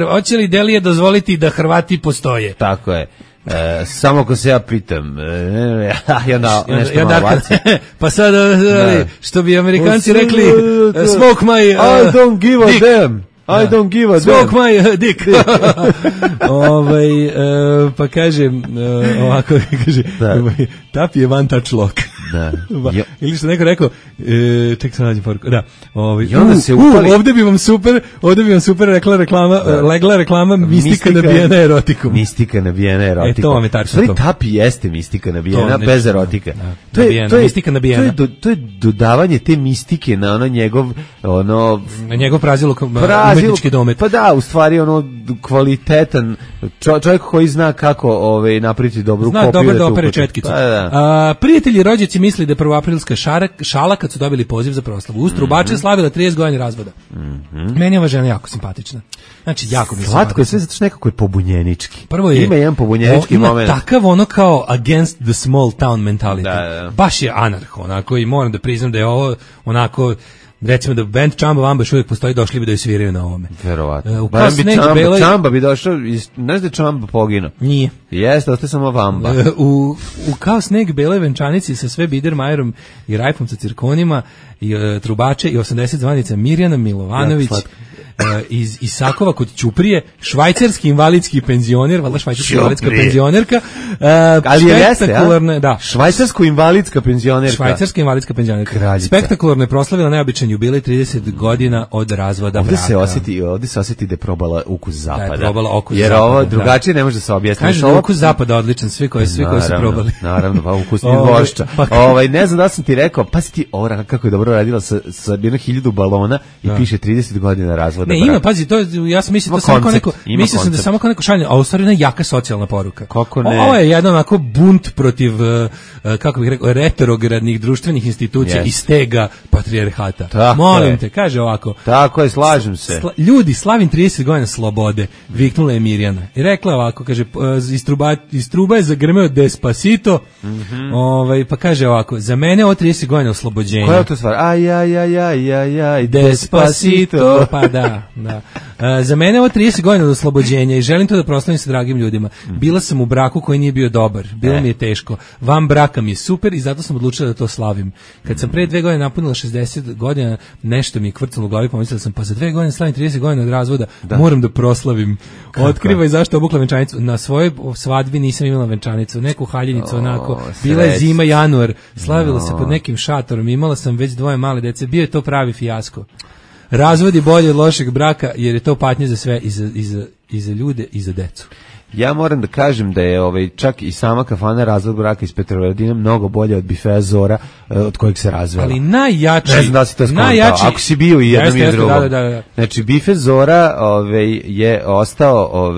S6: hoće li Delije dozvoliti da Hrvati postoje?
S5: Tako je. Samo ako se ja pitam nešto malo baci.
S6: Pa sad što bi Amerikanci rekli smoke my
S5: I don't give a damn. I don't give a damn.
S6: Smoke my dick. Pa kaže ovako, kaže Tapi je one touch lock.
S5: Da.
S6: Ili što neko rekao, ček se nađem poruku. Da.
S5: I onda se upali.
S6: Ovde bi vam super legla reklama mistika nabijena erotikom.
S5: Mistika nabijena erotikom.
S6: To vam je tačno to.
S5: Tapi jeste mistika nabijena bez erotika.
S6: To je mistika nabijena.
S5: To je dodavanje te mistike na
S6: njegov praziluk umetnički domet.
S5: Pa da, u stvari kvalitetan čovjek koji zna kako napraviti dobru kopiju.
S6: Zna da opere četkicu. Prijatelji rođaci misli da je prvoaprilska šala kad su dobili poziv za proslavu. Uz trubače slavila 30 godina razvoda. Meni je ova žena jako simpatična. Znači, jako mi je
S5: slatko je sve zato što nekako je pobunjenički.
S6: Prvo je,
S5: ima jedan pobunjenički moment.
S6: Ima takav kao against the small town mentality. Da. Baš je anarho, onako, i moram da priznam da je ovo onako, recimo da band Čamba Vamba još uvijek postoji, došli bi da ju sviraju na ovome.
S5: Verovatno. Čamba bi došao, znaš da je Čamba poginuo?
S6: Nije.
S5: Jeste, ostaje samo Vamba.
S6: U Kao sneg beloj venčanici sa sve Biedermajerom i Rajfom sa cirkonima i trubače i 80 zvanica Mirjana Milovanović. Iz Isakova kod Ćuprije, švajcarski invalidski penzioner, valjda švajcarska invalidska penzionerka,
S5: ali jeste,
S6: da.
S5: Švajcarsko-invalidska penzionerka.
S6: Švajcarska invalidska penzionerka.
S5: Kraljica.
S6: Spektakularno je proslavila neobičan jubilej 30 godina od razvoda braka.
S5: Ovdje se osjeti da je probala ukus zapada.
S6: Da je probala okus
S5: jer
S6: zapada.
S5: Jer ovo drugačije ne može se objasniti.
S6: Kaže da je okus zapada odličan, svi koji su probali.
S5: Naravno, pa ukusni vošća. Ne znam da sam ti rekao, pa si ti kako je dobro radila sa 1000 balona i piše 30 godina razvoda.
S6: Ne, ima, pazi, to ja sam mislio da samo kao neko šalje, a u stvari jedna jaka socijalna poruka.
S5: Kako ne?
S6: Ovo je jedan onako bunt protiv, kako bih rekao, retrogradnih društvenih institucija i stega patrijarhata. Molim te, kaže ovako.
S5: Tako je, slažem se.
S6: Ljudi, slavim 30 godina slobode, viknula je Mirjana. I rekla ovako, kaže, iz truba je zagrmeo Despacito, pa kaže ovako, za mene ovo 30 godina oslobođenja.
S5: Koja je to stvar? Aj,
S6: Despacito, pa da. Za mene je ovo 30 godina od oslobođenja i želim to da proslavim sa dragim ljudima. Bila sam u braku koji nije bio dobar, bilo mi je teško. Van braka mi je super i zato sam odlučila da to slavim. Kad sam pre 2 godine napunila 60 godina, nešto mi je kvrcalo u glavi, pomislila sam, pa za 2 godine slavim 30 godina od razvoda, moram da proslavim. Otkrivaj zašto obukla venčanicu. Na svojoj svadbi nisam imala venčanicu, neku haljinicu onako. Bila je zima, januar, slavila se pod nekim šatorom, imala sam već 2 male dece, bio je to pravi fijasko. Razvod je bolje od lošeg braka jer je to patnje za sve i za ljude i za decu.
S5: Ja moram da kažem da je čak i sama kafana Razvod braka iz Petrovaradina mnogo bolje od bifea Zora od kojeg se razvela.
S6: Ali najjači...
S5: Ne znam da si to skontao. Ako si bio i jednom i drugom.
S6: Da.
S5: Znači, bife Zora je ostao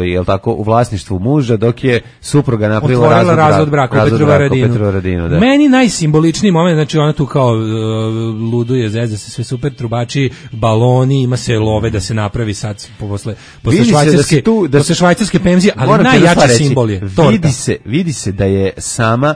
S5: u vlasništvu muža dok je supruga napravila Razvod braka u Petrovaradinu. Da.
S6: Meni najsimboličniji moment, znači ona tu kao luduje, zezda se sve super, trubači, baloni, ima se love da se napravi sad posle švajcarske penzije, ali najjači simbol je torta.
S5: Vidi se da je sama,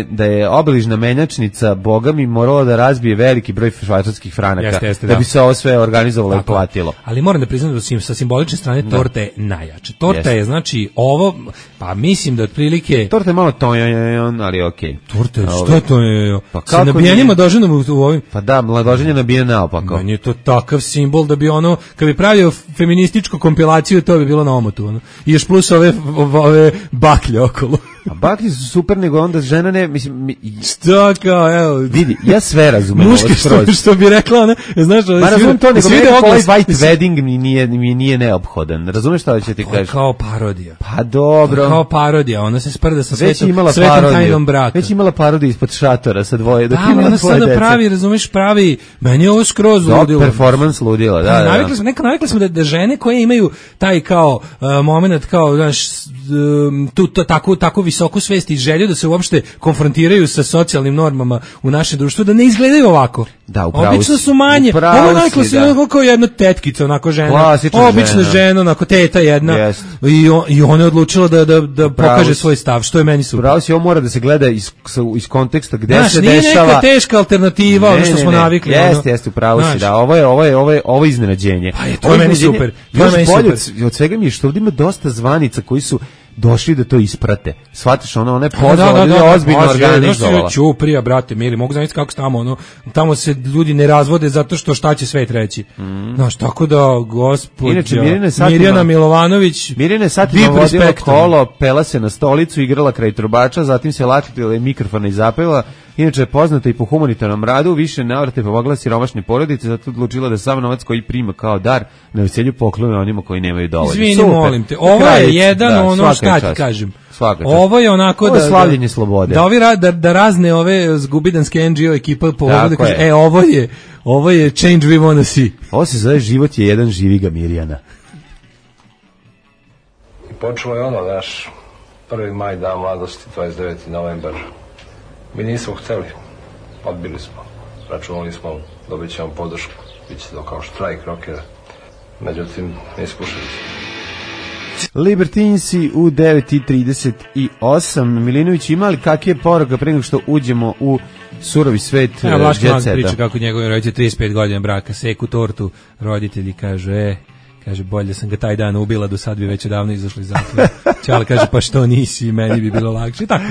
S5: da je obližna menjačnica bogami morala da razbije veliki broj švajcarskih franaka da bi se ovo sve organizovalo i platilo.
S6: Ali moram da priznam da sa simbolične strane torta je najjača. Torta je znači ovo, pa mislim da otprilike
S5: torta je malo tojon, ali okej.
S6: Torta je, što je to je? Pa sa nabijanjima doženom u ovim.
S5: Pa da, mladoženje nabije naopako.
S6: Meni je to takav simbol da bi ono, kad bi pravio feminističku kompilaciju, to bi bilo na omotu. Ono. I još plus ove baklje okolo.
S5: A baklje su super, nego onda žena ne, mislim...
S6: Šta kao, evo...
S5: Vidi, ja sve razumem.
S6: Muške što bi rekla, ona, znaš...
S5: Ma razumem to, nego meni ovaj white wedding mi nije neophodan. Razumeš šta će ti kažeš?
S6: Kao parodija.
S5: Pa dobro.
S6: Kao parodija, ona se sprda sa svetom tajnom braka.
S5: Već imala parodiju ispod šatora sa dvoje.
S6: Da, ona sada pravi, razumeš, meni je ovo skroz ludilo.
S5: Performance ludilo, da.
S6: Navikli smo da žene koje imaju taj kao moment, kao, znaš, tako visoku svest i želju da se uopšte konfrontiraju sa socijalnim normama u našem društvu, da ne izgledaju ovako.
S5: Da, upravo.
S6: Obično su manje. Ovo navikla se kao jedna tetkica, onako žena. Obična žena, onako teta jedna. I ona je odlučila da pokaže svoj stav, što je meni super.
S5: Upravo si, ovo mora da se gleda iz konteksta gde se
S6: nije
S5: dešava.
S6: Neka teška alternativa, ono što smo navikli.
S5: Jeste, upravo si, da. Ovo je iznenađenje.
S6: Pa to je meni super.
S5: Od svega mi je što ovdje ima dosta zvanica koji su došli da to isprate. Shvatiš, ona je pozvala, ozbiljno organizovala.
S6: Ćuprija, brate, mili, mogu zamisliti kako se tamo se ljudi ne razvode zato što šta će svet reći. Znaš, tako da, gospođa Mirjana Milovanović,
S5: Mirjana je satima vodila kolo, pela se na stolicu, igrala kraj trubača, zatim se latila mikrofona i zapela. Inače je poznata i po humanitarnom radu, više navrate pomogla siromašne porodice, zato odlučila da sam novac koji prima kao dar na veselju poklone onima koji nemaju dovoljno.
S6: Izvini, molim te, ovo je jedan ono šta ti kažem. Ovo je onako
S5: ovo je slavljenje slobode.
S6: Da razne ove zgubidanske NGO ekipa pomogu da kaže, ovo je change we wanna see.
S5: Ovo se zove život je jedan, živi ga Mirjana.
S11: I počelo je ono, naš 1. maj, dan mladosti, 29. novembar. Mi nismo hteli, odbili smo, računali smo, dobit ćemo podršku, bit će to kao štrajk rokera, međutim, ne ispušili smo.
S5: Libertinci u 9:38. Milinović, ima li kakve je poruka pre nego što uđemo u surovi svet jet
S6: Vlaški
S5: seta?
S6: Priča kako njegovim roditelji 35 godina braka, seku tortu, roditelji kaže, bolje sam ga taj dan ubila, do sad bi već davno izašli iz zatvora. Čale kaže, pa što nisi, meni bi bilo lakše. Tako.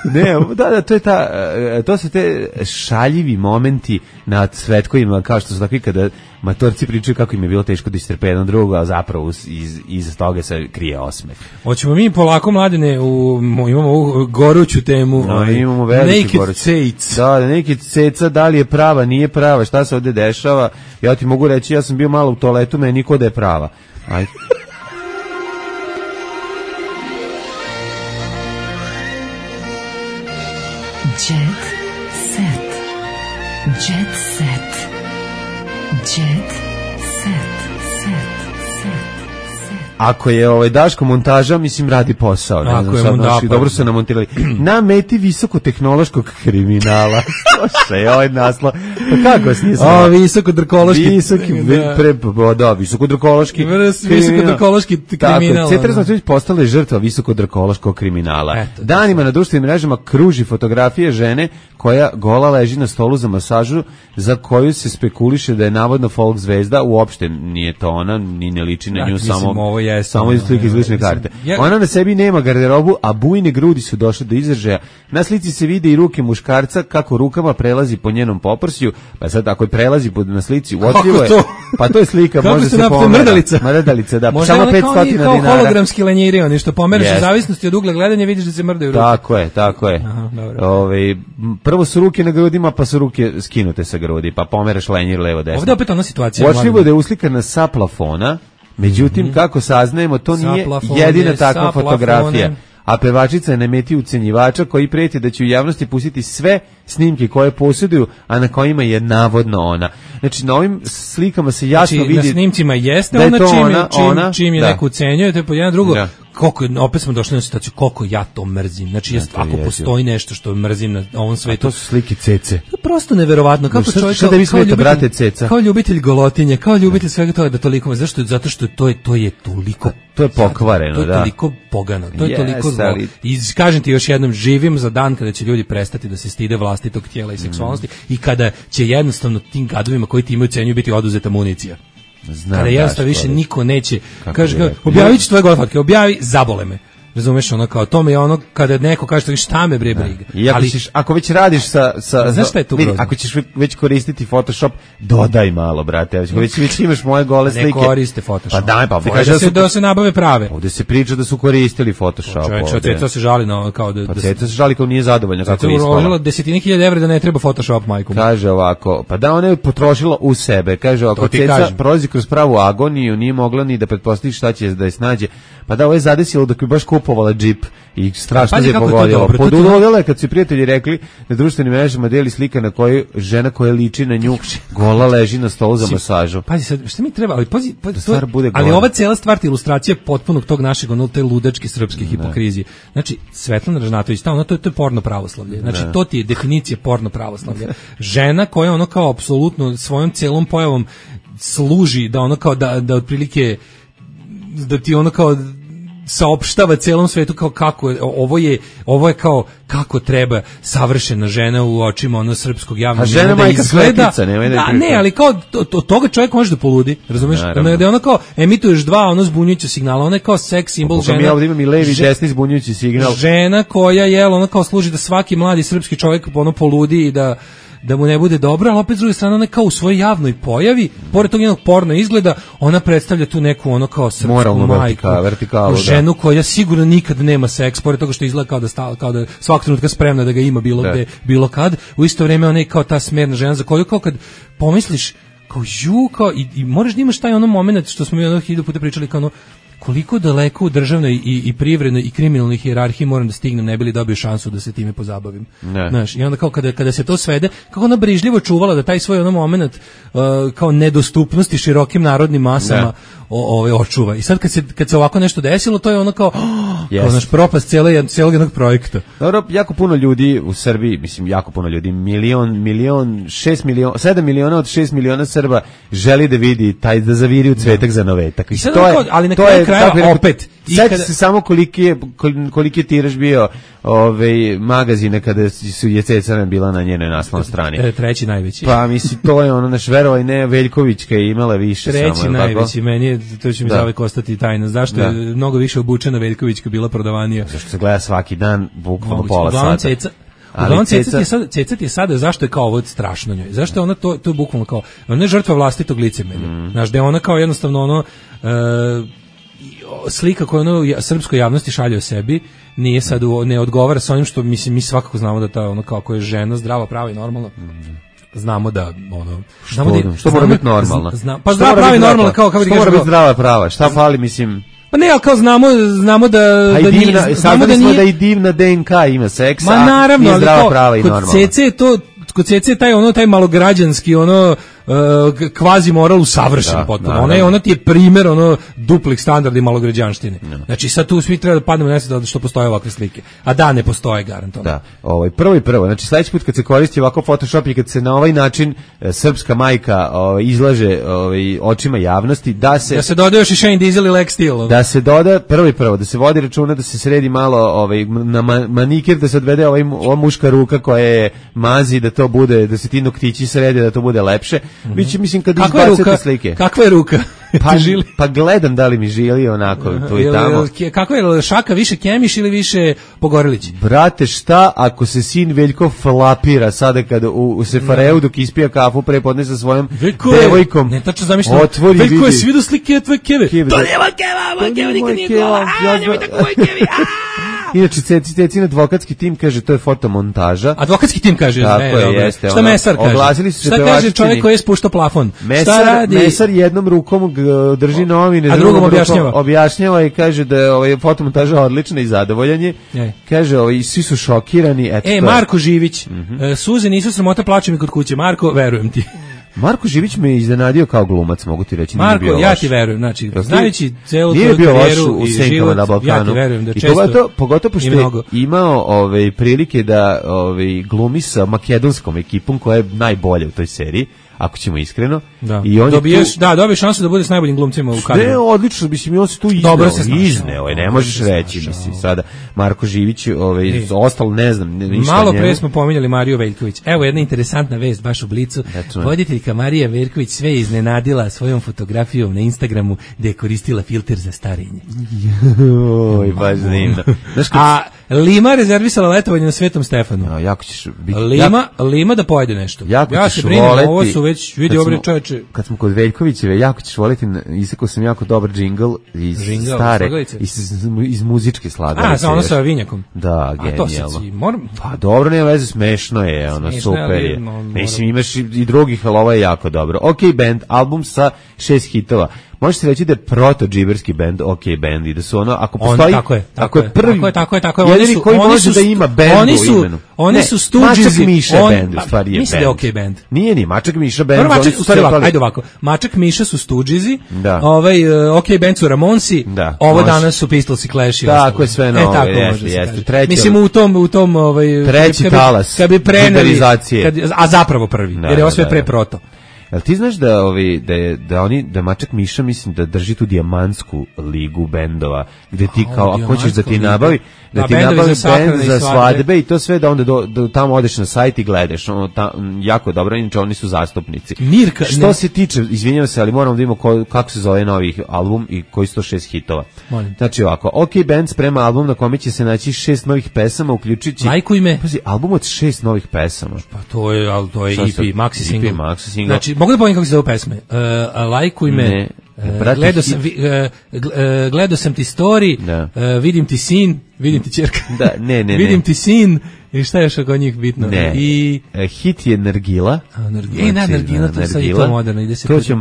S5: Ne, da, to su te šaljivi momenti na cvetkovima, kao što su takvi kada matorci pričaju kako im je bilo teško da istrpe jedan drugo, a zapravo iza toga se krije osmeh.
S6: Hoćemo mi polako, Mladene, imamo ovu goruću temu.
S5: Imamo veliki
S6: naked
S5: goruć.
S6: Cates.
S5: Da, naked ceca, da li je prava, nije prava, šta se ovde dešava? Ja ti mogu reći, ja sam bio malo u toaletu, meni niko da je prava. Ajde.
S3: Jet set. Jet set. Jet set.
S5: Ako je Daško montaža, mislim radi posao. Ne znam, sad, dobro su namontirali. Na meti visokotehnološkog kriminala. Slušaj, ovaj naslov. Pa kako vas nije znao?
S6: Visokodrkološki.
S5: Visokodrkološki
S6: kriminal.
S5: Cetra Zmatović postala je žrtva visokodrkološkog kriminala. Danima na društvenim mrežama kruži fotografije žene koja gola leži na stolu za masažu, za koju se spekuliše da je navodno folk zvezda. Uopšte nije to ona, ni ne liči na nju, samo iz slike iz lične karte. Ona na sebi nema garderobu, a bujne grudi su došle do izražaja. Na slici se vide i ruke muškarca kako rukama prelazi po njenom poprsju. Pa sad ako je prelazi na slici, uotljivo je. Pa to je slika, može se pomera. Mrdalica, da.
S6: Možda samo 500 dinara. Kao hologramski lenjiri, oni što pomereš u zavisnosti od ugla gledanja, vidiš da se mrdaju ruke.
S5: Tako je. Prvo su ruke na grudima, pa su ruke skinute sa grudi, pa pomeraš lenjir levo desno.
S6: Ovdje opet ona situacija.
S5: Uočljivo da je uslikana sa plafona. Međutim, kako saznajemo, to nije jedina takva fotografija. A pevačica je na meti ucenjivača koji prijeti da će u javnosti pustiti sve snimke koje posjeduju, a na kojima je navodno ona. Znači, na ovim slikama se jasno vidi...
S6: Na snimcima jeste
S5: da
S6: ona čim je neko ucenjuje, to je po jedan drugo. koliko, opet smo došli na situaciju koliko ja to mrzim. Znači, ako postoji nešto što mrzim na ovom svetu.
S5: To su slike cece.
S6: To je prosto neverovatno. Kako čovjek kao ljubitelj golotinje, kao ljubitelj svega toga da toliko, zato što to je toliko,
S5: to je pokvareno,
S6: to je toliko pogano, to je toliko zlo. I kažem ti još jednom, živim za dan kada će ljudi prestati da se stide vlastitog tijela i seksualnosti i kada će jednostavno tim gadovima koji ti imaju cenju biti oduzeta municija. Kada jednostavno više niko neće, kaže, objavit ću tvoje gole fotke, objavi, zabole me. Razumeš, ono kao tome je ono kada neko kaže šta me bre briga.
S5: I ako već radiš
S6: znaš šta je tu
S5: ako ćeš već koristiti Photoshop, dodaj malo, brate. Ako već imaš moje gole slike.
S6: Ne koriste Photoshop.
S5: Pa daj, pa
S6: kaže da se nabave prave.
S5: Ovde se priča da su koristili Photoshop.
S6: Ceca se žali na kao da
S5: Ceca se žali kao nije zadovoljna kako je ispala.
S6: Uložila desetine hiljada evra da ne treba Photoshop majkom.
S5: Kaže ovako, pa da ona je potrošila u sebe. Kaže ako Ceca prolazi kroz pravu agoniju, nije mogla ni da pretpostavi šta će da je snađe. Pa da ovo je zadesilo dok bi baš kupovala džip i strašno je pogodilo. Podudovila je kad su prijatelji rekli na društvenim mrežama deli slika na kojoj žena koja liči na nju gola leži na stolu za masažu.
S6: Pazi sad, šta mi treba, ali ova cela stvar ti ilustracija potpunog tog našeg te ludačke srpske hipokrizije. Znači, Svetlana Ražnatović, to je porno pravoslavlje. Znači, to ti je definicija porno pravoslavlja. Žena koja ono kao apsolutno svojom celom pojavom služi da ono kao da otprilike da ti ono kao saopštava celom svetu kao kako ovo je kao kako treba savršena žena u očima ono srpskog javnog
S5: žena da izgleda.
S6: Ne, ali kao toga čovjek može da poludi, razumeš? Da je ono kao emituješ dva ono zbunjujuća signala, ona je kao seks simbol žena.
S5: Mi ovdje imam i levi i desni zbunjujući signal.
S6: Žena koja ona kao služi da svaki mladi srpski čovjek ono poludi i da mu ne bude dobro, ali opet s druge strane ona kao u svojoj javnoj pojavi, pored tog njenog porno izgleda, ona predstavlja tu neku ono kao srpsku
S5: moralnu
S6: majku,
S5: vertikalu,
S6: ženu koja sigurno nikad nema seks, pored toga što izgleda kao da svakog trenutka spremna da ga ima bilo gde, bilo kad, u isto vrijeme ona je kao ta smerna žena za koju kao kad pomisliš kao i moraš da imaš taj ono moment što smo mi ono 1000 puta pričali kao ono koliko daleko u državnoj i privrednoj i kriminalnoj hijerarhiji moram da stignem ne bi li dobio šansu da se time pozabavim. Znaš, i onda kao kada se to svede, kako ona brižljivo čuvala da taj svoj ono moment kao nedostupnosti širokim narodnim masama očuva. I sad kad se ovako nešto desilo, to je ono kao naš propast cijelog jednog projekta.
S5: Dobro, jako puno ljudi u Srbiji, mislim jako puno ljudi, 7 miliona od 6 miliona Srba želi da vidi da zaviri u cvetak za novetak. I to je,
S6: ali na kraju krajeva opet.
S5: Sjeti se samo koliki je tiraž bio magazine kada je Ceca bila na njenoj naslovnoj strani.
S6: Treći najveći.
S5: Pa mislim, to je ono naš verovaj ne Veljkovićka je imala više.
S6: Treći najveći, meni je, to će mi zavek ostati tajna. Zašto je mnogo više obučena Veljkovićka bila prodavanija?
S5: Zašto se gleda svaki dan, bukvalno pola sata.
S6: Uglavnom Ceca ti je sada, zašto je kao ovo strašno njoj? Zašto je ona to je bukvalno kao, ona je žrtva vlastitog licemerja. Znaš, da je ona kao jednostavno ono slika koju ono srpskoj javnosti šalje o sebi nije sad ne odgovara sa onim što mislim mi svakako znamo da ta ono kako je žena zdrava, prava i normalna. Znamo da ono
S5: što mora biti normalno.
S6: Pa zdrava, prava i normalna kao kako
S5: mora biti zdrava, prava. Šta fali mislim?
S6: Pa ne, ali kao znamo da
S5: saznali smo da i divna DNK ima seksa.
S6: Ma naravno, ali
S5: zdrava, prava i normalna.
S6: Kod Cece je taj malograđanski kvazi moral usavršen potpuno. Ona ti je primjer duplih standarda i malograđanštine. Znači sad tu svi treba da padnemo na što postoje ovakve slike. A da, ne postoje garantovano.
S5: Da, prvo. Znači sledeći put kad se koristi ovako Photoshop i kad se na ovaj način srpska majka izlaže očima javnosti, da se
S6: doda još i Shane Diesel i Lex Steel.
S5: Da se doda prvo, da se vodi računa da se sredi malo na manikir, da se odvede ova muška ruka koja je mazi, da to bude, da se ti noktići srede, da to bude lepše. Mislim kad izbacite slike.
S6: Kakva je ruka?
S5: Pa gledam da li mi žili onako tu i tamo.
S6: Kako je Šaka više Kemiš ili više Pogorelić?
S5: Brate, šta ako se sin Veljko flapira sada kada u Sefareu dok ispija kafu prepodne sa svojom devojkom?
S6: Ne, tačno zamišljam.
S5: Otvori
S6: Veljko je svi do slike tvoje keve. To nije moj keva nikad nije gola. Nemoj tako moj kevi.
S5: Inače, Cecin advokatski tim kaže to je fotomontaža.
S6: Advokatski tim kaže,
S5: jeste.
S6: Šta Mesar kaže?
S5: Oglasili su se
S6: šta kaže čovjek koji je spuštao plafon?
S5: Mesar jednom rukom drži novine,
S6: a drugom
S5: objašnjava i kaže da je fotomontaža odlična i zadovoljan je. Kaže, svi su šokirani.
S6: Marko Živić, suze nisu sramota, plače mi kod kuće. Marko, verujem ti.
S5: Marko Živić me iznenadio kao glumac, mogu ti reći.
S6: Marko, ja ti verujem, znači, znajući celu tu karijeru i život, ja ti verujem da često...
S5: Pogotovo pošto je imao prilike da glumi sa makedonskom ekipom koja je najbolja u toj seriji, ako ćemo iskreno.
S6: Da.
S5: I on
S6: dobiješ šansu da bude s najboljim glumcima u kadru.
S5: Ne, odlično, mislim, on se tu izneo, ne možeš reći, mislim, sada Marko Živić, ostalo, ne znam, ništa.
S6: Malo pre smo pominjali Mariju Veljković. Evo jedna interesantna vest baš u Blicu. Voditeljka Marija Veljković sve iznenadila svojom fotografijom na Instagramu gde je koristila filter za starenje.
S5: Oj, baš zanimljivo.
S6: A Lima rezervisala letovanje na Svetom Stefanu.
S5: Jako ćeš biti...
S6: Lima da pojede nešto.
S5: Ja se
S6: brinem, ovo su već, vidi obre čoveče.
S5: Kad smo kod Veljkovićeve, jako ćeš voliti, isekao sam jako dobar džingl iz stare, iz muzičke slagalice.
S6: Ono sa vinjakom.
S5: Da, genijalno. Pa dobro, nema veze, smešno je, super je. Mislim, imaš i drugih, ali ovo je jako dobro. OK Band, album sa 6 hitova. Može se reći da je proto-džiberski band, OK Band, i da su ako postoji, ako je prvi,
S6: tako je,
S5: jedini koji može da ima band u imenu.
S6: Oni su Stooges,
S5: Mačak Miša band, u stvari je band.
S6: Mislim da je OK Band.
S5: Nije ni Mačak Miša band.
S6: Ajde ovako, Mačak Miša su Stoogesi, OK Band su Ramonsi, ovo danas su Pistols i Clash.
S5: Tako je sve novo, jeste.
S6: Mislim u tom
S5: treći talas,
S6: kad bi preneli, a zapravo prvi, jer je ovo sve pre proto.
S5: Jel ti znaš da Mačak Miša, mislim, da drži tu dijamantsku ligu bendova, gde ti kao, ako hoćeš da ti nabavi, da ti nabavi bend za svadbe i to sve, da onda tamo odeš na sajt i gledaš, jako dobro, inače oni su zastupnici. Što se tiče, izvinjavam se, ali moramo da vidimo kako se zove novi album i koji su to 6 hitova. Znači ovako, OK Band sprema album na kome će se naći 6 novih pesama, uključujući...
S6: Lajkuj me.
S5: Pazi, album od 6 novih pesama.
S6: Pa to je EP, maxi single. Znači, mogu da povijem kako se zove pesme? Lajkuj me, gledao sam ti story, vidim ti sin, vidim ti ćerka, vidim ti sin, i šta je još oko njih bitno?
S5: Hit je Nargila.
S6: Nargila, to sad je to moderno.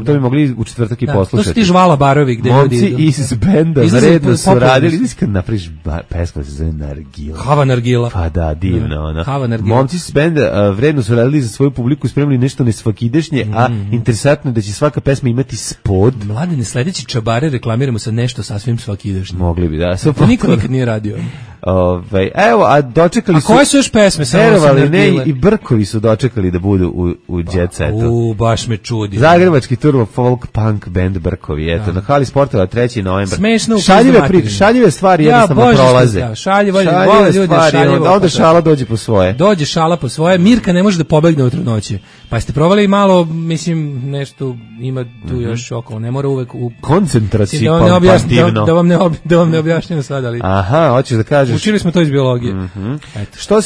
S5: To bi mogli u četvrtak i poslušati.
S6: To su ti Žvala Barovi.
S5: Momci iz benda naredno su radili, kad napraviš pesma se zove Nargila.
S6: Hava Nargila.
S5: Pa da, divno. Momci iz benda vredno su radili za svoju publiku, spremili nešto nesvakidešnje, a interesantno je da će svaka pesma imati spod.
S6: Mladene, sledeći čabare reklamiramo sa nešto sasvim svakidešnje.
S5: Mogli bi, da.
S6: To niko nikad nije radio.
S5: Evo, a dočekali su...
S6: A koje su još pesme?
S5: Verovali, ne, i Brkovi su dočekali da budu u Jet Setu.
S6: Baš me čudi.
S5: Zagrebački turbo folk punk band Brkovi, eto, na hali sportova 3. novembar.
S6: Smešno.
S5: Šaljive stvari jednostavno prolaze.
S6: Šaljive
S5: stvari, onda šala dođe po svoje.
S6: Dođe šala po svoje, Mirka ne može da pobegne u trudnoći. Pa ste provali malo, mislim, nešto ima tu još okolo, ne mora uvek u...
S5: Koncentracijno.
S6: Da vam ne objašnjam sad, ali...
S5: Aha, hoćeš da kažeš...
S6: Učili smo to iz biologije.
S5: Što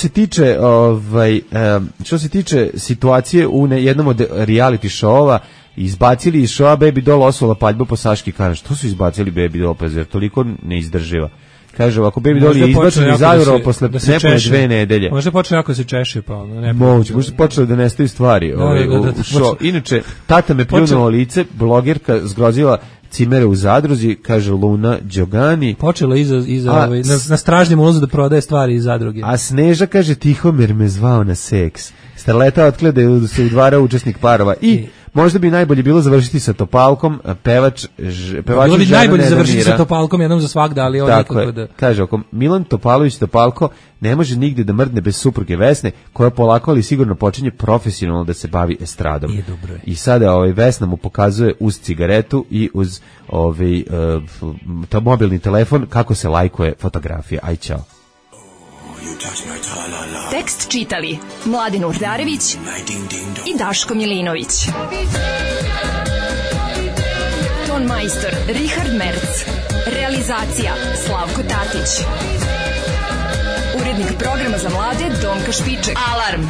S5: se tiče situacije u jednom od reality show-ova, izbacili iz showa Baby Doll osula paljbu po Saški Karaš. Što su izbacili Baby Doll, pa jer toliko ne izdrživa? Kaže, ako Baby Doll je izbačen iz Aurora posle nepune 2 nedelje.
S6: Možda počne jako se češe, pa ne.
S5: Možda počelo da nestaju stvari. Inače, tata me pljunuo lice, blogerka zgrozila cimere u zadruzi, kaže Luna Đogani.
S6: Počelo na stražnjem ulazu da prodaje stvari iz zadruge.
S5: A Sneža kaže, Tihomir me zvao na seks. Starleta otkleda da se udvara učesnik parova i možda bi najbolje bilo završiti sa Topalkom, pevač
S6: bilo bi najbolje završiti sa Topalkom jednom za svagda, ali on nekako da...
S5: Kaže, ako Milan Topalović Topalko ne može nigde da mrdne bez supruge Vesne, koja polako ali sigurno počinje profesionalno da se bavi estradom. I sada Vesna mu pokazuje uz cigaretu i uz mobilni telefon kako se lajkuje fotografija. Aj, čao.
S3: Tekst čitali Mladin Urdarević i Daško Milinović. Ton majstor Richard Merc. Realizacija Slavko Tatić. Urednik programa za mlade Donka Špiček. Alarm!